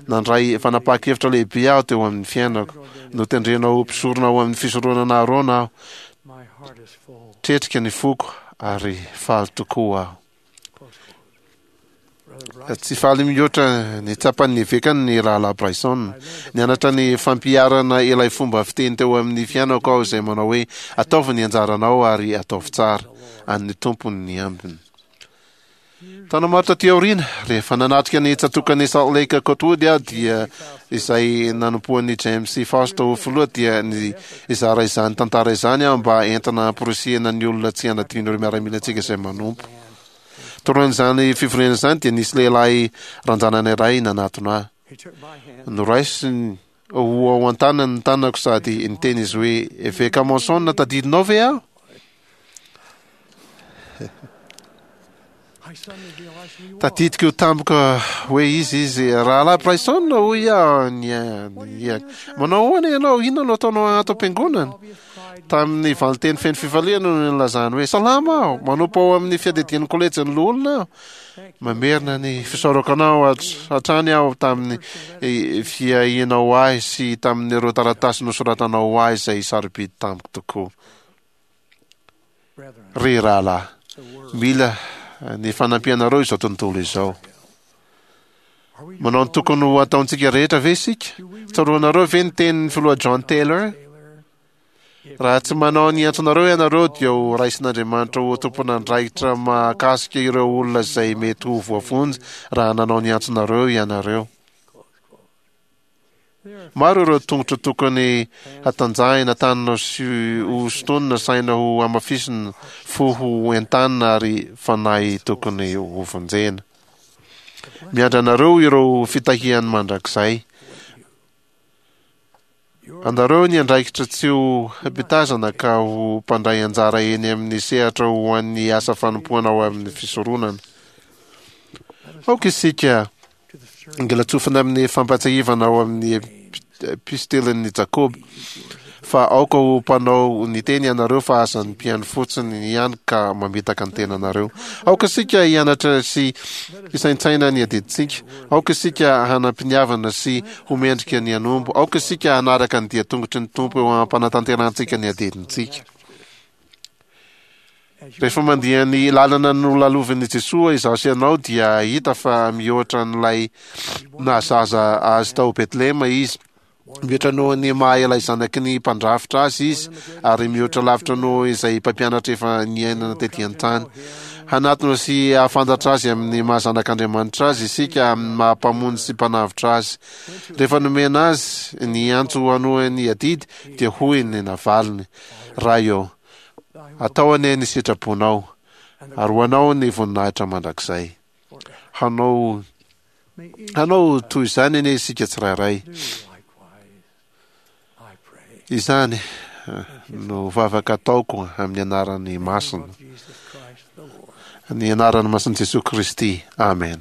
Nandray fanapahan-kevitra lehibe aho teo amin'ny fiainako. Notendrenao ho mpisorona ao amin'ny fisoronana Arona aho. Tretrika ny foko ary faly tokoa aho." Tsy faly mihoatra ny tsapan'ny evekany ny rahalahy Bryson. "Nianatra ny fampiharana ilay fomba fiteny teo amin'ny fiainako aho izay manao hoe, 'Ataovy ny anjaranao ary ataovy tsara. An'ny Tompony ny ambiny.'" Taona maro taty aoriana, rehefa nanatrika ny tsatòkan'i Salt Lake Cotwood aho dia izay nanompoan'i James Faust ho filoha, dia nizara izany tantara izany aho mba entina hamporisihina ny olona tsy hanadino ireo miaramilantsika izay manompo. Taorian'izany fivoriana izany dia nisy lehilahy ranjanana iray nanatona ahy. Noraisiny ho ao an-tanany ny tanako sady niteny izy hoe, "Eveka Monson, tadidinao ve aho?" Tadidiko tampoka hoe izy izy. "Rahalahy Bryson," hoy aho nihiaka. "Manao ahoana ianao? Inona no ataonao ato am-piangonana?" Tamin'ny valinteny feno fifaliana no nilazany hoe, "Salama aho, manompo ao amin'ny fiadidian'ny kolejin'ny loholona aho. Mamerina ny fisaorako anao hatrany aho tamin'ny fiahianao ahy sy tamin'ireo taratasy nosoratanao ho ahy izay sarobidy tamiko tokoa. Ry rahalahy, mila ny fanampianareo izao tontolo izao. Manao ny tokony ho ataontsika rehetra ve isika? Tsaroanareo ve ny tenin'ny filoha John Taylor? Raha tsy manao ny antsonareo ianareo dia ho raisin'Andriamanitra ho tompon'andraikitra mahakasika ireo olona izay mety ho voavonjy raha nanao ny antsonareo ianareo. Maro ireo tongotra tokony hatanjahina, tanana sy ho sintonina, saina ho hamafisina, fo ho entanina ary fanahy tokony hovonjena. Miandry anareo ireo fitahiany mandrakizay. Anareo ny andraikitra tsy ho mpitazana ka ho mpandray anjara eny amin'ny sehatra ho an'ny asa fanompoana ao amin'ny fisoronana. Aoka isika Ngilatsofina amin'ny fampahatsiahivana ao amin'ny epistelin'i Jakoba fa aoka ho mpanao ny teny ianareo fa aza ny mpihaino fotsiny ihany ka mamitaka ny tenanareo. Aoka isika hianatra sy hisaintsaina ny adidintsika. Aoka isika hanam-piniavana sy ho mendrika ny hanompo. Aoka isika hanaraka ny dia-tongotry ny Tompo eo am-panatanterahantsika ny adidintsika. Rehefa mandia ny lalana nolalovin'i Jesoa izaho sy ianao dia hahita fa mihoatra an'ilay nahazaza azy tao Betlehema izy. Mihoatra noho ny maha ilay zanaky ny mpandrafitra azy izy ary mihoatra lavitra noho izay mpampianatra efa niainana tety an-tany. Hanatona sy hahafantatra azy amin'ny maha zanak'Andriamanitra azy isika amin'ny maha mpamonjy sy mpanavotra azy. Rehefa nomena azy ny antso hanohy ny adidy dia hoy ny navaliny, Ray ô, Atao anie ny sitraponao, ary ho anao ny voninahitra mandrakizay. Hanao hanao toy izany anie isika tsirairay. Izany no vavaka ataoko amin'ny anarany masina, ny anarany masin'i Jesoa Kristy. Amen.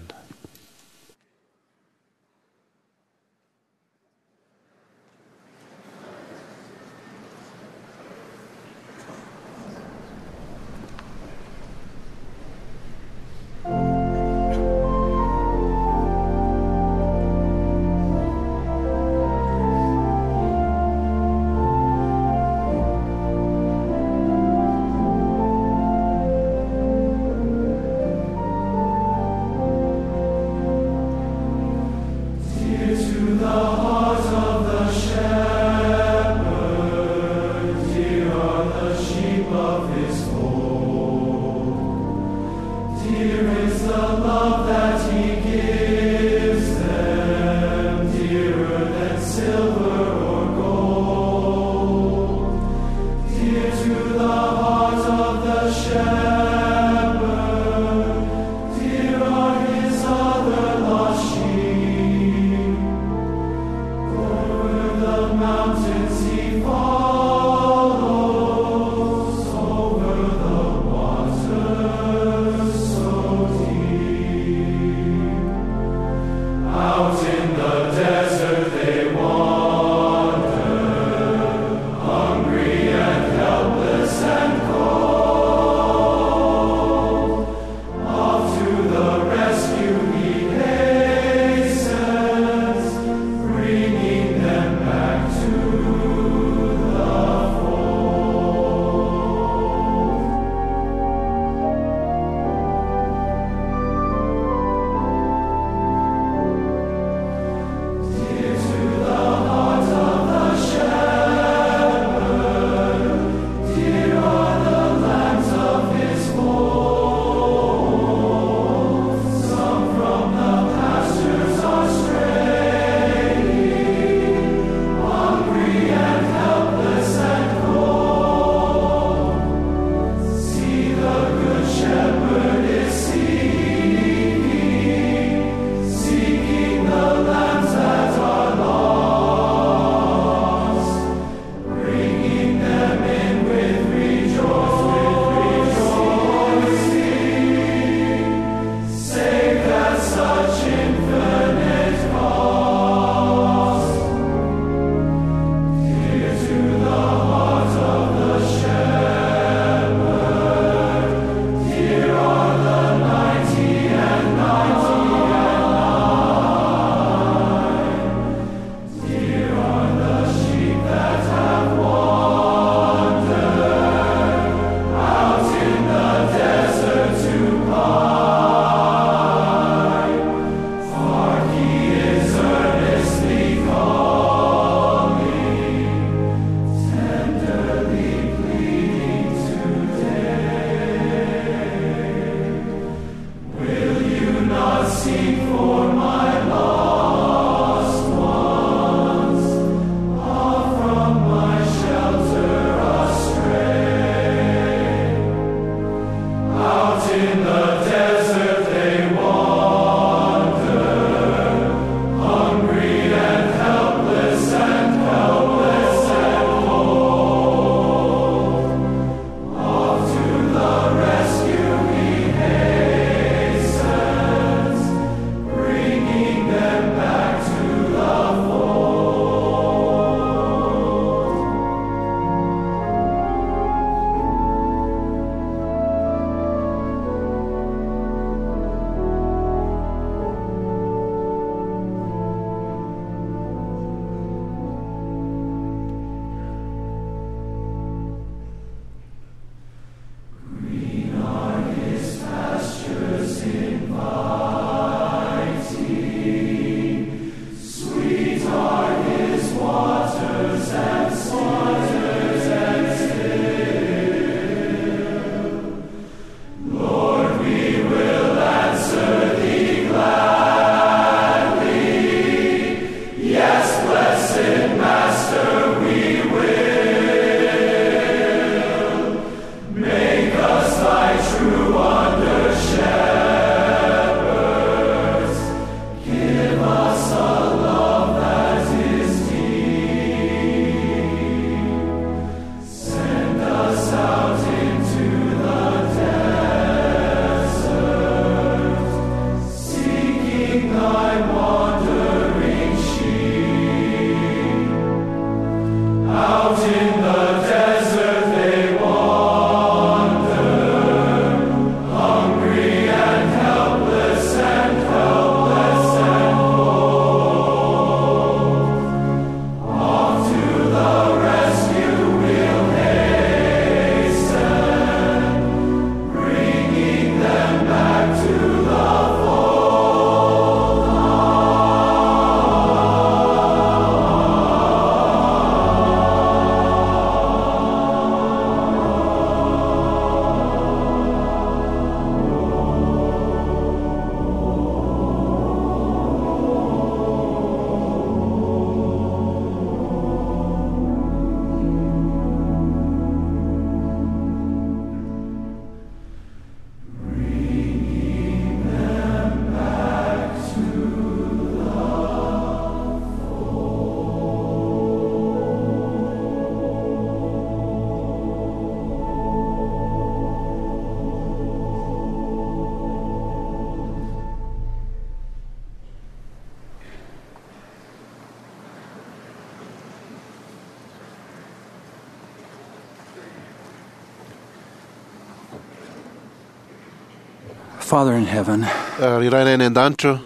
Father in heaven, Ry Rainay any an-danitra,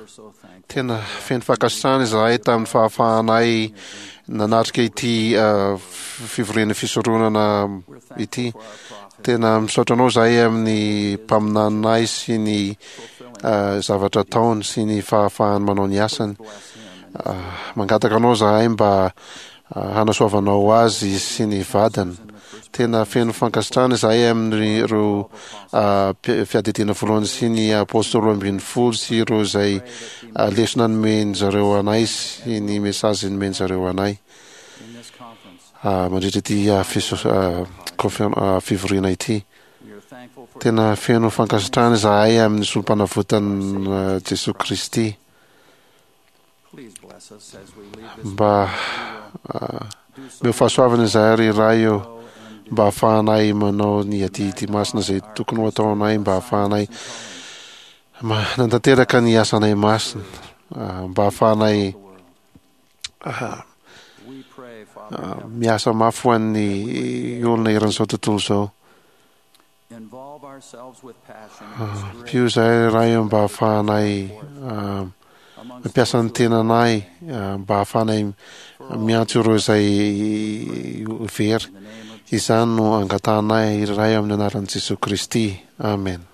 tena feno fankasitrahana izahay tamin'ny fahafahanay nanatrika ity uh, fivoriana fisoronana ity. Tena misaotra anao zahay amin'ny mpaminaninay sy ny uh, zavatra ataony sy ny fahafahany manao ny asany. Uh, mangataka anao zahay mba uh, hanasoavanao azy sy ny vadiny. Tena feno fankasitrahana izahay amin'ireo uh, fiadidiana voalohany sy ny apôstôly roa ambin'ny folo sy ireo izay uh, lesona nomeny zareo anay sy ny mesazy nomeny zareo anay uh, mandritra ity uh, fiso- uh, confer- uh, fivoriana ity. Tena feno fankasitrahana izahay amin'ny solom-panavotan'i Jesosy Kristy. Mba uh, meo fahasoavana izahay ry Ray eo, mba hahafahanay manao ny adidy masina izay tokony ho ataonay, mba hahafahanay manatanteraka ny asanay masina, uh, mba hahafahanay uh, uh, miasa mafy ho an'ny olona eran'izao tontolo izao. Ampio izahay Ray eo mba hahafahanay uh, mampiasa ny tenanay, uh, mba hahafahanay miantso ireo izay very. Izany no angatahanay Ray amin'ny anaran'i Jesosy Kristy. Amen.